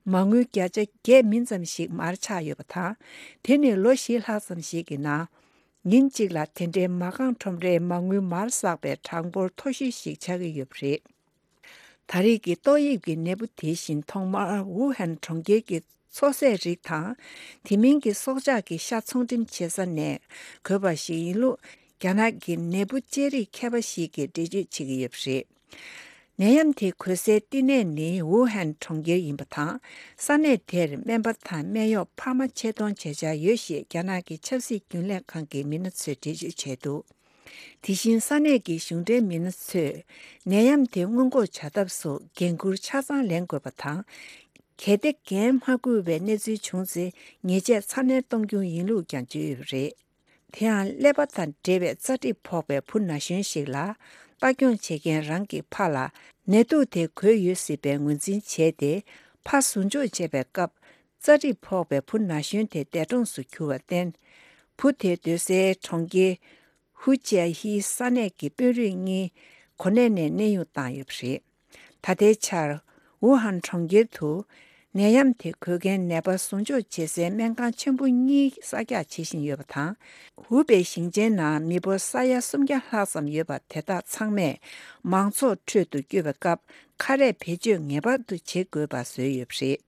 མ་དངུལ་བརྒྱ་ཆ་བརྒྱད་མིན་ཙམ་ཞིག་མར་ཆག་ཡོད་པ་དང་། དེ་ནི་ལོ་བཞི་ལྷག་ཙམ་ཞིག་གི་ནང་། ཉིན་གཅིག་ལ་དེ་འདྲའི་མ་རྐང་ཁྲོམ་རའི་མ་དངུལ་མར་བསགས་པའི་གྲངས་འབོར་མཐོ་ཤོས་ཤིག་ཆགས་ཀྱི་ཡོད་པ་རེད། ད་རེས་ཀྱི་ཏོག་དབྱིབས་ཀྱི་ནད་འབུ་དེ་བཞིན་ཐོག་མར་ཝུ་ཧན་གྲོང་ཁྱེར་གྱི་མཚོ་ཟས་རིགས་དང་། དེ་མིན་གྱི་སྲོག་ཆགས་ཀྱི་ཤ་ཚོང་འགྲེམས་བྱེད་ས་ནས་འགོས་པ་ཞིག་ཡིན་ལུགས་རྒྱ་ནག་གི་ནད་འབུ་དཔྱད་རིག་མཁས་པ་ཞིག་གིས་འགྲེལ་བརྗོད་བྱེད་ཀྱི་ཡོད་པ་རེད། ནད་ཡམས་དེ་འགོས་སའི་བསྟི་གནས་ནི་ཝུ་ཧན་གྲོང་ཁྱེར་ཡིན་པ་དང་། ས་གནས་དེར་སྨན་པ་དང་སྨན་གཡོག་འཕར་མ་ཆེད་གཏོང་བྱེད་འཆར་ཡོད་ཞེས་རྒྱ་ནག་གི་ཆབ་སྲིད་རྒྱུན་ལས་ཁང་གི་མི་སྣ་ཚོས་འགྲེལ་བརྗོད་བྱས་འདུག། དེ་བཞིན་ས་གནས་ཀྱི་གཞུང་འབྲེལ་མི་སྣ་ཚོས་ནད་ཡམས་དེ་སྔོན་འགོག་བྱ་ཐབས་སུ་འགན་འཁུར་ཆ་ཚང་ལེན་དགོས་པ་དང་། གལ་ཏེ་འགན་མ་འཁུར་བའི་གནས་ཚུལ་བྱུང་ཚེ་ཉེས་ཆད་ཚ་ནན་གཏོང་རྒྱུ་ཡིན་ལུགས་ཀྱང་བརྗོད་ཡོད་པ་རེད། དེ་ཡང་ཀླད་པ་དང་འབྲེལ་བའི་རྩ་གྲིབ་ཕོག་པའི་བུ་ན་གཞོན་ཞིག་ལ་ལྟ་སྐྱོང་བྱེད་མཁན་རང་གི་ཕ་ལ་ནད་དུག་དེ་འགོས་ཡོད་སྲིད་པའི་ངོས་འཛིན་བྱས་ཏེ། ཕ་ཟུར་འཇོག་བྱེད་པའི་སྐབས་རྩ་གྲིབ་ཕོག་པའི་བུ་ན་གཞོན་དེ་འདས་གྲོངས་སུ་གྱུར་བར་བརྟེན། བུ་དེ་སྡོད་སའི་གྲོང་ཁྱེར་ཧུ་ཅཱ་ཧི་ས་གནས་ཀྱི་དཔོན་རིགས་གཉིས་གོ་གནས་ནས་གནས་དབྱུང་བཏང་ཡོད་པ་རེད། ད་ལྟའི་ཆར་ཝུ་ཧན་གྲོང་ཁྱེར་དུ་ནད་ཡམས་དེ་འགོས་མཁན་ནད་པ་ཟུར་འཇོག་བྱེད་སའི་སྨན་ཁང་ཆེན་པོ་གཉིས་གསར་རྒྱག་བྱེད་བཞིན་ཡོད་པ་དང་། ཧུའུ་པེ་ཞིང་ཆེན་ནང་མི་འབོར་ས་ཡ་སུམ་བརྒྱ་ལྷག་ཙམ་ཡོད་པ་དེ་དག་ཚང་མས་མང་ཚོགས་ཁྲོད་དུ་བསྐྱོད་པའི་སྐབས་ཁ་རས་བེད་སྤྱོད་ངེས་པར་དུ་བྱེད་དགོས་པ་བཟོས་ཡོད་པ་རེད།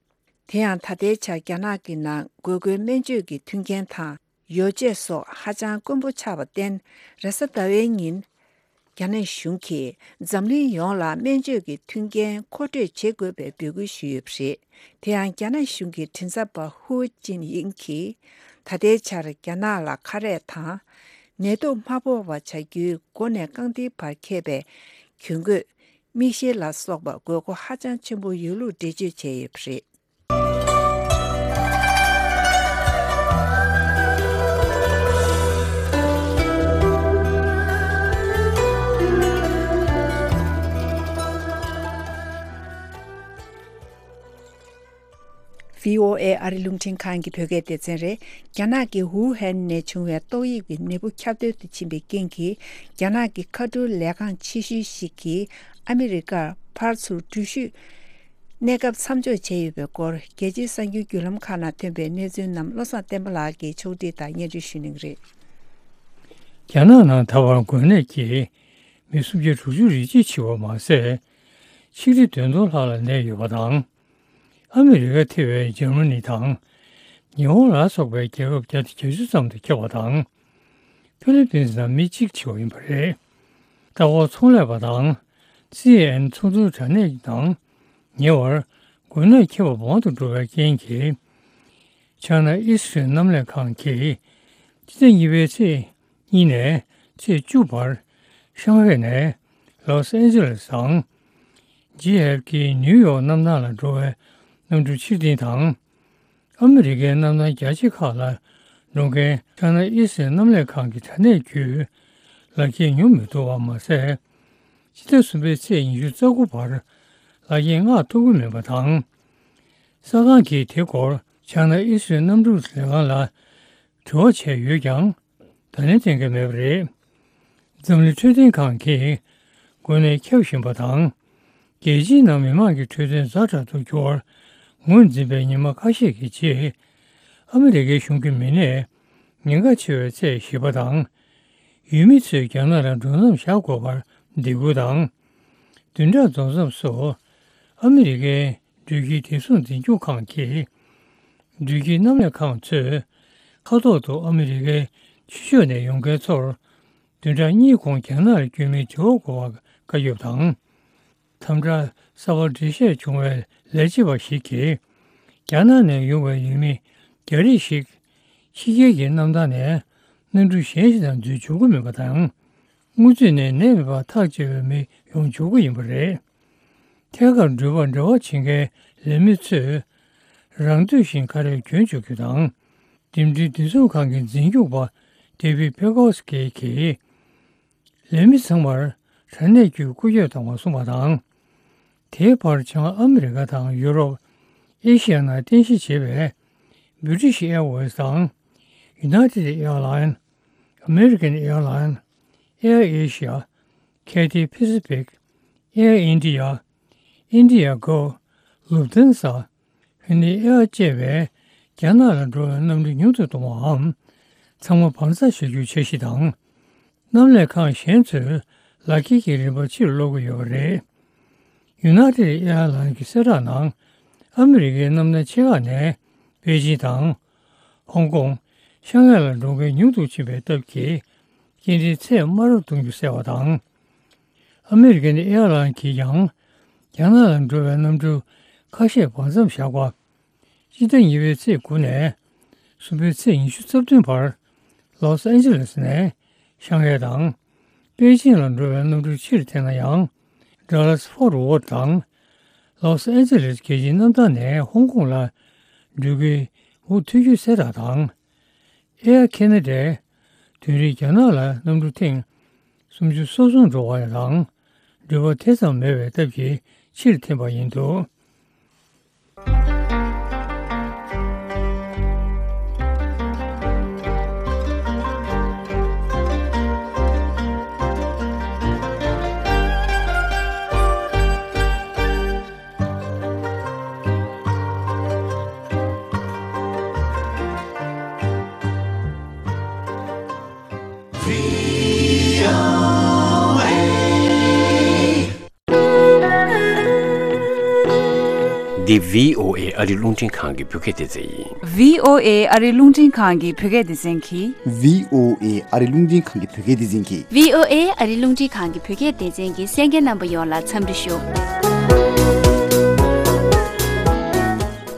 དེ་ཡང་ད་ལྟའི་ཆར་རྒྱ་ནག་གི་ནང་དགོས་མཁོའི་སྨན་བཅོས་ཀྱི་མཐུན་རྐྱེན་དང་ ཡོ་བྱད་སོགས་ཧ་ཅང་དཀོན་པོ་ཆགས་པར་བརྟེན། རེས་གཟའ་ཟླ་བའི་ཉིན། རྒྱ་ནག་གཞུང་གིས་འཛམ་གླིང་ཡོངས་ལ་སྨན་བཅོས་ཀྱི་མཐུན་རྐྱེན་མཁོ་སྤྲོད་བྱེད་དགོས་པའི་འབོད་སྐུལ་ཞུས་ཡོད་པ་རེད། དེ་ཡང་རྒྱ་ནག་གཞུང་གི་མགྲིན་ཚབ་པ་ཧུའུ་ཅིན་ཡིང་གིས། ད་ལྟའི་ཆར་རྒྱ་ནག་ལ་ཁ་རས་དང་། ནད་དུག་མ་ཕོག་པ་བྱ་རྒྱུའི་མགོ་ནས་རྐང་མཐིལ་བར་ཁེབས་པའི་གྱོན་གོས། མིག་ཤེལ་ལ་སོགས་པ་དགོས་མཁོ་ཧ་ཅང་ཆེན་པོ་ཡོད་ལུགས་འགྲེལ་བརྗོད་བྱས་ཡོད་པ་རེད། ཝི་ཨོ་ཨེ་ཨ་རི་རླུང་འཕྲིན་ཁང་གི་བོད་སྐད་སྡེ་ཚན་རེད། རྒྱ་ནག་གི་ཝུ་ཧན་ནས་བྱུང་བའི་ཏོག་དབྱིབས་ཀྱི་ནད་འབུ་ཁྱབ་གདལ་དུ་ཕྱིན་པའི་རྐྱེན་གྱིས། རྒྱ་ནག་གི་མཁའ་འགྲུལ་ལས་ཁང་ཆེ་ཤོས་ཤིག་གིས་ཨ་མི་རི་ཀར་ཕར་ཚུར་འགྲུལ་བཞུད་གནས་སྐབས་མཚམས་འཇོག་བྱས་ཡོད་པའི་སྐོར། རྒྱལ་སྤྱིའི་གསར་འགྱུར་བརྒྱུད་ལམ་ཁག་ནང་ཐོན་པའི་གནས་ཚུལ་རྣམས་བློ་བཟང་བསྟན་པ་ལགས་ཀྱིས་ཕྱོགས་སྒྲིག་དང་སྙན་སྒྲོན་ཞུ་གནང་གི་རེད། རྒྱ་ནག་ནང་ད་བར་འགོས་ནད་ཀྱིས་མི་སུམ་བརྒྱ་དྲུག་ཅུ་རེ་གཅིག་འཆི་བ་མ་ཟད། ཆིག་ཁྲི་བདུན་སྟོང་ལྷག་ལ་ནད་ཡོད་པ་དང་། ཨ་མི་རི་ཀ་ཐེ་བའི་འཇར་མ་ནི་དང་། ཉི་ཧོང་ལ་སོགས་པའི་རྒྱལ་ཁབ་བརྒྱ་དང་བརྒྱད་ཅུ་ཙམ་དུ་ཁྱབ་པ་དང་། ཧྥི་ལི་པིན་ནང་མི་གཅིག་འཆི་བ་ཡིན་པ་རེད། ལྟ་སྐོར་ཚོང་ལས་པ་དང་། སི་ཨེན་ཨེན་ཚོང་དོན་དྲ་གནས་ནང་ཉེ་བར་འགོས་ནད་ཁྱབ་པ་མང་དུ་འགྲོ་བའི་རྐྱེན་གྱིས། ཆ་ན་ཨི་སི་རལ་གནམ་ལས་ཁང་གིས་སྤྱི་ཟླ་གཉིས་པའི་ཚེས་གཉིས་ནས་ཚེས་བཅུ་བར་ཤང་ཧའེ་ནས་ལོས་ཨན་ཇེ་ལེས་དང་། ཇེ་ཨེཕ་ཀེ་ནིའུ་ཡོག་གནམ་ཐང་ལ་འགྲོ་བའི་གནམ་གྲུ་ཕྱིར་འཐེན་དང་། ཨ་མི་རི་ཀའི་གནམ་ཐང་རྒྱ་ཆེ་ཁག་ལ་འགྲོ་མཁན་ཆ་ན་ཨི་སི་རལ་གནམ་ལས་ཁང་གི་དྲ་གནས་བརྒྱུད་ལག་འཁྱེར་ཉོ་མི་ཐུབ་པ་མ་ཟད། ཕྱི་ཟླ་གསུམ་པའི་ཚེས་ཉི་ཤུ་རྩ་དགུ་བར་ལག་འཁྱེར་མངགས་ཐུབ་ཀྱི་མེད་པ་དང་། གསར་ཁང་གིས་དེ་སྐོར་ཆ་ན་ཨི་སི་རལ་གནམ་གྲུ་ལས་ཁང་ལ་དྲི་བ་བྱས་ཡོད་ཀྱང་། ད་ལན་གཏན་འཁེལ་མེད་པ་རེད། འཛམ་གླིང་འཕྲོད་བསྟེན་ཁང་གིས་འགོས་ནད་ཁྱབ་བཞིན་པ་དང་། རྒྱལ་སྤྱིའི་ནང་མི་མང་གི་འཕྲོད་བསྟེན་ཛ་དྲག་ཏུ་གྱུར་བར་ངོས་འཛིན་པའི་ཉི་མ་ཁ་ཤས་ཀྱི་རྗེས། ཨ་མི་རི་ཀའི་གཞུང་གིས་མི་ནད་ཉེན་ཁ་ཆེ་བའི་ཚད་བཞི་པ་དང་། ཡུལ་མི་ཚོས་རྒྱ་ནག་ལ་འགྲོ་མཚམས་བཞག་དགོས་པར་སྡིགས་སྐུལ་དང་། བདུན་ཕྲག་རྫོགས་མཚམས་སུ་ཨ་མི་རི་ཀའི་འགྲུལ་སྐྱེལ་བདེ་སྲུང་འཛིན་སྐྱོང་ཁང་གིས། འགྲུལ་སྐྱེལ་གནམ་ལས་ཁང་ཚོས་མཁའ་ཐོག་ཏུ་ཨ་མི་རི་ཀའི་ཕྱི་ཕྱོགས་ནས་ཡོང་མཁན་ཚོར་བདུན་ཕྲག་གཉིས་གོང་རྒྱ་ནག་ལ་བསྐྱོད་མིན་དྲི་བ་འགོད་པར་བཀའ་ཁྱབ་དང་། དམ་དྲག་གསར་པ་འགྲེལ་བཤད་བྱུང་བའི་ལས་བྱེད་པ་ཞིག་གིས། རྒྱ་ནག་ནས་ཡོང་བའི་ཡུལ་མི་བརྒྱ་རེ་ཞིག་ཕྱི་རྒྱལ་གྱི་གནམ་ཐང་ནས་གནམ་གྲུ་གཞན་ཞིག་ནང་འཛུལ་འཇུག་གི་མིན་པ་དང་། སྔོན་ཚུད་ནས་ནད་མེད་པར་ཐག་བཅད་པའི་མི་ཡོང་འཇུག་གི་ཡིན་པ་རེད། ཐད་ཀར་འགྲུལ་པར་འབྲེལ་བ་བྱེད་མཁན་ལས་མི་ཚོས་རང་འདོད་བཞིན་ཁ་རས་གྱོན་འཇུག་རྒྱུ་དང་། འགྲིམ་འགྲུལ་བདེ་སྲུང་ཁང་གི་འཛིན་སྐྱོང་པ་ཌེ་བིད་པེ་ཀོ་སི་ཀི་གིས། ལས་མི་ཚང་མར་དྲ་གནས་བརྒྱུད་སྐུལ་སྐྱོད་གཏོང་བར་གསུངས་པ་དང་། དེའི་བར་བྱང་ཨ་མི་རི་ཀ་དང་ཡུ་རོབ། ཨེ་ཤི་ཡ་ནང་རྟེན་གཞི་བྱས་པའི་British Airways དང་། United Airlines། American Airlines། Air Asia། Cathay Pacific། Air India། Indigo། Lufthansa། Finnair བཅས་པའི་རྒྱ་ནག་ལ་འགྲོ་བའི་གནམ་གྲུ་ཉུང་དུ་གཏོང་བའམ། ཚང་མ་བར་མཚམས་བཞག་རྒྱུའི་འཆར་གཞི་དང་། གནམ་ལས་ཁང་གཞན་ཚོས་ལག་འཁྱེར་གྱི་རིན་པ་ཕྱིར་སློག་གི་ཡོད་པ་རེད། United Airlines གྱི་གསལ་བསྒྲགས་ནང་། ཨ་མི་རི་ཀའི་གནམ་ཐང་ཆེ་ཁག་ནས་པེ་ཅིན་དང་། ཧོང་ཀོང་། ཤང་ཧའེ་ལ་འགྲོ་མཁན་ཉུང་དུ་ཕྱིན་པའི་སྟབས་ཀྱིས། སྐྱེལ་འདྲེན་ཚད་དམའ་རུ་གཏོང་རྒྱུ་གསལ་བ་དང་། ཨ་མི་རི་ཀན་ཨེར་ལའིན་གྱིས་ཀྱང་། རྒྱ་ནག་ལ་འགྲོ་བའི་གནམ་གྲུ་ཁ་ཤས་བར་མཚམས་བཞག་པ། སྤྱི་ཟླ་གཉིས་པའི་ཚེས་དགུ་ནས་གསུམ་པའི་ཚེས་ཉི་ཤུ་རྩ་བདུན་བར་ལོས་ཨན་ཇེ་ལེས་ནས་ཤང་ཧའེ་དང་པེ་ཅིང་ལ་འགྲོ་བའི་གནམ་གྲུ་ཕྱིར་འཐེན་ན་ཡང་། ཌ་ལཱས་ཕོར་ཝརྡ་དང་ལོས་ཨན་ཇེ་ལེས་རྒྱལ་སྤྱིའི་གནམ་ཐང་ནས་ཧོང་ཀོང་ལ་འགྲུལ་སྐྱོད་མུ་མཐུད་རྒྱུ་གསལ་བསྒྲགས་དང་། ཨེར་ཁེ་ན་ཌས་དུས་རིང་རྒྱ་ནག་ལ་གནམ་གྲུ་ཐེངས་སུམ་ཅུ་སོ་གསུམ་འགྲོ་བ་དང་འགྲུལ་པ་དེ་ཙམ་མེད་པའི་སྟབས་ཀྱིས་ཕྱིར་འཐེན་པ་ཡིན་འདུག། འདི་བྷི་ཨོ་ཨེ་ཨ་རི་རླུང་འཕྲིན་ཁང་གི་བོད་སྐད་སྡེ་ཚན་ཡིན། བྷི་ཨོ་ཨེ་ཨ་རི་རླུང་འཕྲིན་ཁང་གི་བོད་སྐད་སྡེ་ཚན་གྱིས། བྷི་ཨོ་ཨེ་ཨ་རི་རླུང་འཕྲིན་ཁང་གི་བོད་སྐད་སྡེ་ཚན་གྱིས། བྷི་ཨོ་ཨེ་ཨ་རི་རླུང་འཕྲིན་ཁང་གི་བོད་སྐད་སྡེ་ཚན་གྱི་གསན་མཁན་རྣམ་པ་ཡོངས་ལ་འཚམས་འདྲི་ཞུ།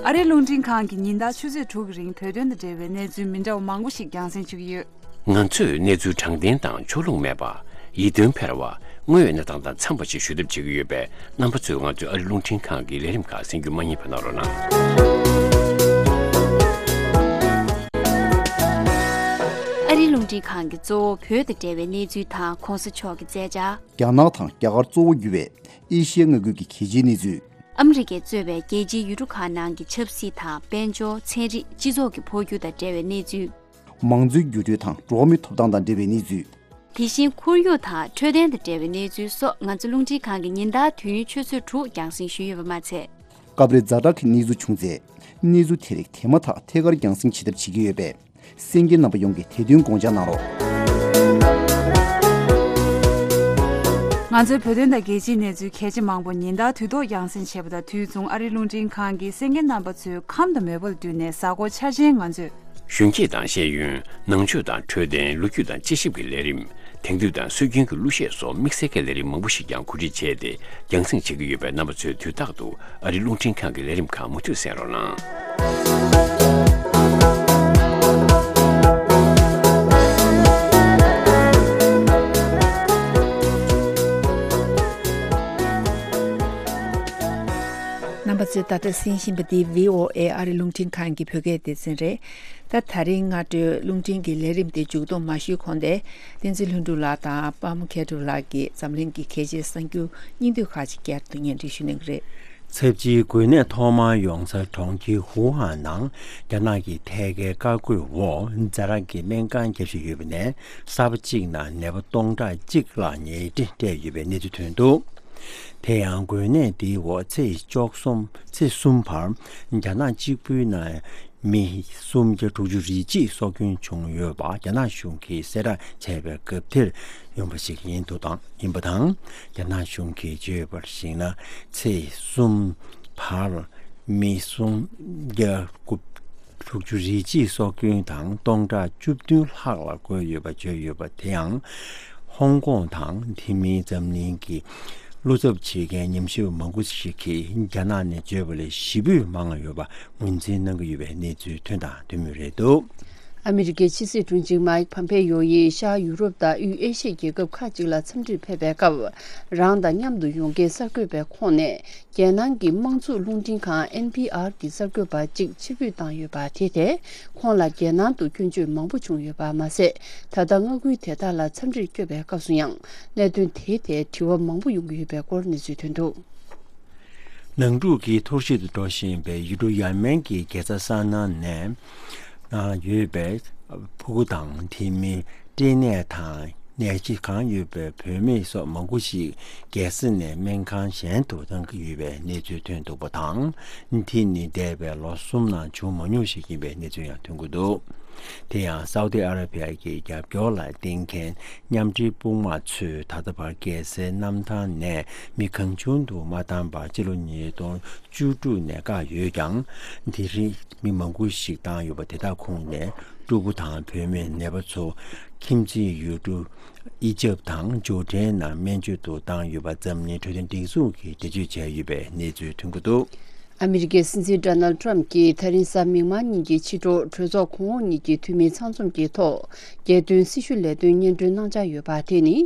ཨ་རི་རླུང་འཕྲིན་ཁང་གིས་ཉིན་ལྟར་ཆུ་ཚོད་དྲུག་གི་རིང་བོད་དོན་དང་འབྲེལ་བའི་གནས་ཚུལ་མི་འདྲ་བ་མང་པོ་ཞིག་རྒྱང་སྲིང་ཞུ་གི་ཡོད། ང་ཚོས་གནས་ཚུལ་དྲང་བདེན་དང་ཕྱོགས་ལྷུང་མེད་པ། ཡིད་རྟོན་འཕེར་བ། དངོས་ཡོད་གནས་སྟངས་དང་འཚམས་པ་ཞིག་ཞུ་ཐབས་བྱེད་ཀྱི་ཡོད་པས། རྣམ་པ་ཚོས་ང་ཚོའི་ཨ་རི་རླུང་འཕྲིན་ཁང་གི་ལས་རིམ་ཁག་གསན་རྒྱུ་མ་བསྙེལ་བ་གནང་རོགས་གནང་། ཨ་རི་རླུང་འཕྲིན་ཁང་གིས་གཙོ་བོ་བོད་དང་འབྲེལ་བའི་གནས་ཚུལ་དང་གོང་ས་མཆོག་གི་མཛད་འཆར། རྒྱ་ནག་དང་རྒྱ་གར་གཙོ་བོ་གྱུར་བའི་ཨེ་ཤི་ཡ་མངའ་ཁུལ་གྱི་གལ་ཆེའི་གནས་ཚུལ། ཨ་མི་རི་ཀས་གཙོས་པའི་རྒྱལ་སྤྱིའི་ཡུལ་གྲུ་ཁག་ནང་གི་ཆབ་སྲིད་དང་དཔལ་འབྱོར། ཚན་རིག་སྤྱི་ཚོགས་ཀྱི་འཕོ་འགྱུར་དང་འབྲེལ་བའི་གནས་ཚུལ། མང་གཙོའི་འགྱུར་འགྲོས་དང་འགྲོ་བ་མིའི་ཐོབ་ཐང་དང་འབྲེལ་བའི་གནས་ཚུལ། དེ་བཞིན་ཁོར་ཡུག་དང་འཕྲོད་བསྟེན་དང་འབྲེལ་བའི་གནས་ཚུལ་སོགས་ང་ཚོ་རླུང་འཕྲིན་ཁང་གིས་ཉིན་ལྟར་དུས་ཡུན་ཆུ་ཚོད་དྲུག་རྒྱང་སྲིང་ཞུས་ཡོད་པ་མ་ཚད། སྐབས་རེ་ཛ་དྲག་གི་གནས་ཚུལ་བྱུང་ཚེ། གནས་ཚུལ་དེ་རིགས་དེ་མ་ཐག་ཐད་ཀར་རྒྱང་སྲིང་བྱེད་ཐབས་བྱེད་ཀྱི་ཡོད་པས། གསན་མཁན་རྣམ་པ་ཡོངས་ཀྱིས་དེ་དོན་དགོངས་འཇགས་གནང་རོགས། ང་ཚོའི་བོད་དོན་དང་རྒྱལ་སྤྱིའི་གནས་ཚུལ་གལ་ཆེ་མང་པོ་ཉིན་ལྟར་དུས་ཐོག་རྒྱང་སྲིང་བྱེད་པ་དང་དུས་མཚུངས་ཨ་རིའི་རླུང་འཕྲིན་ཁང་གིས་གསན་མཁན་རྣམ་པ་ཚོའི་ཁམས་དང་མོས་པ་ལ་བསྟུན་ནས་གཟའ་འཁོར་འཆར་ཅན་ང་ཚོས། གཞོན་སྐྱེས་དང་ཤེས་ཡོན། ནང་ཆོས་དང་འཕྲོད་བསྟེན། ལོ་རྒྱུས་དང་དཔྱད་ཞིབ་ཀྱི་ལས་རིམ། དེང་དུས་དང་སྲོལ་རྒྱུན་གྱི་གླུ་གཞས་སོགས་དམིགས་བསལ་གྱི་ལས་རིམ་མང་པོ་ཞིག་ཀྱང་གོ་སྒྲིག་བྱས་ཏེ་རྒྱང་སྲིང་བྱེད་ཀྱི་ཡོད་པས། རྣམ་པ་ཚོས་དུས་རྟག་ཏུ་ཨ་རིའི་རླུང་འཕྲིན་ཁང་གི་ལས་རིམ་ཁག་མུ་མཐུད་གསན་རོགས་གནང་། རྣམ་པ་ཚོས་ད་ལྟ་གསན་བཞིན་པ་འདི་བྷི་ཨོ་ཨེ་ཨ་རི་རླུང་འཕྲིན་ཁང་གི་བོད་སྐད་སྡེ་ཚན་རེད། ད་ད་རིང་སྔ་དྲོའི་རླུང་འཕྲིན་གྱི་ལས་རིམ་དེ་མཇུག་སྡོམ་མ་ཞུས་གོང་དེ། བསྟན་འཛིན་ལྷུན་གྲུབ་ལགས་དང་པདྨ་མཁས་གྲུབ་ལགས་ཀྱིས་འཛམ་གླིང་གི་གལ་ཆེའི་གསར་འགྱུར་སྙིང་བསྡུས་ཁག་ཅིག་བསྐྱར་དུ་སྙན་སྒྲོན་ཞུ་གནང་གི་རེད། ཚབས་ཆེའི་འགོས་ནད་ཐོག་མར་ཡོང་ས་གྲོང་ཁྱེར་ཧུའུ་ཧན་ནང་རྒྱ་ནག་གི་ཐད་ཀའི་བཀའ་བཀོད་འོག་ཛ་དྲག་གི་སྨན་ཁང་བརྒྱབ་བཞིན་ཡོད་པ་ནས་གསར་པ་གཅིག་ནང་ནད་པ་སྟོང་ཕྲག་གཅིག་ལ་ཉལ་ཁྲི་སྤྲད་ཡོད་པའི་གནས་ཚུལ་ཐོན་འདུག་དེ་ཡང་འགོས་ནད་འདིའི་འོག་ཚེས་བཅུ་གསུམ། ཚེས་གསུམ་བར་རྒྱ་ནག་གཅིག་པུའི་ནང་མི་སུམ་བརྒྱ་དྲུག་ཅུ་རེ་གཅིག་སྲོག་སྐྱོན་བྱུང་ཡོད་པ་རྒྱ་ནག་གཞུང་གིས་གསལ་བསྒྲགས་བྱས་པའི་སྐབས་དེར་ཡོང་བ་ཞིག་ཡིན་འདུག་དང་ཡིན་པ་དང་། རྒྱ་ནག་གཞུང་གིས་བརྗོད་པར་གཞིགས་ན། ཚེས་གསུམ་བར་མི་སུམ་བརྒྱ་དྲུག་ཅུ་རེ་གཅིག་སྲོག་སྐྱོན་དང་སྟོང་ཕྲག་བཅུ་བདུན་ལྷག་ལ་འགོས་ཡོད་པ་བརྗོད་ཡོད་པ་དེ་ཡང་། ཧོང་ཀོང་དང་དེ་མིན་འཛམ་གླིང་གི་བློ་འཚབ་བྱེད་མཁན་ཉམས་ཞིབ་པ་མང་པོ་ཞིག་གིས་རྒྱ་ནག་ནས་བརྗོད་པ་ལས་བཞི་བོས་མང་བ་ཡོད་པ་ངོས་འཛིན་གནང་གི་ཡོད་པའི་གནས་ཚུལ་ཐོན་དང་ཐོན་མུས་རེད་འདུག་ཨ་མི་རི་ཀའི་ཕྱི་སྲིད་དྲུང་ཆེ་མའིག་ཕམ་ཕེ་ཡོ་ཡིས་ཤར་ཡུ་རོབ་དང་དབུས་ཨེ་ཤི་ཡའི་རྒྱལ་ཁབ་ཁག་ཅིག་ལ་འཚམས་འདྲིར་ཕེབས་པའི་སྐབས། རང་དང་མཉམ་དུ་ཡོང་མཁན་གསར་འགོད་པའི་ཁོངས་ནས། རྒྱལ་ནང་གི་དམངས་གཙོ་རླུང་འཕྲིན་ཁང་ཨེན་ཕི་ཨར་གྱི་གསར་འགོད་པ་གཅིག་ཕྱིར་འབུད་བཏང་ཡོད་པ་དེ་ཐད། ཁོང་ལ་རྒྱལ་ནང་དུ་སྐྱོན་བརྗོད་མང་པོ་བྱུང་ཡོད་པ་མ་ཟད། ད་ལྟ་མངའ་ཁུལ་དེ་དག་ལ་འཚམས་འདྲིར་བསྐྱོད་པའི་སྐབས་སུ་ཡང་གནད་དོན་དེའི་ཐད་དྲི་བ་མང་པོ་ཡོང་གི་ཡོད་པའི་སྐོར་གནས་ཚུལ་ཐོན་འདུག་ནང་འཁྲུག་གིས་འཐོར་ཞིག་ཏུ་འགྲོ་བཞིན་པའི་ཡུལ་གྲུ་ཡ་མེན་གྱི་རྒྱལ་ས་ས་ན་ནས་ཡོད་པའི་ཕྲུ་གུ་དང་དེ་མིན་སྐྲན་ནད་དང་ནད་གཞི་གང་ཡོད་པའི་བུད་མེད་སོགས་མང་པོ་ཞིག་རྒྱལ་ས་ནས་སྨན་ཁང་གཞན་དུ་གཏང་གི་ཡོད་པའི་གནས་ཚུལ་ཐོན་འདུག་པ་དང་། དེ་ནི་འདས་པའི་ལོ་གསུམ་ནང་བྱུང་མ་མྱོང་ཞིག་ཡིན་པའི་གནས་ཚུལ་ཡང་ཐོན་གྱི་འདུག་དེ་ཡང་སའུ་ཏི་ཨ་ར་བྷི་ཡ་གི་རྒྱབ་སྐྱོར་ལ་བརྟེན་མཁན་མཉམ་འབྲེལ་དཔུང་དམག་ཚོས་ད་ལྟ་བར་རྒྱལ་སའི་གནམ་ཐང་ནས་མི་གང་བྱུང་དུ་མ་བཏང་བར་ཕྱི་ལོ་ཉིས་སྟོང་བཅུ་དྲུག་ནས་བཀག་ཡོད་ཀྱང་། དེ་རིང་མི་མང་པོ་ཞིག་བཏང་ཡོད་པ་དེ་དག་ཁོངས་ནས་ཕྲུ་གུ་དང་བུད་མེད་ནད་པ་ཚོ་ཁྱིམ་མཚེས་ཡུལ་གྲུ་ཨི་ཇབ་དང་ཇོར་ཌན་ནང་སྨན་བཅོས་དུ་བཏང་ཡོད་པ་འཛམ་གླིང་འཕྲོད་བསྟེན་སྒྲིག་འཛུགས་ཀྱིས་འགྲེལ་བརྗོད་བྱས་ཡོད་པའི་གནས་ཚུལ་ཐོན་གྱི་འདུག་ཨ་མི་རི་ཀའི་སྲིད་འཛིན་ཌོ་ནལ་ཌི་ཊརམ་ཕི་གྱིས་ད་རིང་གཟའ་མིག་དམར་ཉིན་གྱི་ཕྱི་དྲོ་གྲོས་ཚོགས་གོང་འོག་གཉིས་ཀྱི་འཐུས་མི་ཚང་འཛོམས་ཀྱི་ཐོག་རྒྱལ་དོན་སྲི་ཞུ་ལས་དོན་སྙན་སྒྲོན་གནང་འཆར་ཡོད་པ་དེ་ནི་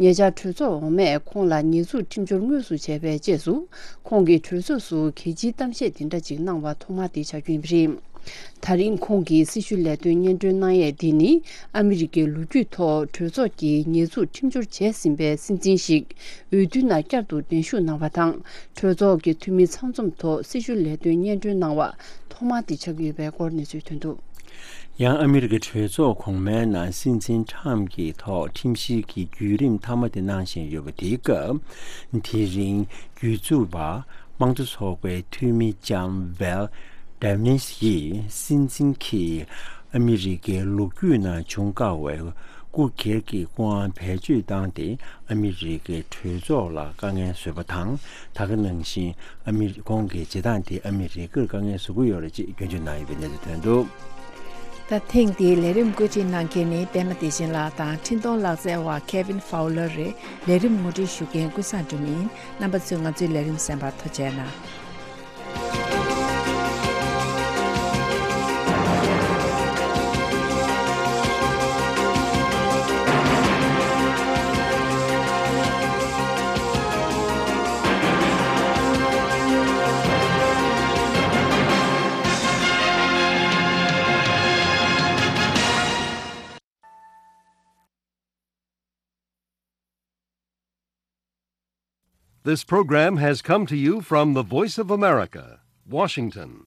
ཉེ་ཆར་གྲོས་ཚོགས་འོག་མས་ཁོང་ལ་ཉེས་འཛུགས་ཁྲིམས་སྦྱོར་དངོས་སུ་བྱས་པའི་རྗེས་སུ། ཁོང་གིས་གྲོས་ཚོགས་སུ་གལ་ཆེའི་གཏམ་བཤད་དེ་འདྲ་ཅིག་གནང་བ་ཐོག་མ་དེ་ཆགས་རྒྱུ་ཡིན་པ་རེད། ད་རིང་ཁོང་གིས་སྲི་ཞུ་ལས་དོན་སྙན་སྒྲོན་གནང་ཡས་འདི་ནི་ཨ་མི་རི་ཀའི་ལོ་རྒྱུས་ཐོག་གྲོས་ཚོགས་ཀྱིས་ཉེས་འཛུགས་ཁྲིམས་སྦྱོར་བྱས་ཟིན་པའི་སྲིད་འཛིན་ཞིག་འོས་བསྡུའི་ནང་བསྐྱར་དུ་གདན་ཞུ་གནང་བ་དང་། གྲོས་ཚོགས་ཀྱི་འཐུས་མི་ཚང་འཛོམས་ཐོག་སྲི་ཞུ་ལས་དོན་སྙན་སྒྲོན་གནང་བ་ཐོག་མ་དེ་ཆགས་ཡོད་པའི་སྐོར་གནས་ཚུལ་ཐོན་འདུག་ཡང་ཨ་མི་རི་ཀའི་གྲོས་ཚོགས་གོང་མའི་ནང་སྲིད་འཛིན་ཊརམ་ཕི་གྱི་ཐོག་ཁྲིམས་བཤེར་གྱི་བརྒྱུད་རིམ་མཐའ་མ་དེ་གནང་བཞིན་ཡོད་པ་དེའི་སྐབས། དེ་རིང་། རྒྱུད་འཛིན་པ། དམངས་གཙོ་ཚོགས་པའི་འཐུས་མི་ལྕམ་ཝལ་ཌེ་ནིས་ཡིས་སྲིད་འཛིན་གྱིས་ཨ་མི་རི་ཀའི་ལོ་རྒྱུས་ནང་བྱུང་དཀའ་བའི་ སྐུ་སྒེར་གྱི་སྐུ་དབང་བེད་སྤྱོད་བཏང་སྟེ་ཨ་མི་རི་ཀའི་གྲོས་ཚོགས་ལ་དཀའ་ངལ་བཟོས་པ་དང་། ད་ག་ནང་བཞིན་ཨ་མི་རི་ཁོང་གི་བྱེད་སྟངས་དེ་ཨ་མི་རི་ཀར་དཀའ་ངལ་བཟོ་གི་ཡོད་རེད་ཅེས་སྐྱོན་བརྗོད་གནང་ཡོད་པའི་གནས་ཚུལ་ཐོན་འདུག་ད་ཐེངས་འདིའི་ལས་རིམ་བཀོད་སྒྲིག་གནང་མཁན་ནི་པད་མ་བདེ་ཆེན་ལགས་དང་འཕྲིན་གཏོང་ལག་རྩལ་བ་Kevin Fowler་རེད། ལས་རིམ་ངོ་སྤྲོད་ཞུ་མཁན་ཀུན་བཟང་སྒྲོལ་མ་ཡིན། རྣམ་པ་ཚོས་ང་ཚོའི་ལས་རིམ་གསན་པར་ཐུགས་རྗེ་གནང་། This program has come to you from the Voice of America, Washington.